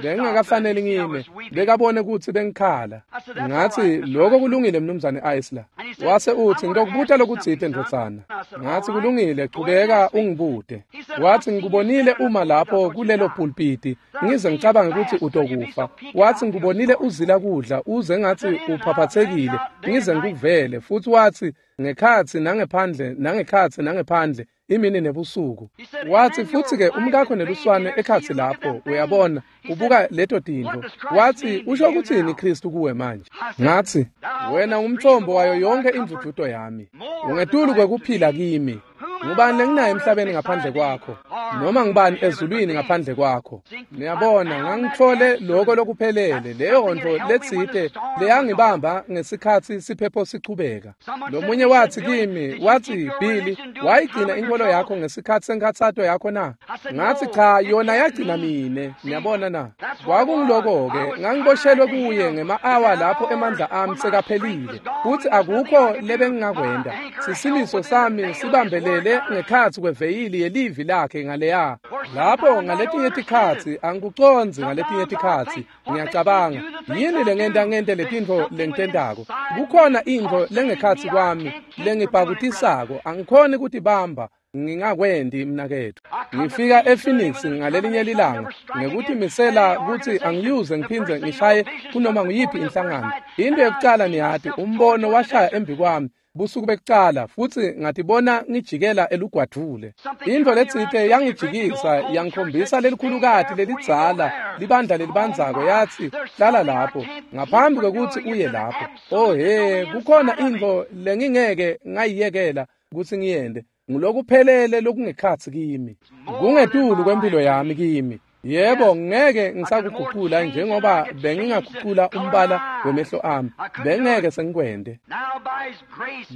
bengingakafanele ngime, bekabone kutsi bengikhala. Ngathi, lokho kulungile mnumzane Isler. Wase uthi, ngitokubuta lokutsite ndvodzana. Ngathi, kulungile, chubeka ungibute. Wathi, ngikubonile uma lapho kulelo pulpiti, ngize ngicabange kutsi utokufa. Wathi, ngikubonile uzila kudla, uze ngathi uphaphathekile, ngize ngikuvele. Futhi wathi, ngekhatsi nangephandle, nangekhatsi nangephandle, imini nebusuku. Wathi, futhi-ke umkakho neluswane ekhatsi lapho, uyabona, ubuka leto tintfo. Wathi, usho kutsini Kristu kuwe manje? Ngathi, wena umthombo wayo yonke indvudvuto yami. Ungetulu kwekuphila kimi. Ngubani lenginaye emhlabeni ngaphandle kwakho? Noma ngubani ezulwini ngaphandle kwakho? Niyabona, ngangitfole lokho lokuphelele, leyo nto letsite leyangibamba ngesikhatsi siphepho sichubeka. Lomunye wathi kimi, wathi, Billy, wayigcina inkolo yakho ngesikhatsi senkhatsato yakho na? Ngathi, cha, yona yagcina mine. Niyabona na? Kwakungiloko-ke, ngangiboshelwe kuye ngema-awa lapho emandla ami sekaphelile, futhi akukho lebengingakwenta. Sisimiso sami sibambelele ngekhatsi kweveyili yelivi lakhe ngaleya. Lapho ngaletinye tikhatsi angikucondzi, ngaletinye tikhatsi ngiyacabanga, yini lengenta ngente letintfo lengitentako? Kukhona intfo lengekhatsi kwami lengibhakutisako, angikhoni kutibamba ngingakwenti mnaketfu. Ngifika ePhoenix ngalelinye lilanga ngekutimisela kutsi angiyuze ngiphindze ngishaye kunoma nguyiphi inhlangano. Into yekucala niyati, umbono washaya embi kwami busuku bekucala, futhi ngatibona ngijikela elugwadvule. Intfo letsite yangijikisa yangikhombisa lelikhulukati lelidzala libandla lelibandzako, yatsi, hlala lapho ngaphambi kwekutsi uye lapho. Oh he, kukhona intfo lengingeke ngayiyekela kutsi ngiyente. Ngulokuphelele lokungekhatsi kimi, kungetulu kwempilo yami kimi. Yebo, ngeke ngisakuguqula njengoba bengingaguqula umbala wemehlo ami, bengeke sengikwente.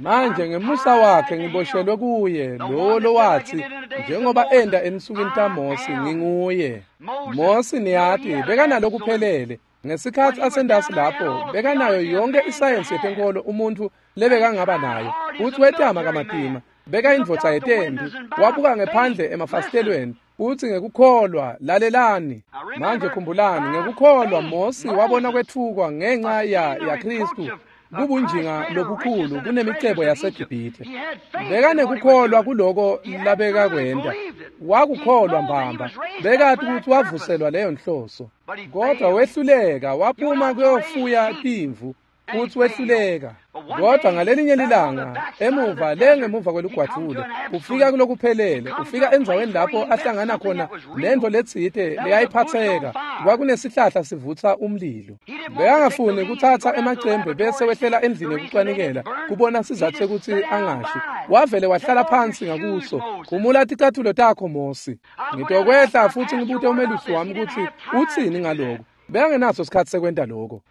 Manje ngemusa wakhe ngiboshelwe kuye, lowo lowathi, njengoba enda ensukwini taMosi, nginguye. Mosi niyati bekanalokuphelele. Ngesikhatsi asendasi lapho, bekanayo yonke isayensi yetenkolo umuntu lebekangaba nayo. Futhi wetama kamatima, bekayindvodza yetempi, wabuka ngephandle emafasitelweni. Uthi ngekukholwa, lalelani. Manje khumbulani, ngekukholwa Mosi wabona kwethukwa ngenxa ya Kristu. Kubunjinga lobukhulu kunemicebo yaseGibhithe. Bekanekukholwa kuloko labekakwenta. Wakukholwa mbamba. Bekati ukuthi wavuselwa leyo nhloso. Kodwa wehluleka, waphuma kuyofuya timvu futhi wehluleka. Kodwa ngalelinye lilanga, emuva lengemuva kwelugwadvule, ufika kulokuphelele, ufika endzaweni lapho ahlangana khona nento letsite leyayiphatheka. Kwakunesihlahla sivutsa umlilo. Bekangafuni kuthatha emacembe bese wehlela endlini yekucwanikela kubona sizathu sekuthi angashi. Wavele wahlala phansi ngakuso. Khumula ticathulo takho Mosi. Ngitokwehla futhi ngibute umelusi wami ukuthi utsini ngaloko. Bekangenaso sikhatsi sekwenta lokho.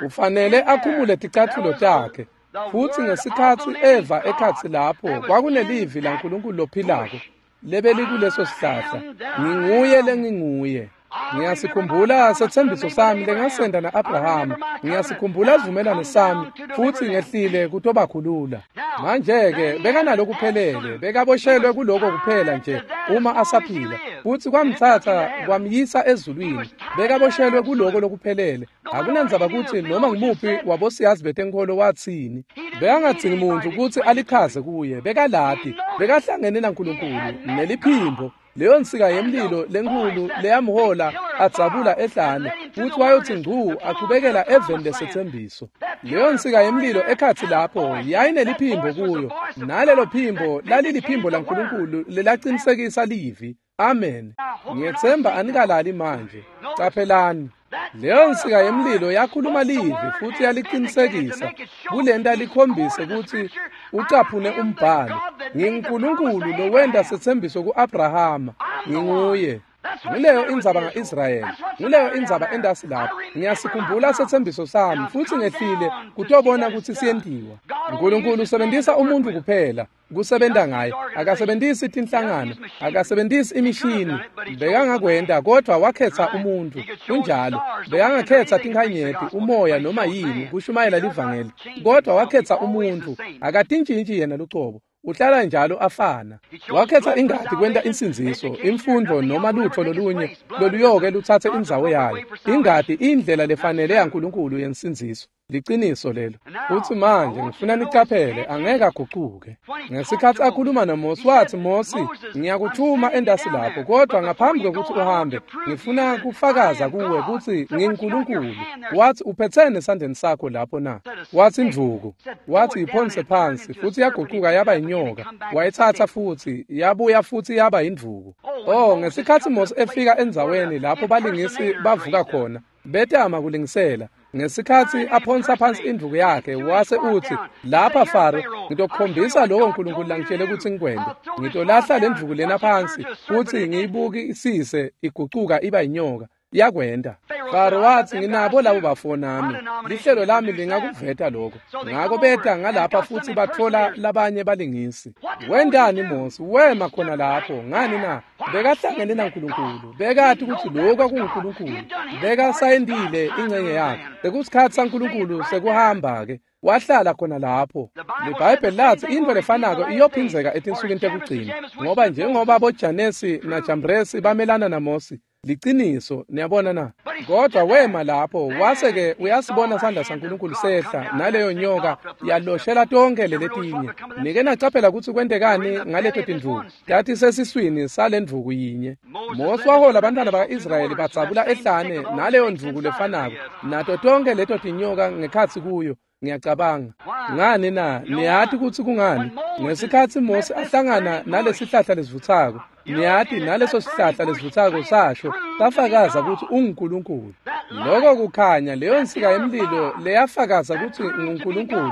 Ufanele akhumule ticathulo takhe. Futhi ngesikhatsi eva ekhatsi lapho kwakunelivi laNkulunkulu lophilako lebelikuleso sihlahla. Nginguye lenginguye. Ngiyasikhumbula setsembiso sami lengasenda na-Abrahama. Ngiyasikhumbula sivumelwano sami futhi ngehlile kutobakhulula. Manje-ke bekanalokuphelele, bekaboshelwe kuloko kuphela nje uma asaphila. Futhi kwamthatha kwamyisa ezulwini. Bekaboshelwe kuloko lokuphelele. Akunandzaba kutsi noma ngumuphi wabosiyazi betenkholo watsini. Bekangadzingi muntu kutsi alichaze kuye, bekalati, bekahlangene naNkulunkulu neliphimbo. Leyo nsika yemlilo lenkhulu leyamhola adzabula ehlane futhi wayotsi ngcu achubekela eveni lesetsembiso. Leyo nsika yemlilo ekhatsi lapho yayineliphimbo kuyo, nalelo phimbo laliliphimbo laNkulunkulu lelacinisekisa livi. Amen. Ngiyetsemba anikalali manje. Caphelani. Leyo nsika yemlilo yakhuluma livi futhi yalicinisekisa kulenta likhombise kutsi ucaphune umbhalo. NginguNkulunkulu lowenta setsembiso ku-Abrahama. Nginguye. Nguleyo indzaba nga-Israyeli. Nguleyo indzaba endasi lapho. Ngiyasikhumbula setsembiso sami futhi ngehlile kutobona kutsi siyentiwa. Nkulunkulu usebentisa umuntfu kuphela kusebenta ngaye. Akasebentisi tinhlangano, akasebentisi imishini. Bekangakwenta kodwa wakhetsa umuntfu. Kunjalo. Bekangakhetsa tinkhanyeti, umoya noma yini kushumayela livangeli. Kodwa wakhetsa umuntfu. Akatintshintshi yena lucobo. Uhlala njalo afana. Wakhetsa ingati kwenta insindziso, imfundvo noma lutfo lolunye loluyoke lutsatse indzawo yayo. Ingati indlela lefanele yaNkulunkulu yensindziso. Liciniso lelo. Futsi manje ngifuna nicaphele, angeke agucuke. Ngesikhatsi akhuluma naMosi wathi, Mosi, ngiyakuthuma endasi lapho, kodwa ngaphambi kwekutsi uhambe, ngifuna kufakaza kuwe kutsi nginguNkulunkulu. Wathi, uphetsene esandleni sakho lapho na? Wathi indvuku. Wathi iphonse phansi, futhi yagucuka yaba inyoka. Wayitsatsa futhi, yabuya futhi yaba indvuku. Oh, ngesikhatsi Mosi efika endzaweni lapho balingisi bavuka khona, betama kulingisela. Ngesikhatsi aphonsa phansi indvuku yakhe wase utsi, lapha Faro, ngitokukhombisa lokho uNkulunkulu langitshele kutsi ngikwente. Ngitolahla le ndvuku lena phansi futsi ngiyibukisise igucuka iba inyoka. Yakwenta. Faro wathi, nginabo labo bafo nami. Lihlelo lami lingakuveta lokho. Ngako beta ngalapha futhi batfola labanye balingisi. Wentani Mosi? Wema khona lapho. Ngani na? Bekahlangene naNkulunkulu. Bekati kutsi lokho kwakunguNkulunkulu. Bekasayendile ingcenye yakhe. Bekusikhatsi saNkulunkulu sekuhamba-ke. Wahlala khona lapho. LiBhayibheli latsi intfo lefanako iyophindzeka etinsukwini tekugcina. Ngoba njengoba boJanesi naJambresi bamelana naMosi, liciniso, niyabona na? Kodwa wema lapho, wase-ke uyasibona sandla saNkulunkulu sehla naleyo nyoka yaloshela tonke leletinye. Nike nacaphela kutsi kwentekani ngaleto tindvuku. Tati sesiswini sale ndvuku yinye. Mosi wahola abantwana baka-Israyeli badzabula ehlane naleyo ndvuku lefanako, nato tonke leto tinyoka ngekhatsi kuyo. Ngiyacabanga. Ngani na? Niyati kutsi kungani? Ngesikhatsi Mosi ahlangana nalesihlahla lesivutsako, niyati naleso sihlahla lesivutsako sasho safakaza kutsi unguNkulunkulu. Loko kukhanya, leyo nsika yemlilo leyafakaza kutsi nguNkulunkulu.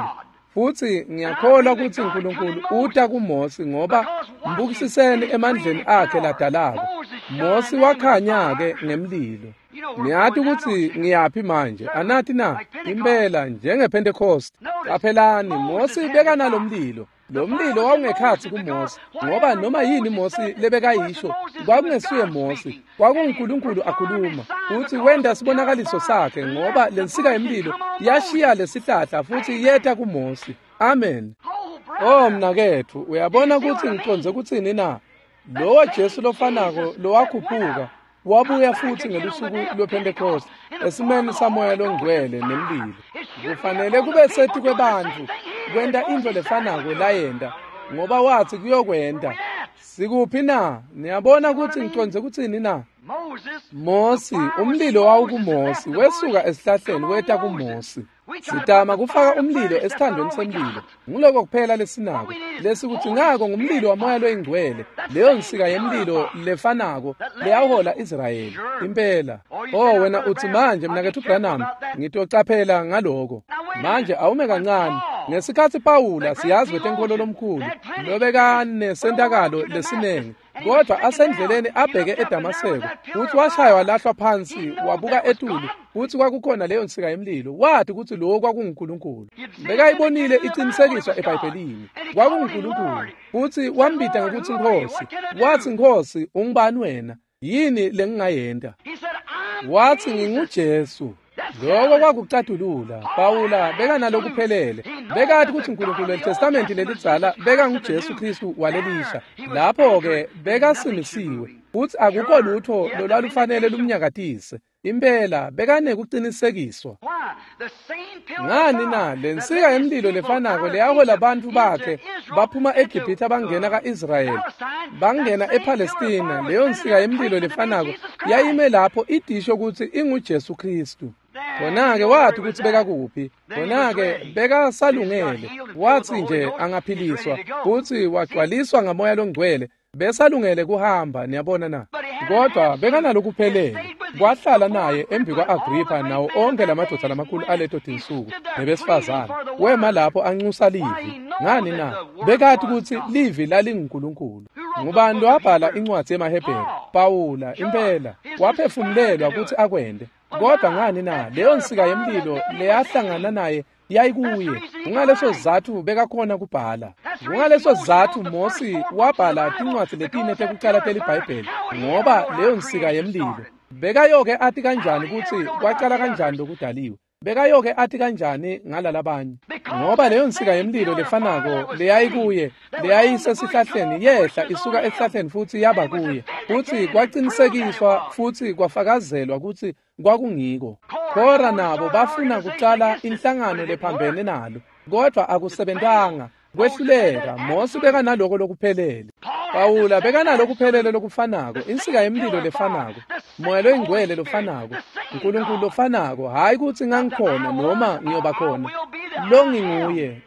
Futhi ngiyakholwa kutsi uNkulunkulu uta kuMosi ngoba mbukisiseni emandleni akhe ladalako. Mosi wakhanya-ke ngemlilo. Niyati kutsi ngiyaphi manje, anati na? Impela njengePentecost. Qaphelani, Mosi bekanalomlilo. Lo mlilo wawungekhatsi kuMosi, ngoba noma yini Mosi lebekayisho kwakungesuye Mosi, kwakunguNkulunkulu akhuluma. Futhi wenta sibonakaliso sakhe ngoba lensika yemlilo yashiya lesihlahla futhi yeta kuMosi. Amen. Oh mnaketfu, uyabona kutsi ngicondze kutsini na? Lowo Jesu lofanako lowakhuphuka Wabuya futhi ngelusuku lwePhentekoste esimeni samoya longcwele nemlilo. Kufanele kube sethi kwebantfu kwenta intfo lefanako layenta, ngoba wathi kuyokwenta. Sikuphi na? Niyabona kutsi ngicondze kutsini na? Mosi, umlilo wawukuMosi, wesuka esihlahleni weta kuMosi. Sitama kufaka umlilo esithandweni semlilo. Nguloko kuphela lesinako. Lesikuthi ngako ngumlilo wamoya loyingcwele, leyo nsika yemlilo lefanako leyahola Israyeli. Impela. Oh, wena uthi manje mnaketfu Branham, ngitocaphela ngaloko. Manje awume kancane. Ngesikhatsi Pawula siyazi wetenkolo lomkhulu, lobekanesentakalo lesinengi, kodwa asendleleni abheke eDamaseko, futhi washaywa walahlwa phansi, wabuka etulu, futhi kwakukhona leyo nsika yemlilo. Wathi kutsi lokho kwakunguNkulunkulu. Bekayibonile iqinisekiswa eBhayibhelini, kwakunguNkulunkulu. Futhi wambita ngekutsi Nkhosi. Wathi, Nkhosi, ungubani wena? Yini lengingayenta? Wathi, nginguJesu. Lokho kwakucatulula. Pawula bekanalokuphelele. Bekathi kutsi uNkulunkulu weTestamenti lelidzala bekanguJesu Kristu walelisha. Lapho-ke bekasimisiwe, futsi akukho lutho lolwalufanele lumnyakatise. Impela bekanekucinisekiswa. Ngani na? Lensika yemlilo lefanako leyahola bantfu bakhe baphuma eGibhithe bangena ka-Israyeli, bangena ePalestina, leyo nsika yemlilo lefanako yayime lapho idisho kutsi inguJesu Kristu. Khona-ke wathi kutsi bekakuphi. Khona-ke bekasalungele. Wathi nje angaphiliswa futsi wagcwaliswa ngamoya longcwele, besalungele kuhamba. Niyabona na? Kodwa bekanalokuphelele. Kwahlala naye embi kwa-Agripha nawo onke lamadvodza lamakhulu aleto tinsuku nebesifazane. Wema lapho anxusa livi. Ngani na? Bekathi kutsi livi lalinguNkulunkulu. Ngubani lowabhala incwadzi yemaHebheru? Pawula. Impela waphefumulelwa kutsi akwente. Kodwa ngani na? Leyo nsika yemlilo leyahlangana naye yayikuye. Kungaleso sizatfu bekakhona kubhala. Kungaleso sizatfu Mosi wabhala tincwadzi letine tekucala teliBhayibheli, ngoba leyo nsika yemlilo. Bekayoke ati kanjani kutsi kwacala kanjani lokudaliwe? Bekayoke ati kanjani ngalalabanye? Ngoba leyo nsika yemlilo lefanako leyayikuye, leyayisesihlahleni, yehla isuka esihlahleni futsi yaba kuye, futsi kwacinisekiswa futsi kwafakazelwa kutsi kwakungiko. Khora nabo bafuna kucala inhlangano lephambene nalo, kodwa akusebentanga. Kwehluleka. Mosi bekanaloko lokuphelele. Pawula bekanalokuphelele lokufanako, insika yemlilo lefanako, moya loyingcwele lofanako, uNkulunkulu lofanako. Hhayi kutsi ngangikhona noma ngiyoba khona, lo nginguye.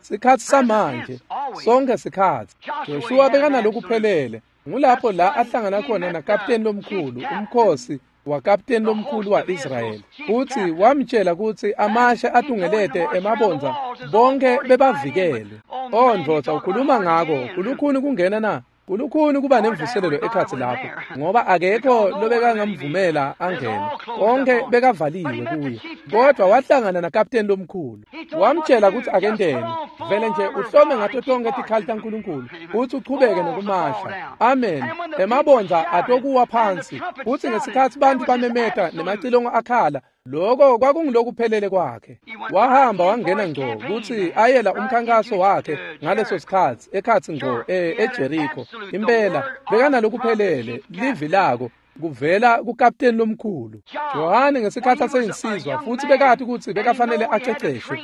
Sikhatsi samanje, sonke sikhatsi. Joshua bekanalokuphelele. Ngulapho la ahlangana khona nakapteni lomkhulu, umkhosi wakapteni lomkhulu wa-Israyeli, futsi wamtshela kutsi amashe atungelete emabondza bonke bebavikele. Oh ndvodza, ukhuluma ngako kulukhuni kungena na? Kulukhuni kuba nemvuselelo ekhatsi lapho, ngoba akekho lobekangamvumela angene. Konke bekavaliwe kuye. Kodwa wahlangana nakapteni lomkhulu, wamtshela kutsi akenteni. Vele nje uhlome ngato tonke tikhali taNkulunkulu, futsi uchubeke nokumasha. Amen. Emabondza atokuwa phansi. Futsi ngesikhatsi bantfu bamemeta nemacilongo akhala, lokho kwakungulokuphelele kwakhe. Wahamba wangena ngco kutsi ayela umkhankaso wakhe ngaleso sikhatsi ekhatsi ngco eJeriko. Impela bekanalokuphelele livi lako kuvela kukapteni lomkhulu. Johane ngesikhatsi aseyinsizwa, futsi bekati kutsi bekafanele aceceshwe,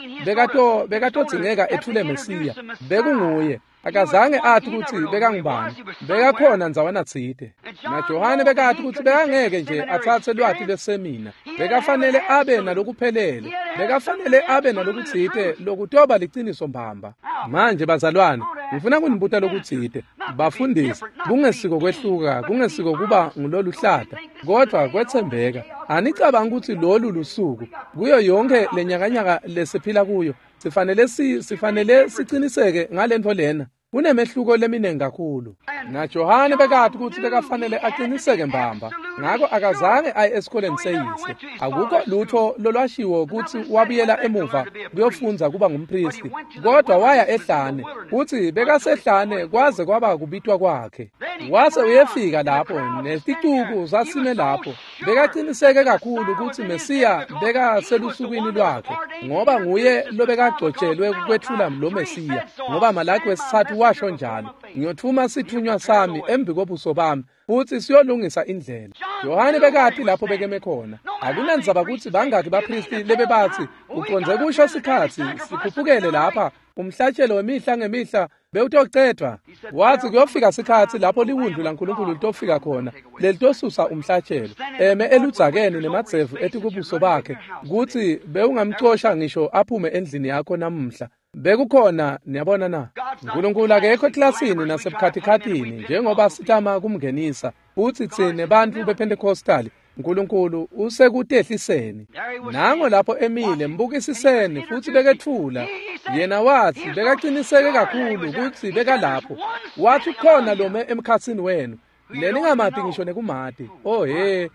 bekatodzingeka etfule Mesiya. Bekunguye. Akazange athi kutsi bekangubani, bekakhona ndzawana tsite. NaJohane bekati kutsi bekangeke nje atsatse lwati lwesemina, bekafanele abe nalokuphelele, bekafanele abe nalokutsite lokutoba liciniso mbamba. Manje bazalwane, ngifuna kunibuta lokutsite. Bafundisi, kungesiko kwehluka, kungesiko kuba nguloluhlata, kodwa kwetsembeka. Anicabangi kutsi lolu lusuku kuyo yonke lenyakanyaka lesiphila kuyo sifanele siciniseke ngalentfo lena? Kunemehluko leminingi kakhulu. NaJohane bekati kutsi bekafanele aqiniseke mbamba, ngako akazange aye esikoleni seyise. Akukho lutho lolwashiwo kutsi wabuyela emuva kuyofundza kuba ngumpristi, kodwa waya ehlane, futsi bekasehlane kwaze kwaba kubitwa kwakhe. Wase uyefika lapho neticuku zasime lapho. Bekaqiniseke kakhulu kutsi Mesiya bekaselusukwini lwakhe, ngoba nguye lobekagcotshelwe kwetfula lo Mesiya, ngoba Malaki wesitsatfu washo njalo, ngiyotfuma sitfunywa sami embi kobuso bami futsi siyolungisa indlela. Yohane bekati lapho bekeme khona. Akunandzaba kutsi bangaki baphristi lebebatsi ucondze kusho sikhatsi sikhuphukele lapha umhlatshelo wemihla ngemihla bewutocedvwa. Wathi kuyofika sikhatsi lapho liwundlu laNkulunkulu litofika khona lelitosusa umhlatshelo eme eludzakeni nemadzevu etikubuso bakhe kutsi bewungamcosha ngisho aphume endlini yakho namuhla. Bekukhona, niyabona na? Nkulunkulu akekho eklasini nasebukhatikhathini njengoba sitama kumngenisa futsi tsine bantfu bePentecostal. Nkulunkulu usekutehliseni. Nango lapho emile mbukisiseni futsi beketfula. Yena wathi bekaqiniseke kakhulu kutsi bekalapho. Wathi khona lome emkhatsini wenu leningamati ngisho nekumati. Oh he,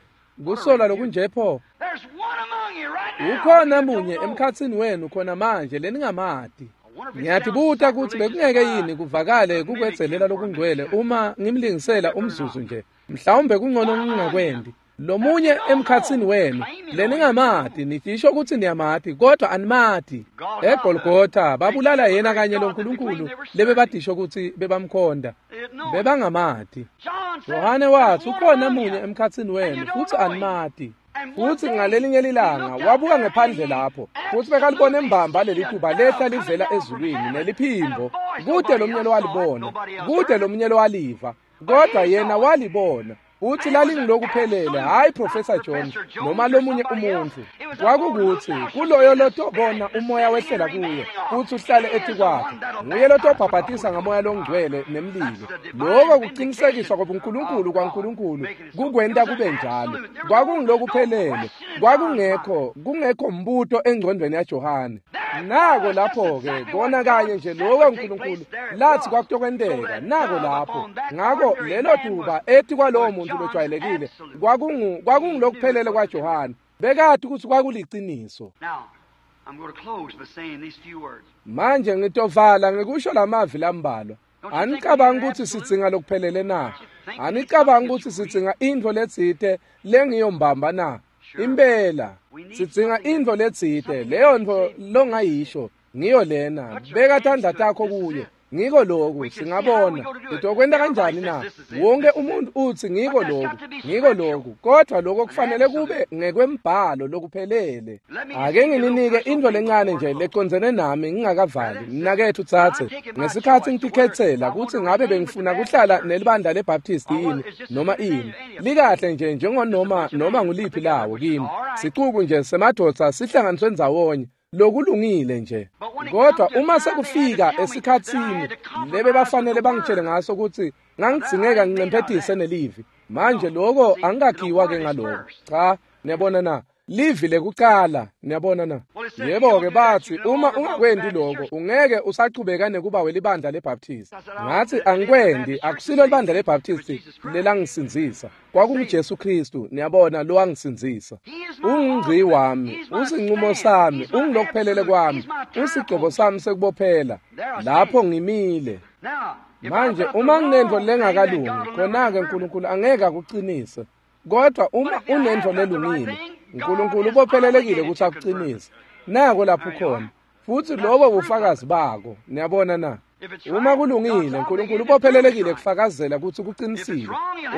kusola lokunje pho. Ukhona munye emkhatsini wenu khona manje leningamati. Ngiyatibuta kutsi bekungeke yini kuvakale kukwedzelela lokungcwele uma ngimlingisela umzuzu nje. Mhlawumbe kungcono ngingakwendi. Lomunye emkhatsini wenu leningamati, nitisho kutsi niyamati kodwa animati. EGolgotha babulala yena kanye loNkulunkulu lebebadisho kutsi bebamkhonda, bebangamati. Yohane wathi ukhona munye emkhatsini wenu futsi animati. Futsi ngalelinye lilanga wabuka ngephandle lapho futsi bekalibona embamba lelituba lehla livela ezulwini neliphimbo. Kude lomunye lowalibona, kude lomunye lowaliva, kodwa yena walibona. Uthi lalingilokuphelele, hayi Professor Jones noma lomunye umuntu. Kwakukuthi kuloyo lotobona umoya wehlela kuye futhi uhlale etikwakhe, nguye lotobhabhatisa ngamoya longcwele nemlilo. Lokho kuqinisekiswa kobuNkulunkulu kwaNkulunkulu kukwenta kube njalo. Kwakungilokuphelele, kwakungekho kungekho mbuto engcondweni yaJohane. Nako lapho-ke kona kanye nje lokho uNkulunkulu lathi kwakutokwenteka, nako lapho. Ngako lelo tuba ethi kwalowo muntu lojwayelekile kwakungilokuphelele kwaJohane. Bekati kutsi kwakuliciniso. Manje ngitovala ngikusho lamavi lambalwa. Anicabangi kutsi sidzinga lokuphelele na? Anicabangi kutsi sidzinga intfo letsite lengiyombamba na? Impela sidzinga intfo letsite, leyo ntfo longayisho ngiyo lena. Beka tandla takho kuye. Ngiko lokhu singabona sitokwenta kanjani na? Wonke umuntu uthi ngiko lokhu, ngiko lokhu, kodwa lokho kufanele kube ngekwembhalo lokuphelele. Ake ngininike intfo lencane nje lecondzene nami ngingakavali. Mnaketfu tsatse, ngesikhatsi ngitikhetsela kutsi ngabe bengifuna kuhlala nelibandla leBaptist yini noma ini, likahle nje njengonoma noma nguliphi lawo kimi. Sicuku nje semadvodza sihlanganiswe ndzawonye, lokulungile nje. Kodwa uma sekufika esikhatsini lebe bafanele bangitshele ngaso kutsi ngangidzingeka ngincemphetise nelivi. Manje lokho angikakhiwa ke ngaloko. Cha, niyabona na? Livi lekucala, niyabona na? Yebo-ke bathi uma ungakwendi lokho ungeke usachubeka nekuba welibandla leBaptist. Ngathi angikwendi, akusilo libandla leBaptist lelangisindzisa. KwakunguJesu Kristu, niyabona, lowangisindzisa. Ungungci wami, usinqumo sami, ungilokuphelele kwami, usigcobo sami sekubophela. Lapho ngimile. Manje uma nginentfo lengakalungi, khona-ke uNkulunkulu angeke akucinise. Kodwa uma unentfo lelungile, uNkulunkulu ubophelelekile ukuthi akucinise. Nako lapho khona. Futhi lobo bufakazi bako, niyabona na? Uma kulungile, uNkulunkulu ubophelelekile kufakazela ukuthi kuqinisile.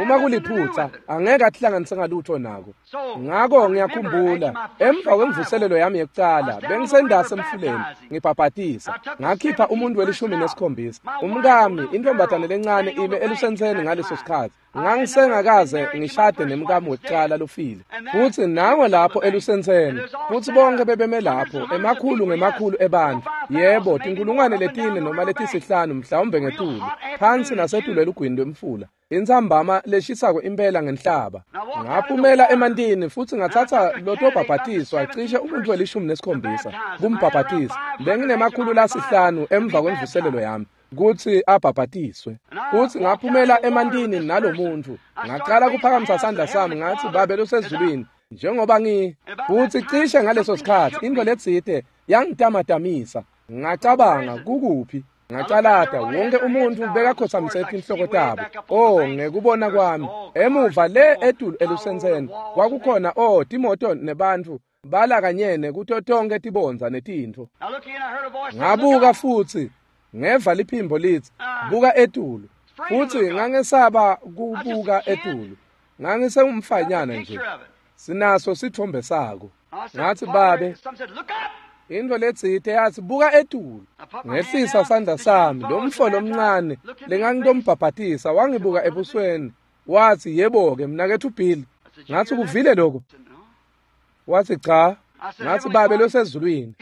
Uma kuliphutha, angeke atihlanganise ngalutho nako. Ngako ngiyakhumbula emva kwemvuselelo yami yekucala, bengisendase emfuleni ngibhabhatisa. Ngakhipha umuntu we-17. Umkami, intombazane lencane ime elusenseni ngaleso sikhathi. Ngangisengakaze ngishade nemkami wekucala lofile. Futhi nango lapho elusenseni, futhi bonke bebeme lapho, emakhulu ngemakhulu ebantfu. Yebo, tinkulungwane 4 noma 5 mhlawumbe ngetulu, phansi nasetulu elugwini lwemfula. Intsambama leshisako impela ngenhlaba. Ngaphumela emantini futhi ngathatha lotobhabhatiswa cishe umuntu we-17 kumbhabhatisa. Benginema-500 emva kwemvuselelo yami kutsi abhabhatiswe. Futhi ngaphumela emantini nalomuntu. Ngaqala kuphakamisa sandla sami ngathi, Babe losezulwini, njengoba futhi cishe ngaleso sikhathi into letsite yangitamatamisa. Ngacabanga, kukuphi? Ngacalata, wonke umuntu bekakhothamise tinhloko tabo. Oh, ngekubona kwami, emuva le etulu elusenseni kwakukhona timoto nebantfu balakanyene kuto tonke tibondza netintfo. Ngabuka futhi. Ngeva liphimbo lithi, buka etulu. Futhi ngangesaba kubuka etulu. Ngangisengumfanyana nje. Sinaso sithombe sako. Ngathi, babe, into letsite yathi, buka etulu. Ngehlisa sandla sami, lo mfo lomncane lengangitombhabhatisa wangibuka ebusweni. Wathi, yebo-ke, mnaketfu Bill. Ngathi, kuvile lokho? Wathi, cha. Ngathi, babe losezulwini.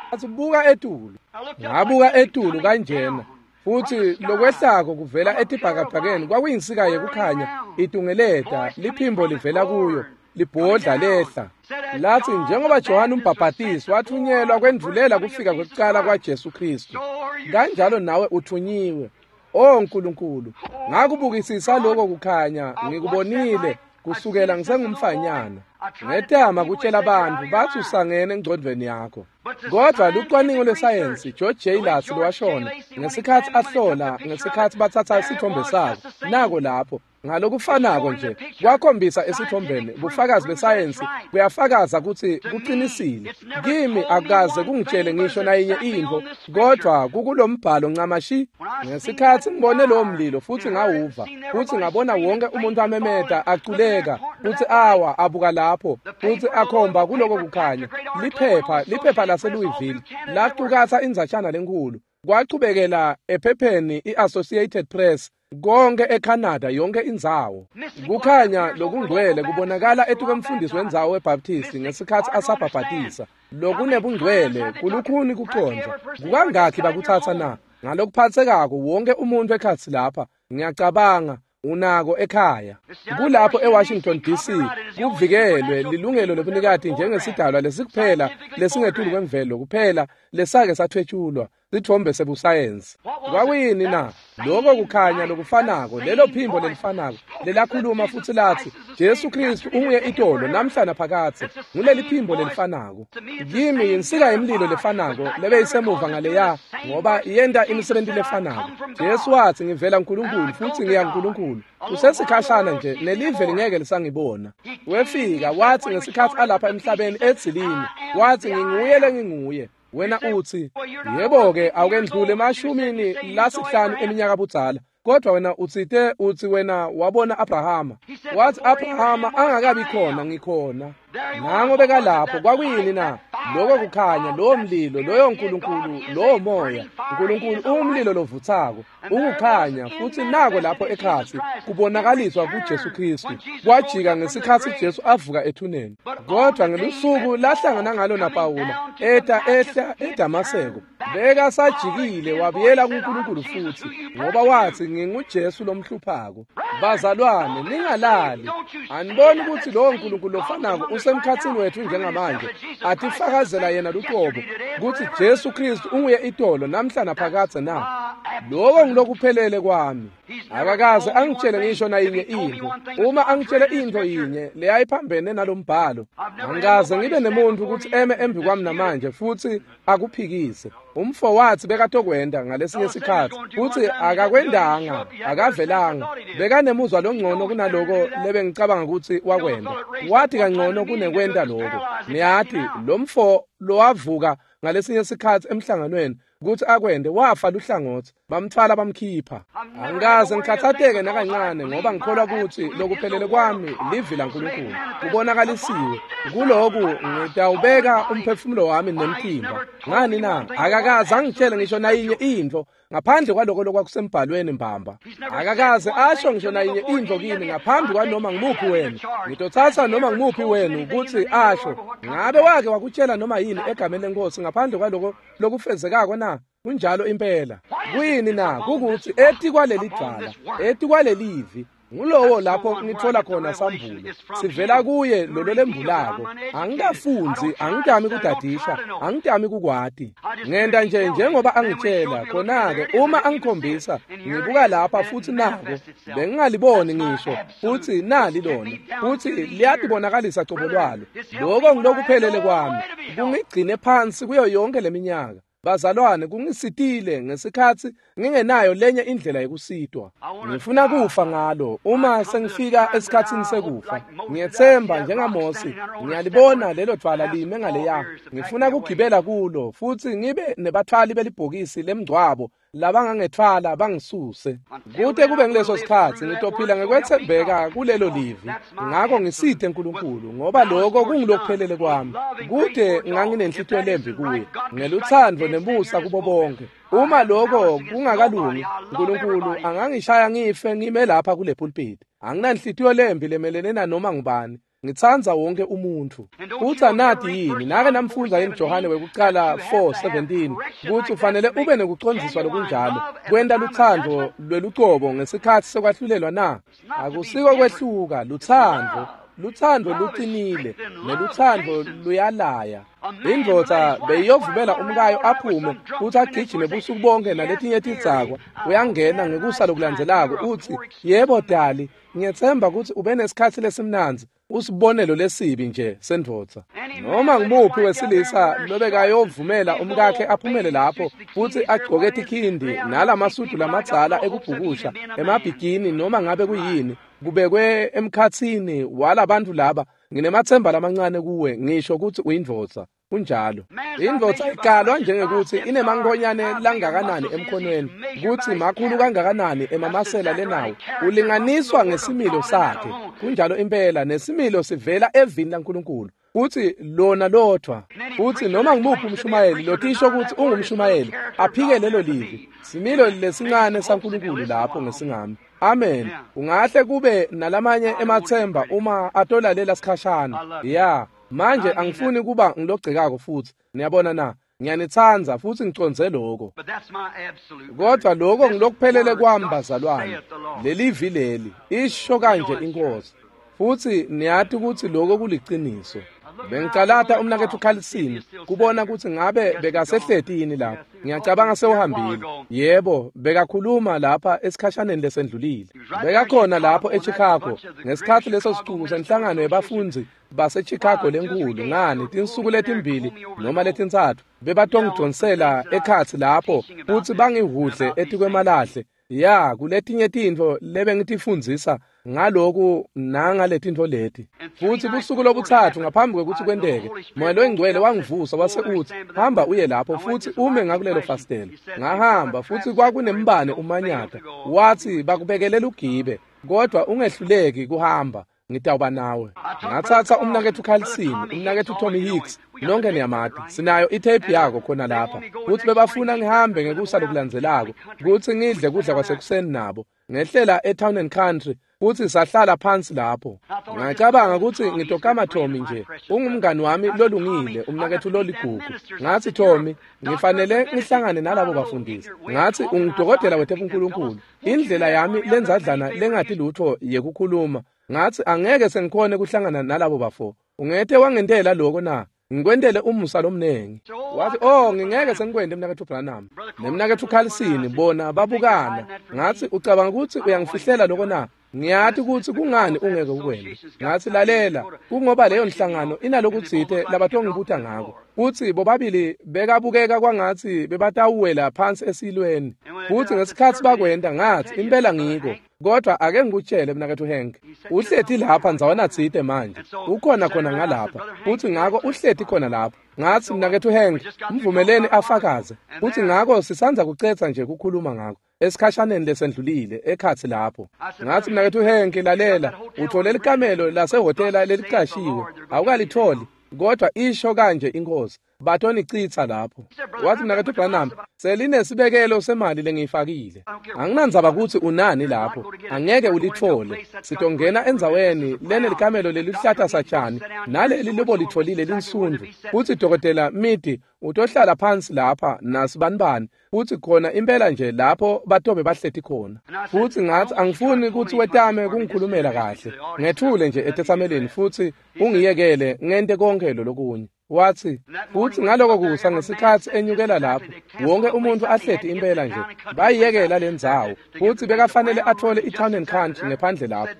Ngathi, buka etulu. Ngabuka etulu kanjena. Futhi lokwehlako kuvela etibhakabhakeni kwakuyinsika yekukhanya itungeleta, liphimbo livela kuyo, libhodla lehla. Lathi, njengoba Johane umbhabhatisi wathunyelwa kwendvulela kufika kwekucala kwaJesu Kristu, kanjalo nawe uthunyiwe. O Nkulunkulu, ngakubukisisa lokho kukhanya, ngikubonile kusukela ngisengumfanyana. Ngetama kutshela abantu, bathi usangene engcondvweni yakho. Kodwa lucwaningo lwesayensi, George J. Lacy lowashona ngesikhathi ahlola, ngesikhathi bathatha isithombe sakho, nako lapho ngalokufanako nje kwakhombisa esithombeni. Bufakazi besayensi buyafakaza ukuthi kuqinisile. Kimi akukaze kungitshele ngisho nayinye intfo, kodwa kukulombhalo ncamashi. Ngesikhathi ngibone lowo mlilo futhi ngawuva, futhi ngabona wonke umuntu amemeta aculeka futhi awa abuka lapho futhi akhomba kuloko kukhanya, liphepha laseLouisville lacukatsa indzatshana lenkulu, kwachubekela ephepheni i-Associated Press, konke eCanada, yonke indzawo. Kukhanya lokungcwele kubonakala etukwemfundisi wendzawo weBaptist ngesikhathi asabhabhatisa. Lokunebungcwele kulukhuni kucondza. Kukangakhi bakuthatha na? Ngalokuphatsekako wonke umuntu ekhatsi lapha, ngiyacabanga, unako ekhaya. Kulapho eWashington DC kuvikelwe lilungelo lobunikati njengesidalwa lesikuphela lesingetulu kwemvelo kuphela lesake sathwetshulwa sithombe sebusayensi. Kwakuyini na? Lokho kukhanya lokufanako, lelo phimbo lelifanako lelakhuluma futhi lathi, Jesu Kristu unguye itolo namhla naphakadze. Nguleli phimbo lelifanako. Kimi yinsika yemlilo lefanako lebeyisemuva ngaleya, ngoba yenta imisebenti lefanako. Jesu wathi, ngivela kuNkulunkulu futhi ngiya kuNkulunkulu. Kusesikhashana nje nelive lingeke lisangibona. Wefika wathi ngesikhathi alapha emhlabeni edzilini, wathi, nginguye lenginguye. Wena uthi, yebo-ke, awukendlule emashumini lasihlanu eminyaka budzala, kodwa wena utsite uthi wena wabona Abrahama. Wathi, Abrahama angakabi khona, ngikhona. Nango bekalapho. Kwakuyini na? Lokho kukhanya, lowo mlilo, loyo Nkulunkulu, lowo moya. Nkulunkulu ungumlilo lovuthako, ukukhanya, futhi nako lapho ekhatsi kubonakaliswa kuJesu Kristu. Kwajika ngesikhathi Jesu avuka ethuneni. Kodwa ngelusuku lahlangana ngalo naPawula, eta ehla eDamaseko, bekasajikile wabuyela kuNkulunkulu futhi, ngoba wathi, nginguJesu lomhluphako. Bazalwane, ningalali. Aniboni ukuthi lowo Nkulunkulu lofanako usemkhatsini wethu njengamanje, atifakazela yena luqobo ukuthi Jesu Kristu unguye itolo namhla naphakadze na? Lokho ngilokuphelele kwami. Akakaze angitshele ngisho nayinye intfo. Uma angitshele intfo yinye leyayiphambene nalombhalo, angikaze ngibe nemuntu ukuthi eme embi kwami namanje futhi akuphikise. Umfo wathi bekatokwenda ngalesinye isikhathi, futhi akakwendanga, akavelanga. Bekanemuzwa longcono kunaloko lebengicabanga ukuthi wakwenda. Wathi kangcono kunekwenda lokho. Niyathi, lo mfo lowavuka ngalesinye isikhathi emhlanganweni ukuthi akwende, wafa luhlangothi, bamthwala bamkhipha. Angikaze ngikhathatheke nakancane, ngoba ngikholwa ukuthi lokuphelele kwami livi laNkulunkulu kubonakalisiwe. Kuloku ngitawubeka umphefumulo wami nemtimba. Ngani na? Akakaze angitshele ngisho nayinye intfo ngaphandle kwaloko lokwakusembhalweni mbamba. Akakaze asho ngisho nayinye intfo kimi ngaphambi kwanoma ngimuphi wenu. Ngitothatha noma ngimuphi wenu ukuthi asho, ngabe wake wakutshela noma yini egameni lenkosi ngaphandle kwaloko lokufezekako na? Kunjalo impela. Kuyini na? Kukuthi etikwaleli dvwala, etikwalelivi, ngulowo lapho ngithola khona sambulo. Sivela kuye lolo lembulako. Angikafunzi, angitami kudadisha, angitami kukwati. Ngenta nje njengoba angitshela. Khona-ke uma angikhombisa, ngibuka lapha futhi nako bengingaliboni ngisho, futhi nali lona, futhi liyatibonakalisa cobo lwalo. Lokho ngilokuphelele kwami. Kungigcine phansi kuyo yonke leminyaka. Bazalwane, kungisitile ngesikhathi ngingenayo lenye indlela yokusitwa. Ngifuna kufa ngalo uma sengifika esikhathini sekufa. Ngiyethemba njengaMose, ngiyalibona lelo dvwala lime ngaleya. Ngifuna kugibela kulo futhi ngibe nebathwali belibhokisi lemngcwabo labangangetfwala bangisuse. Kute kube ngileso sikhatsi ngitophila ngekwetsembeka kulelo livi. Ngako ngisite Nkulunkulu, ngoba lokho kungilokuphelele kwami. Kude nganginenhlitiyo lembi kuye, ngelutsandvo nemusa kubo bonke. Uma lokho kungakalungi, Nkulunkulu angangishaya ngife ngime lapha kule pulpit. Anginanhlitiyo lembi lemelene nanoma ngubani. Ngitsandza wonke umuntfu. Futsi anati yini, nake namfundza yini Johane wekucala 4:17 kutsi ufanele ube nekucondziswa lokunjalo, kwenta lutsandvo lwelucobo ngesikhatsi sekwahlulelwa na? Akusiko kwehluka, lutsandvo. Lutsandvo lucinile, nelutsandvo luyalaya. Indvodza beyiyovumela umkayo aphume futsi agijime busuku bonke naletinye tidzakwa. Uyangena ngekusa lokulandzelako utsi, "Yebo dali, ngiyetsemba kutsi ube nesikhatsi lesimnandzi." Usibonelo lesibi nje sendvodza. Noma ngumuphi wesilisa lobekayovumela umkakhe aphumele lapho futsi agcoke tikhindi nalamasudu lamadzala ekubhukusha emabhigini noma ngabe kuyini, kubekwe emkhatsini walabantu laba, nginemathemba lamancane kuwe, ngisho kutsi uyindvodza. Kunjalo. Indvodza ikalwa njengekuthi inemankonyane langakanani emkhonweni, kutsi makhulu kangakanani emamasela lenawo. Ulinganiswa ngesimilo sakhe. Kunjalo impela, nesimilo sivela evini laNkulunkulu. Futsi lona lodvwa. Futsi noma ngumuphi umshumayeli lotisho kutsi ungumshumayeli, aphike lelo livi. Similo lesincane saNkulunkulu lapho ngesingami. Amen. Ungahle kube nalamanye emathemba uma atolalela sikhashana. Ya. Manje angifuni kuba ngilogcekako futsi. Niyabona na? Ngiyanitsandza futsi ngicondze lokho. Kodwa lokho ngilokuphelele kwami bazalwane. Lelivi leli isho kanje inkosi. Futsi niyati kutsi lokho kuliciniso. Bengicalata umnaketfu Carlson kubona kutsi ngabe bekasehleti yini lapha. Ngiyacabanga sewuhambile. Yebo, bekakhuluma lapha esikhashaneni lesendlulile. Bekakhona lapho eChicago ngesikhatsi leso sicuku senhlangano yebafundzi baseChicago lenkulu, ngani tinsuku letimbili noma letintsatfu bebatongidonsela ekhatsi lapho futsi bangihudle etikwemalahle. Ya, kuletinye tintfo lebengitifundzisa ngaloku nangaletintfo leti. Futsi busuku lobutsatfu ngaphambi kwekutsi kwenteke, Moya loyiNgcwele wangivusa wase utsi, "Hamba uye lapho futsi ume ngakulelo fasitelo." Ngahamba futsi kwakunembane umanyata. Watsi, "Bakubekele lugibe, kodwa ungehluleki kuhamba. Ngitawuba nawe." Ngatsatsa umnaketfu Carlson, umnaketfu Tommy Hicks, nonke niyamati. Sinayo itape yako khona lapha. Futsi bebafuna ngihambe ngekusa lokulandzelako kutsi ngidle kudla kwasekuseni nabo. Ngehlela eTown and Country futsi sahlala phansi lapho. Ngacabanga kutsi ngitokama Tommy nje. Ungumngani wami lolungile, umnaketfu loligugu. Ngatsi, "Tommy, ngifanele ngihlangane nalabo bafundisi." Ngatsi, "Ungudokotela wetebunkulunkulu. Indlela yami lenzadlana lengati lutfo yekukhuluma. Ngatsi angeke sengikhone kuhlangana nalabo bafo. Ungete wangentela lokho na? Ngikwentele umusa lomnengi." Wathi, "Oh, ngingeke sengikwente mnaketfu Branham." Nemnaketfu Carlson bona babukana. Ngatsi, "Ucabanga kutsi uyangifihlela lokho na? Ngiyati kutsi kungani ungeke ukwente." Ngatsi, "Lalela, kungoba leyo nhlangano inalokutsite labatongibuta ngako." Futsi bobabili bekabukeka kwangatsi bebatawuwela phansi esilweni. Futsi ngesikhatsi bakwenta, ngatsi, "Impela ngiko. Kodwa ake ngikutshele mnaketfu Hank, uhleti lapha ndzawana tsite manje. Ukhona khona ngalapha. Futsi ngako uhleti khona lapha." Ngatsi, "Mnaketfu Hank, mvumeleni afakaze." Futsi ngako sisandza kucetsa nje kukhuluma ngako esikhashaneni lesendlulile ekhatsi lapho. Ngatsi, "Mnaketfu Hank, lalela, uthole likamelo lasehhotela lelicashiwe. Awukalitholi, kodwa isho kanje inkosi, batonicitsa lapho." Wathi, "Mnaketfu Branham, selinesibekelo semali lengiyifakile. Anginandzaba kutsi unani lapho, angeke ulithole. Sitongena endzaweni lenelikamelo lelihlata satshani naleli lobolitfolile linsundvu. Futsi Dokotela Midi utohlala phansi lapha nasibanibani, futsi khona impela nje lapho batobe bahleti khona." Futsi ngatsi, "Angifuni kutsi wetame kungikhulumela kahle. Ngethule nje etetsameleni futsi ungiyekele ngente konke lolokunye." Watsi, futsi ngaloko kusa ngesikhatsi enyukela lapho, wonke umuntu ahleti impela nje, bayiyekela lendzawo. Futsi bekafanele athole i-Town and Country ngephandle lapho,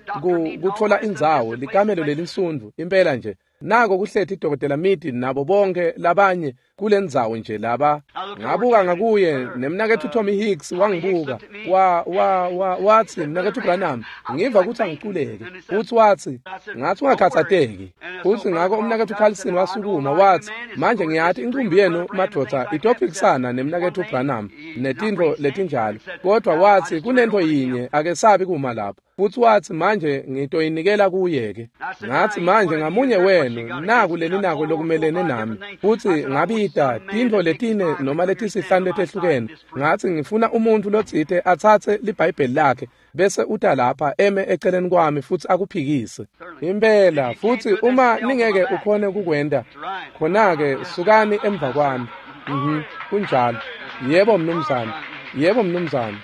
kutfola indzawo, likamelo lelinsundvu, impela nje. Nako kuhleti Dokotela Midi nabo bonke labanye kulendzawo nje laba. Ngabuka ngakuye, nemnaketfu Tommy Hicks wangibuka. Watsi, "Mnaketfu Branham, ngiva kutsi angiculeke." Futsi watsi, "Ngatsi ungakhatsateki." Futsi ngako umnaketfu Carlson wasukuma watsi, manje ngiyati inkumbi yenu madvodza itophikisana nemnaketfu Branham netintfo letinjalo, kodvwa watsi kunentfo yinye akesabi kuma lapho. Futsi watsi manje ngitoyinikela kuye-ke. Ngatsi manje ngamunye wenu naku leninako lokumelene nami. Futsi ngabita tintfo letine noma letisihlanu letehlukene. Ngatsi ngifuna umuntfu lotsite atsatse liBhayibheli lakhe bese uta lapha eme eceleni kwami futsi akuphikise. Impela, futsi uma ningeke ukhone kukwenta, khona-ke sukani emva kwami. Kunjalo. Yebo mnumzane. Yebo mnumzane.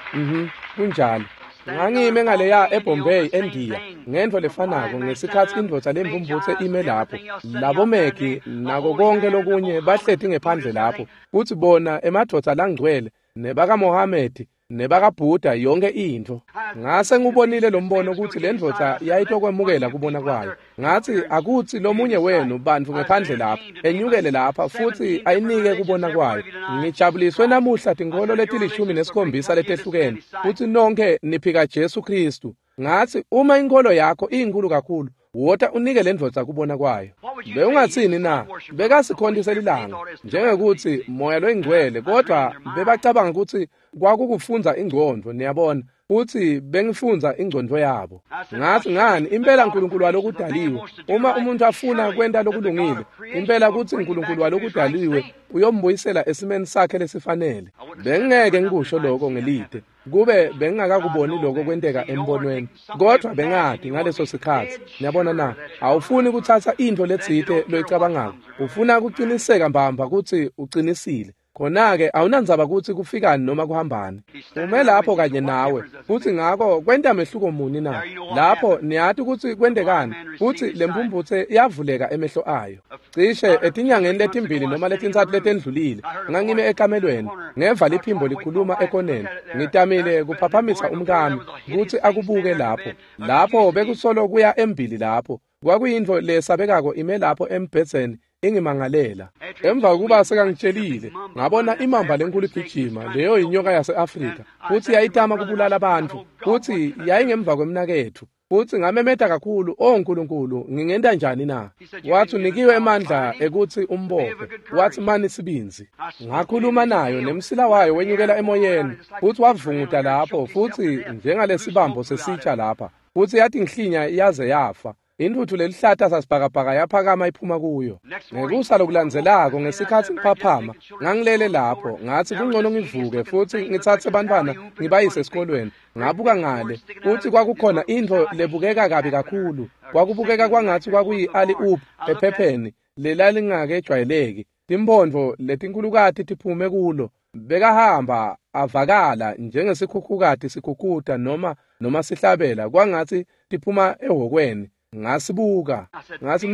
Kunjalo. Ngangime ngaleya eBombay eNdiya ngentfo lefanako ngesikhatsi indvodza lembumbutse ime lapho, labomegi nako konke lokunye bahleti ngephandle lapho, futsi bona emadvodza langcwele nebakaMohamedi nebakaBhuda yonke intfo. Ngase ngubonile lo mbono kutsi le ndvodza yayitokwemukela kubona kwayo. Ngatsi akutsi lomunye wenu bantfu ngephandle lapha enyukele lapha futsi ayinike kubona kwayo. Ngijabuliswe namuhla tinkholo leti-17 letehlukene futsi nonkhe niphika Jesu Khristu. Ngatsi uma inkholo yakho iyinkulu kakhulu, wota unike le ndvodza kubona kwayo. Bewungatsini na? Bekasikhonti lilanga njengekuthi moya loyingcwele, kodvwa bebacabanga kutsi kwakukufundza ingcondvo, niyabona, futsi bengifundza ingcondvo yabo. Ngatsi ngani impela uNkulunkulu walokudaliwe, uma umuntu afuna kwenta lokulungile, impela kutsi uNkulunkulu walokudaliwe uyombuyisela esimeni sakhe lesifanele. Bengingeke ngikusho lokho ngelide kube bengingakakuboni lokho kwenteka embonweni, kodvwa bengati ngaleso sikhatsi. Niyabona na? Awufuni kutsatsa intfo letsite loyicabangako, ufuna kuciniseka mbamba kutsi ucinisile. Khona-ke awunandzaba kutsi kufikani noma kuhambani. Ume lapho kanye nawe, futsi ngako kwenta mehluko muni na? Lapho niyati kutsi kwentekani, futsi lemphumphutse yavuleka emehlo ayo. Cishe etinyangeni letimbili noma letintsatfu letendlulile, ngangime ekamelweni, ngeva liphimbo likhuluma ekoneni. Ngitamile kuphaphamisa umkami kutsi akubuke lapho. Lapho bekusolo kuya embili lapho. Kwakuyintfo lesabekako ime lapho embhedzeni ingimangalela. Emva kokuba sekangitshelile, ngabona imamba lenkulu igijima, leyo inyoka yase-Afrika, futsi yayitama kubulala bantfu, futsi yayingemva kwemnaketfu. Futsi ngamemeta kakhulu, "O Nkulunkulu, ngingenta njani na?" Watsi unikiwe emandla ekutsi umbophe. Watsi mani sibindzi. Ngakhuluma nayo nemsila wayo wenyukela emoyeni, futsi wavunguta lapho, futsi njengalesibambo sesitsha lapha, futsi yatinhlinya yaze yafa. Intfutfu lelihlata sasibhakabhaka yaphakama iphuma kuyo. Ngekusa lokulandzelako ngesikhatsi ngiphaphama, ngangilele lapho, ngatsi kungcono ngivuke futsi ngitsatse bantfwana ngibayise esikolweni. Ngabuka ngale, futsi kwakukhona intfo lebukeka kabi kakhulu. Kwakubukeka kwangatsi kwakuyi-alley-oop ephepheni lelalingakejwayeleki. Timphondvo letinkhulukati tiphume kulo. Bekahamba avakala njengesikhukhukati sikhukhuta noma sihlabela kwangatsi tiphuma ehhokweni. Ngasibuka, ngatsi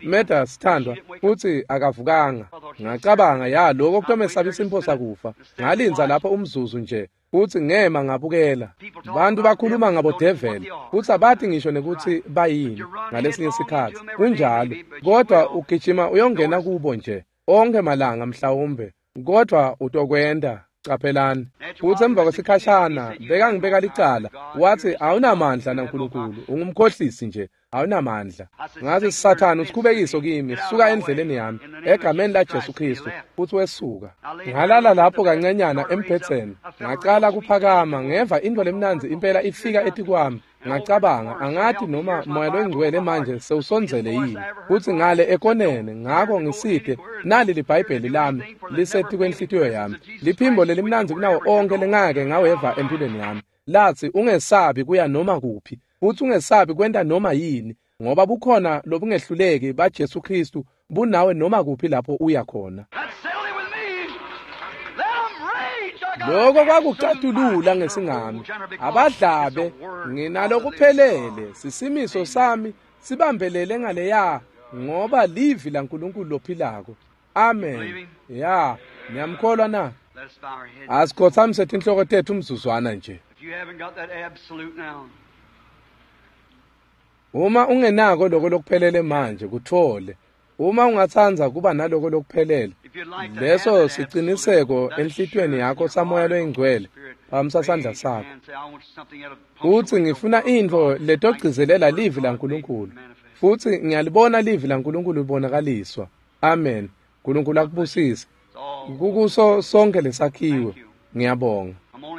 Meda sithandwa, futsi akavukanga. Ngacabanga ya lokho kutomesabisa imphosa kufa. Ngalindza lapho umzuzu nje, futsi ngema ngabukela. Bantu bakhuluma ngabo devil, futsi abati ngisho nekutsi bayini ngalesinye sikhatsi. Kunjalo, kodwa ugijima uyongena kubo nje onke malanga mhlawumbe, kodwa utokwenta. Caphelani. Futsi emva kwesikhashana bekangibeka licala, wathi awunamandla naNkulunkulu, ungumkhohlisi nje, awunamandla. Ngathi Sathane usikhubekiso kimi, suka endleleni yami egameni laJesu Kristu, futsi wesuka. Ngalala lapho kancanyana embhedzeni, ngacala kuphakama, ngeva intfo lemnandzi impela ifika etikwami. Ngacabanga angati noma moya loyingcwele manje sewusondzele yini, futsi ngale ekoneni. Ngako ngisite nali liBhayibheli lami lisetikwenhlitiyo yami, liphimbo lelimnandzi kunawo onke lengake ngaweva empilweni yami, latsi ungesabi kuya noma kuphi, futsi ungesabi kwenta noma yini, ngoba bukhona lobungehluleki baJesu Kristu bunawe noma kuphi lapho uya khona. Lokho kwakucatulula ngesingami. Abadlabe nginalokuphelele, sisimiso sami sibambelele ngaleya, ngoba livi laNkulunkulu lophilako. Amen. Ya, niyamkholwa na? Asikhothamise tinhloko tethu umzuzwana nje. Uma ungenako lokho lokuphelele manje, kuthole. Uma ungatsandza kuba naloko lokuphelele, leso siciniseko enhlitiyweni yakho samoya loyingcwele, phamisa sandla sakho. Utsi ngifuna intfo letogcizelela livi laNkulunkulu, Futsi ngiyalibona livi laNkulunkulu libonakaliswa. Amen. Nkulunkulu akubusise. Kukuso sonke lesakhiwe. Ngiyabonga.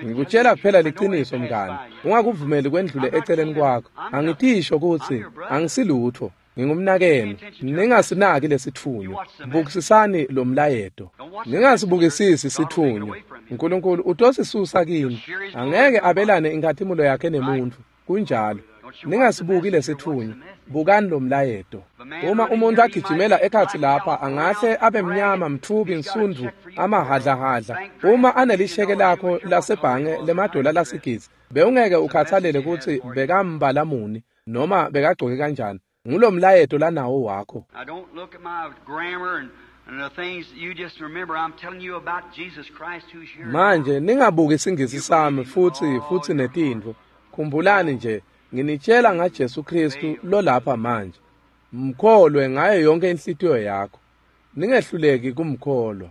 Ngikutshela kuphela liciniso mngani. Ungakuvumeli kwendlule eceleni kwakho. Angitisho kutsi angisilutho. Ngingumnakenu. Ningasinaki lesitfunywa. Bukisisani lo mlayeto. Ningasibukisisi sitfunywa. Nkulunkulu utosisusa kini. Angeke abelane inkhatimulo yakhe nemuntfu. Kunjalo. Ningasibuki lesitfunywa. Bukani lo mlayeto. Uma umuntu agijimela ekhatsi lapha angahle abe mnyama, mtfubi, nsundvu, amahhadlahhadla. Uma anelisheke lakho lasebhange lemadola lasigidzi, bewungeke ukhathalele kutsi bekambala muni noma bekagcoke kanjani. Ngulo mlayeto lanawo wakho. Now don't look at my grammar and the things you just remember. I'm telling you about Jesus Christ who's here. Manje ningabuki isingisi sami futhi netintfo. Khumbulani nje, nginitshela ngaJesu Kristu lolapha manje. Mkholwe ngayo yonke inhlitiyo yakho. Ningehluleki kumkholwa.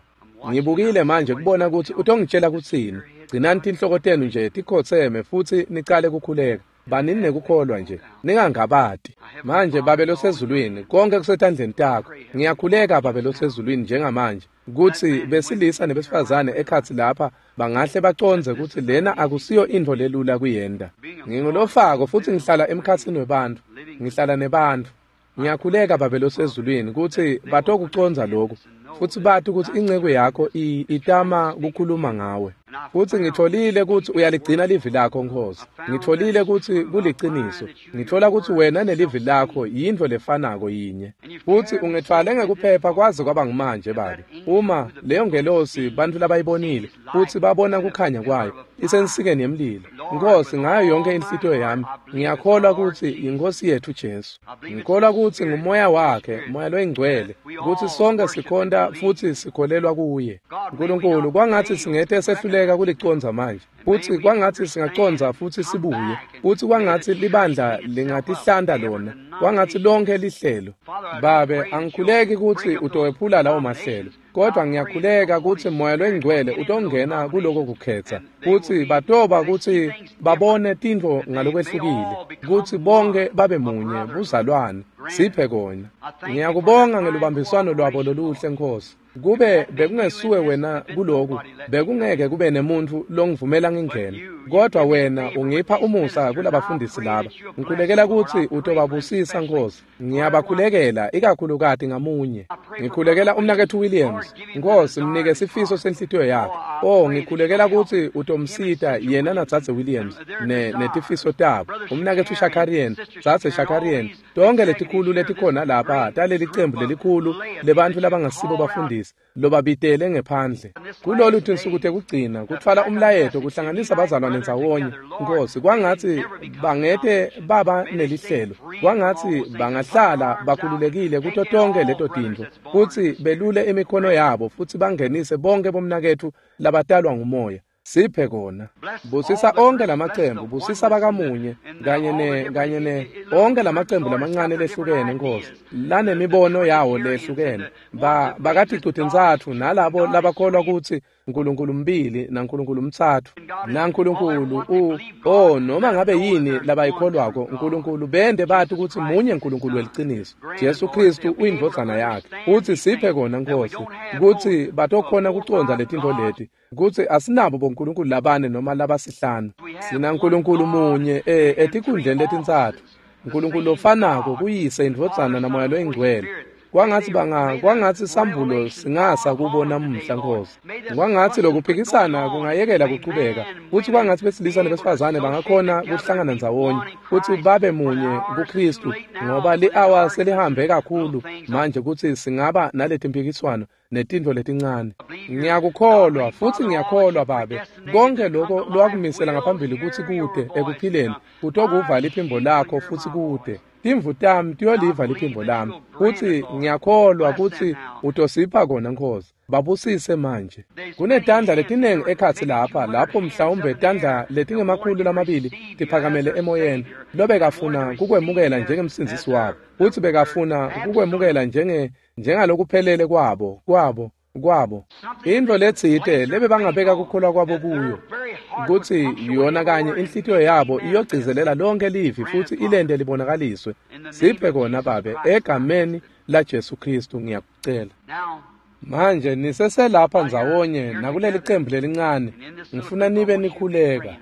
Ngibukile manje kubona kutsi utongitshela kutsini. Gcinani tinhloko tenu nje tikhotseme futsi nicale kukhuleka. Banini nekukholwa nje, ningangabati. Manje Babe losezulwini, konke kusetandleni takho. Ngiyakhuleka Babe losezulwini njengamanje kutsi besilisa nebesifazane ekhatsi lapha bangahle bacondze kutsi lena akusiyo intfo lelula kuyenta. Ngingulofako futsi ngihlala emkhatsini webantfu, ngihlala nebantfu. Ngiyakhuleka Babe losezulwini kutsi batokucondza lokhu futsi bati kutsi inceku yakho itama kukhuluma ngawe. Futsi ngitfolile kutsi uyaligcina livi lakho Nkhosi. Ngitfolile kutsi kuliciniso. Ngitfola kutsi wena nelivi lakho yintfo lefanako yinye. Futsi ungitfwale ngekuphepha kwaze kwaba ngumanje Babe. Uma leyo ngelosi bantfu labayibonile futsi babona kukhanya kwayo isensikeni yemlilo. Nkhosi, ngayo yonke inhlitiyo yami ngiyakholwa kutsi yiNkhosi yetfu Jesu. Ngikholwa kutsi ngumoya wakhe, moya loyingcwele, kutsi sonke sikhonta futsi sikholelwa kuye. Nkulunkulu, kwangatsi singete sehluleka kulicondza manje. Futsi kwangatsi singacondza futsi sibuye. Futsi kwangatsi libandla lingatihlanta lona. Kwangatsi lonke lihlelo. Babe, angikhuleki kutsi utowephula lawo mahlelo. Kodwa ngiyakhuleka kutsi moya loyingcwele utongena kuloko kukhetsa. Futsi batoba kutsi babone tintfo ngalokwehlukile. Kutsi bonke babe munye, buzalwane. Siphe kona. Ngiyakubonga ngelubambiswano lwabo loluhle Nkhosi. Kube bekungesuwe wena kuloku, bekungeke kube nemuntfu longivumela ngingene. Kodwa wena ungipha umusa kulabafundisi laba. Ngikhulekela kutsi utobabusisa Nkhosi. Ngiyabakhulekela ikakhulukati ngamunye. Ngikhulekela umnaketfu Williams. Nkhosi, mnike sifiso senhlitiyo yakhe. Oh, ngikhulekela kutsi utomsita yena nadzadze Williams netifiso tabo. Umnaketfu Shakarian, dzadze Shakarian, tonke letikhulu letikhona lapha taleli cembu lelikhulu lebantfu labangasibo bafundisi lobabitele ngephandle. Kulolu tinsuku tekugcina kutfwala umlayeto kuhlanganisa bazalwane ndzawonye. Nkhosi, kwangatsi bangete baba nelihlelo. Kwangatsi bangahlala bakhululekile kuto tonke leto tintfo futsi belule imikhono yabo futsi bangenise bonke bomnaketfu labatalwa ngumoya. Siphe kona. Busisa onke lamacembu, busisa bakamunye kanye ne onke lamacembu lamancane lehlukene Nkhosi, lanemibono yawo lehlukene. Bakaticu-tintsatfu nalabo labakholwa kutsi Nkulunkulu mbili naNkulunkulu mtsatfu naNkulunkulu noma ngabe yini labayikholwako Nkulunkulu bende bati kutsi munye Nkulunkulu weliciniso. Jesu Kristu uyindvodzana yakhe. Futsi siphe kona Nkhosi kutsi batokhona kucondza letintfo leti. Kutsi asinabo bonkulunkulu labane noma labasihlanu. Sina Nkulunkulu munye etikhundleni letintsatfu. Nkulunkulu lofanako kuyise, indvodzana namoya loyingcwele. Kwangatsi sambulo singasa kubo namuhla Nkhosi. Kwangatsi lokuphikisana kungayekela kuchubeka. Futsi kwangatsi besilisa nebesifazane bangakhona kuhlangana ndzawonye futsi babe munye kuKristu, ngoba li-awa selihambe kakhulu manje kutsi singaba naletimpikiswano netintfo letincane. Ngiyakukholwa futsi ngiyakholwa Babe, konke lokho lowakumisela ngaphambili kutsi kude ekuphileni kutokuva liphimbo lakho futsi kude. Timvu tami tiyoliva liphimbo lami. Futsi ngiyakholwa kutsi utosipha kona Nkhosi. Babusise manje. Kunetandla letinengi ekhatsi lapha, lapho mhlawumbe tandla letingama-200 tiphakamele emoyeni, lobekafuna kukwemukela njengemsindzisi wabo, futsi bekafuna kukwemukela njengalokuphelele kwabo, Kwabo intfo letsite lebebangabeka kukholwa kwabo kuyo, kutsi yona kanye inhlitiyo yabo iyogcizelela lonke livi futsi ilente libonakaliswe. Siphe kona Babe, egameni laJesu Kristu ngiyakucela. Manje niseselapha ndzawonye nakuleli cembu lelincane, ngifuna nibe nikhuleka.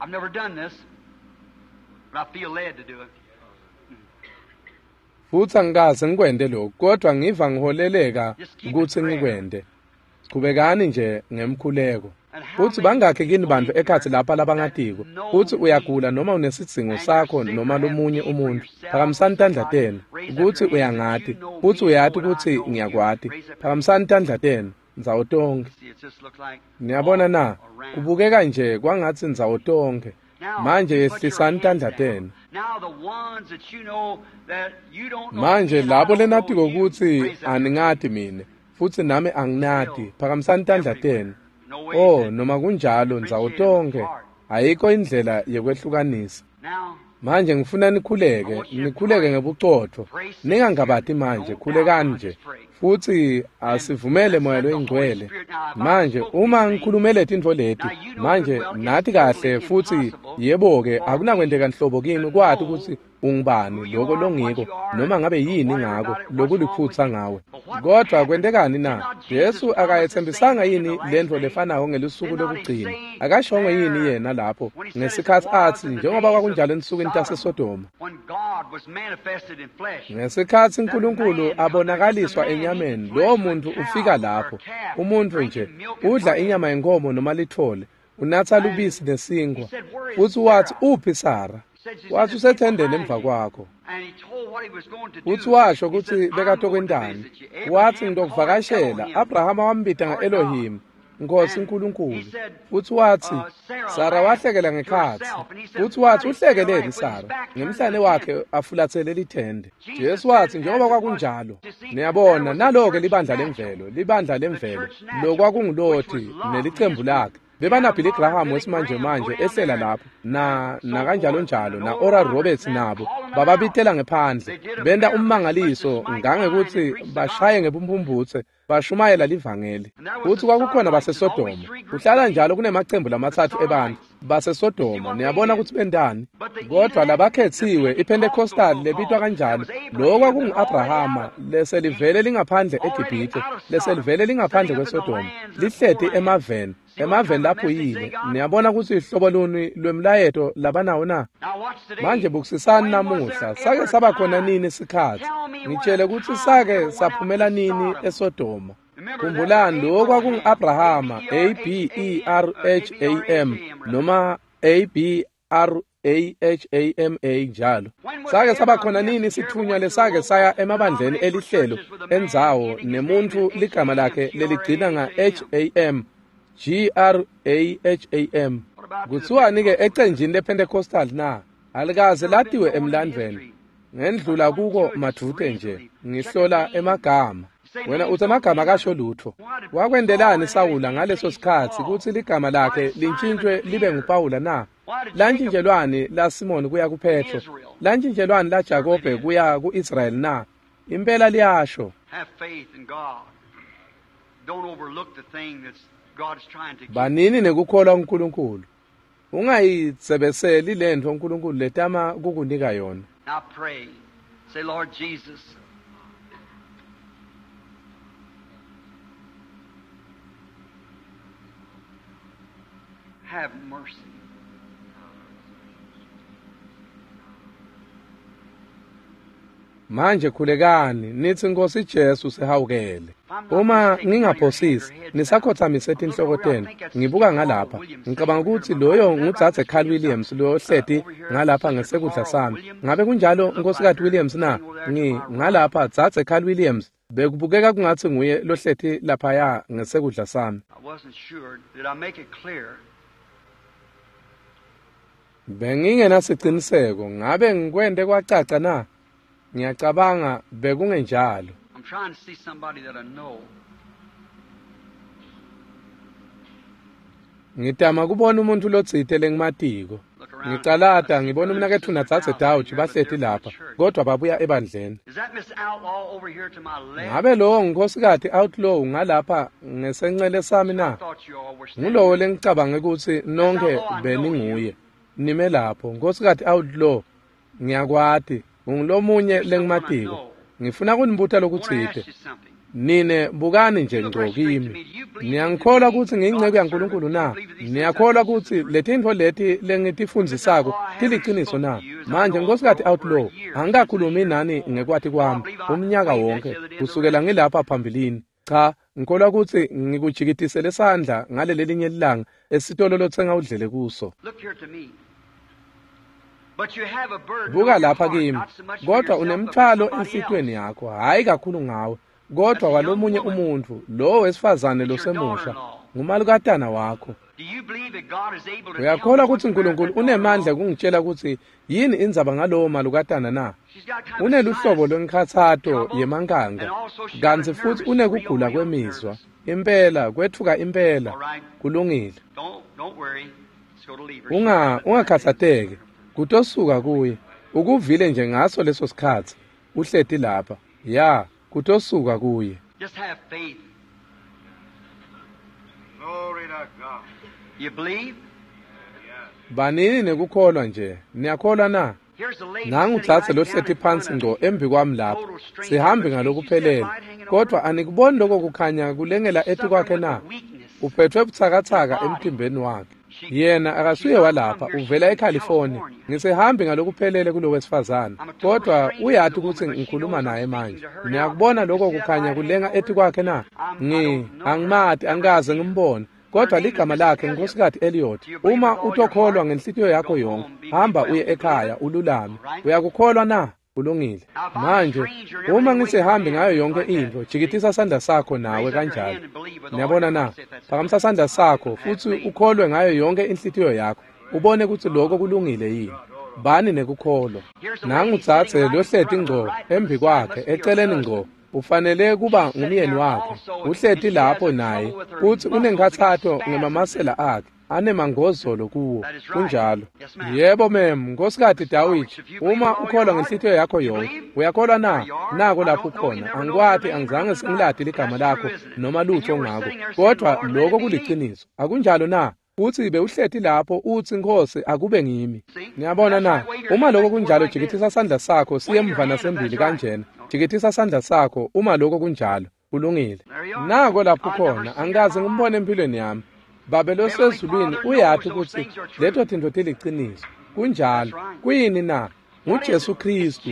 I've never done this, but I feel led to do it. Futsi angikaze ngikwente lokhu, kodwa ngiva ngiholeleka kutsi ngikwente. Chubekani nje ngemkhuleko. Futsi bangakhi kini bantfu ekhatsi lapha labangatiko kutsi uyagula noma unesidzingo sakho noma lomunye umuntfu, phakamisani tandla tenu. Kutsi uyangati, futsi uyati kutsi ngiyakwati, phakamisani tandla tenu ndzawo tonkhe. See, it just looks like Niyabona na, kubukeka nje kwangatsi ndzawo tonkhe. Manje yehlisani tandla tenu. Now the ones that you know that you don't know Manje me and I labo don't know lenatiko you, kutsi raise up your aningati mine futsi nami anginati, phakamisani tandla tenu. No way Oh, that- noma kunjalo ndzawo tonkhe, ayikho indlela yekwehlukanisa. Now Manje ngifuna nikhuleke, nikhuleke ngebucotfo. Ningangabati manje, khulekani nje. Futsi asivumele Moya loyiNgcwele. Manje uma ngikhulumele tintfo leti, manje nati kahle futsi yebo-ke akunakwenteka nhlobo kimi kwati kutsi ungubani loko longiko noma ngabe yini ngako lokuliphutsa ngawe. Kodwa kwentekani na? Jesu akayetsembisanga yini lentfo lefanako ngelusuku lokugcina? Akashongo yini yena lapho ngesikhatsi atsi njengoba kwakunjalo ensukwini taseSodoma? when God was manifested in flesh, Ngesikhatsi uNkulunkulu abonakaliswa enyameni, lowo muntu ufika lapho. Umuntu nje udla inyama yenkomo noma lithole, unatsa lubisi nesinkwa. Futsi watsi, uphi Sara? Watsi usethendeni emva kwakho. and he told what he was going to do. Futsi washo He kutsi said, "I'm going to bekatokwentani. visit you." Abraham Watsi called ngitokuvakashela. Elohim. Abrahama wambita nga-Elohim, Nkosi uNkulunkulu. Futsi watsi, Sara wahlekela ngekhatsi. Futsi watsi uhlekeleni Sara? Ngemhlane wakhe afulatsele lithende. Jesu watsi njengoba kwakunjalo. Niyabona, nalo-ke libandla lemvelo, libandla lemvelo, lokwakunguLothi nelicembu lakhe. BebanaBilly Graham wesimanjemanje ehlela lapho, na nakanjalonjalo, na Oral Roberts nabo, bababitela ngephandle, benta ummangaliso ngangekutsi bashaye ngebumphumputse, bashumayela livangeli. Futsi kwakukhona baseSodoma, kuhlala njalo kunemacembu lamatsatfu ebantfu baseSodoma. Niyabona kutsi bentani? Kodwa labakhetsiwe, iPentecostal lebitwa kanjalo, lokho kwakungu-Abrahama leselivele lingaphandle eGibhithe, leselivele lingaphandle kweSodoma, lihleti emaveni, emaveni laphuyile. Niyabona kutsi hlobo luni lwemlayeto labanawo na? Now watch today. Manje bukisisani When was namuhla, there sake ever saba a khona time? nini sikhatsi? Tell me when Ngitshele a kutsi time sake ever went out saphumela to nini Sodom. eSodoma. Remember that Khumbulani lokho kwakungu-Abrahama, A B E R H A M noma A B R A H A M A njalo. Sake saba khona nini sithunywa lesake saya emabandleni elihlelo endzawo nemuntfu ligama lakhe leligcina nga H A M G R A H A M. Kuthiwani ke ecenjini lePentecostal na? Alikaze latiwe emlandvweni. Ngendlula kuko madvute nje, ngihlola emagama. Wena uthi amagama akasho lutho. Wakwendelani Sawula ngaleso sikhatsi kutsi ligama lakhe lintshintshwe libe nguPawula na? Lantshintjelwani la Simoni kuya kuPetro? Lantshintjelwani la Jakobe kuya ku-Israyeli na? Impela liyasho. Have faith in God. Don't overlook the thing that's God's trying to give. Banini nekukholwa kuNkulunkulu. Ungayitsebeseli lentfo uNkulunkulu letama kukunika yona. Now pray. Say, Lord Jesus, have mercy. Manje khulekani nithi Nkosi Jesu sihawukele. Uma ngingaphosisi nisakhothamise tinhloko tenu, ngibuka ngalapha. Ngicabanga ukuthi loyo ngudzadze Carl Williams lo hleti ngalapha ngesekudla sami. Ngabe kunjalo Nkosikazi Williams na? Ngi ngalapha dzadze Carl Williams. Bekubukeka kungathi nguye lohleti laphaya ngesekudla sami. I wasn't sure. Did I make it clear? Bengingenasiciniseko, ngabe ngikwente kwacaca na? Ngiyacabanga bekungenjalo. I'm trying to see somebody that I know. Ngitama kubona umuntu lotsite lengimatiko. Ngicalata ngibona umnaketfu nadzadze Dauch bahleti lapha, kodwa babuya ebandleni. Ngabe lowo ngunkhosikati Outlaw ngalapha ngesencele sami na? Ngulowo lengicabange kutsi nonkhe beninguye. Nime lapho, Nkhosikati Outlaw, ngiyakwati, ungulomunye lengimatiko. Ngifuna kunibuta lokutsite. Nine bukani nje ngco kimi. Niyangikholwa kutsi ngiyinceku yaNkulunkulu na? Niyakholwa kutsi letintfo leti lengitifundzisako tiliciniso na? Manje Nkhosikati Outlaw, angikakhulumi nani ngekwati kwami umnyaka wonke kusukela ngilapha phambilini. Cha, ngikholwa kutsi ngikujikitisele sandla ngalelelinye lilanga esitolo lotsenga udlele kuso. Buka lapha kimi, kodwa unemthwalo enhlitiyweni yakho, hhayi kakhulu ngawe, kodwa walomunye umuntfu, lowo wesifazane losemusha, ngumalukatana wakho. Uyakholwa kutsi Nkulunkulu unemandla kungitshela kutsi yini indzaba ngalowo malukatana na? Uneluhlobo lwenkhatsato yemankanka, kantsi futsi unekugula kwemizwa. Impela, kwetfuka impela. Kulungile. Ungakhatsateki, kutosuka kuye. Ukuvile nje ngaso leso sikhatsi. Uhleti lapha. Ya, kutosuka kuye. Just have faith. Glory to God. You believe? Banini nekukholwa nje. Niyakholwa na? Here's a lady Nangu sitting dzadze right lohleti down in phansi front of ngco me. embi kwami lapha. Sihambi ngalokuphelele. Kodwa anikuboni lokho kukhanya kulengela etikwakhe na? Uphethwe butsakatsaka emtimbeni wakhe. Yena akasuye walapha, uvela eCalifornia. Ngisehambi ngalokuphelele kulo wesifazane. Kodwa uyati kutsi ngikhuluma naye manje. Niyakubona lokho kukhanya kulenga etikwakhe na? Angimati, angikaze ngimbone. Kodwa ligama lakhe Nkhosikati Elliot. Uma utokholwa ngenhlitiyo yakho yonke, hamba uye ekhaya ululame. Uyakukholwa na? Kulungile. Manje, uma ngisihambi ngayo yonke intfo, jikitisa sandla sakho nawe kanjalo. Niyabona na? Phakamisa sandla sakho futsi ukholwe ngayo yonke inhlitiyo yakho. Ubone kutsi lokho kulungile yini. Bani nekukholwa. Nangu dzadze lohleti ngco embi kwakhe, eceleni ngco. Ufanele kuba ngumyeni wakhe. Uhleti lapho naye futsi unenkhatsato ngemamasela akhe, anemangozolo kuwo. Kunjalo. Yebo mem, Nkhosikati Dawidi, uma ukholwa ngenhlitiyo yakho yonke, uyakholwa na? Nako lapho ukhona. Angikwati, angizange sengilati ligama lakho noma lutho ngako. Kodwa lokho kuliciniso. Akunjalo na? Futsi bewuhleti lapho utsi, Nkhosi, akube ngimi. Niyabona na? Uma lokho kunjalo, jikitisa sandla sakho siye emva nasembili kanjena. Jikitisa sandla sakho uma lokho kunjalo. Kulungile. Nako lapho khona, angikaze ngimbone empilweni yami. Babe losezulwini uyati kutsi leto tintfo tiliciniso. Kunjalo. Kuyini na? NguJesu Khristu.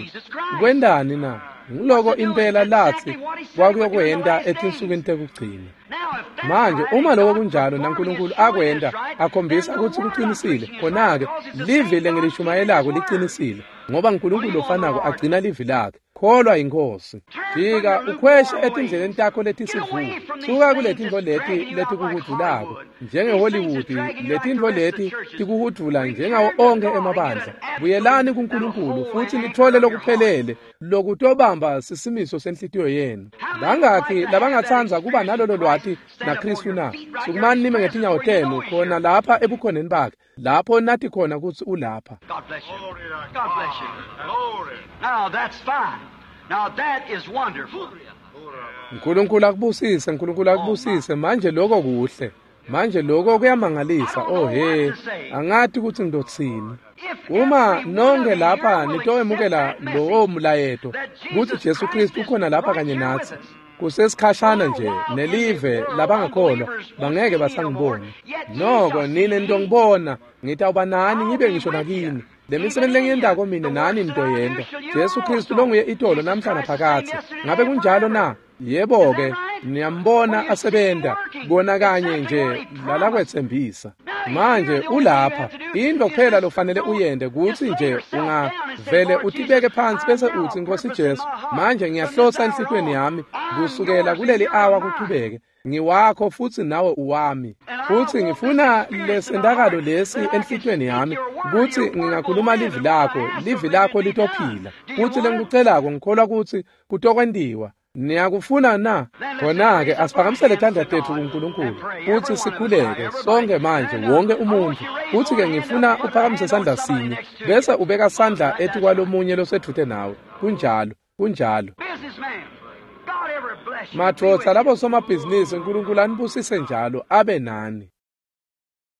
Kwendani na? Nguloko impela latsi kwakuyokwenta etinsukwini tekugcina. Manje uma lokho kunjalo naNkulunkulu akwenta akhombisa kutsi kuqinisile, khona-ke livi lengilishumayelako liqinisile, ngoba uNkulunkulu lofanako agcina livi lakhe. Kholwa yiNkhosi. Jika ukhweshe etindleleni takho letisivuko. Suka kuletintfo leti letikuhudvulako njengeHollywood, letintfo leti tikuhudvula njengawo onkhe emabandla. Buyelani kuNkulunkulu futsi nitfole lokuphelele lokutobamba sisimiso senhlitiyo yenu. Bangakhi labangatsandza kuba nalolo lwati naKhristu na? Sukumani nime ngetinyawo tenu khona lapha ebukhoneni bakhe, lapho nati khona kutsi ulapha. God bless you. Glory to God bless you. Glory. Now that's fine. Now that is wonderful. Nkulunkulu akubusise, Nkulunkulu akubusise. Manje lokho kuhle. Manje lokho kuyamangalisa. Oh he, angati kutsi ngizotsini. Uma nonke lapha nitoemukela lowo mlayeto kutsi Jesu Kristu ukhona lapha kanye natsi, kusesikhashana nje nelive labangakholwa bangeke basangibona. Noko nine nitongibona, ngitawuba nani ngibe ngisho nakini. Le misebenti lengiyentako mine nani nitoyenta. Jesu Kristu longuye itolo namhla naphakadze. Ngabe kunjalo na? Yebo-ke, niyambona asebenta kona kanye nje lalakwetsembisa. Manje ulapha. Into kuphela lofanele uyente kutsi nje ungavele utibeke phansi bese utsi, Nkhosi Jesu, manje ngiyahlosa enhlitiyweni yami kusukela kuleli awa kuchubeke. Ngiwakho futsi nawe uwami. Futsi ngifuna lesentakalo lesi enhlitiyweni yami kutsi ngingakhuluma livi lakho, livi lakho litophila. Futsi lengikucelako ngikholwa kutsi kutokwentiwa. Niyakufuna na? Khona-ke asiphakamisele tandla tetfu kuNkulunkulu futsi sikhuleke sonke manje, wonke umuntfu. Futsi-ke ngifuna uphakamise sandla sinye bese ubeka sandla etikwalomunye losedvute nawe. Kunjalo, kunjalo. Businessman, God ever bless you. Madvodza labo somabhizinisi, uNkulunkulu anibusise njalo abe nani.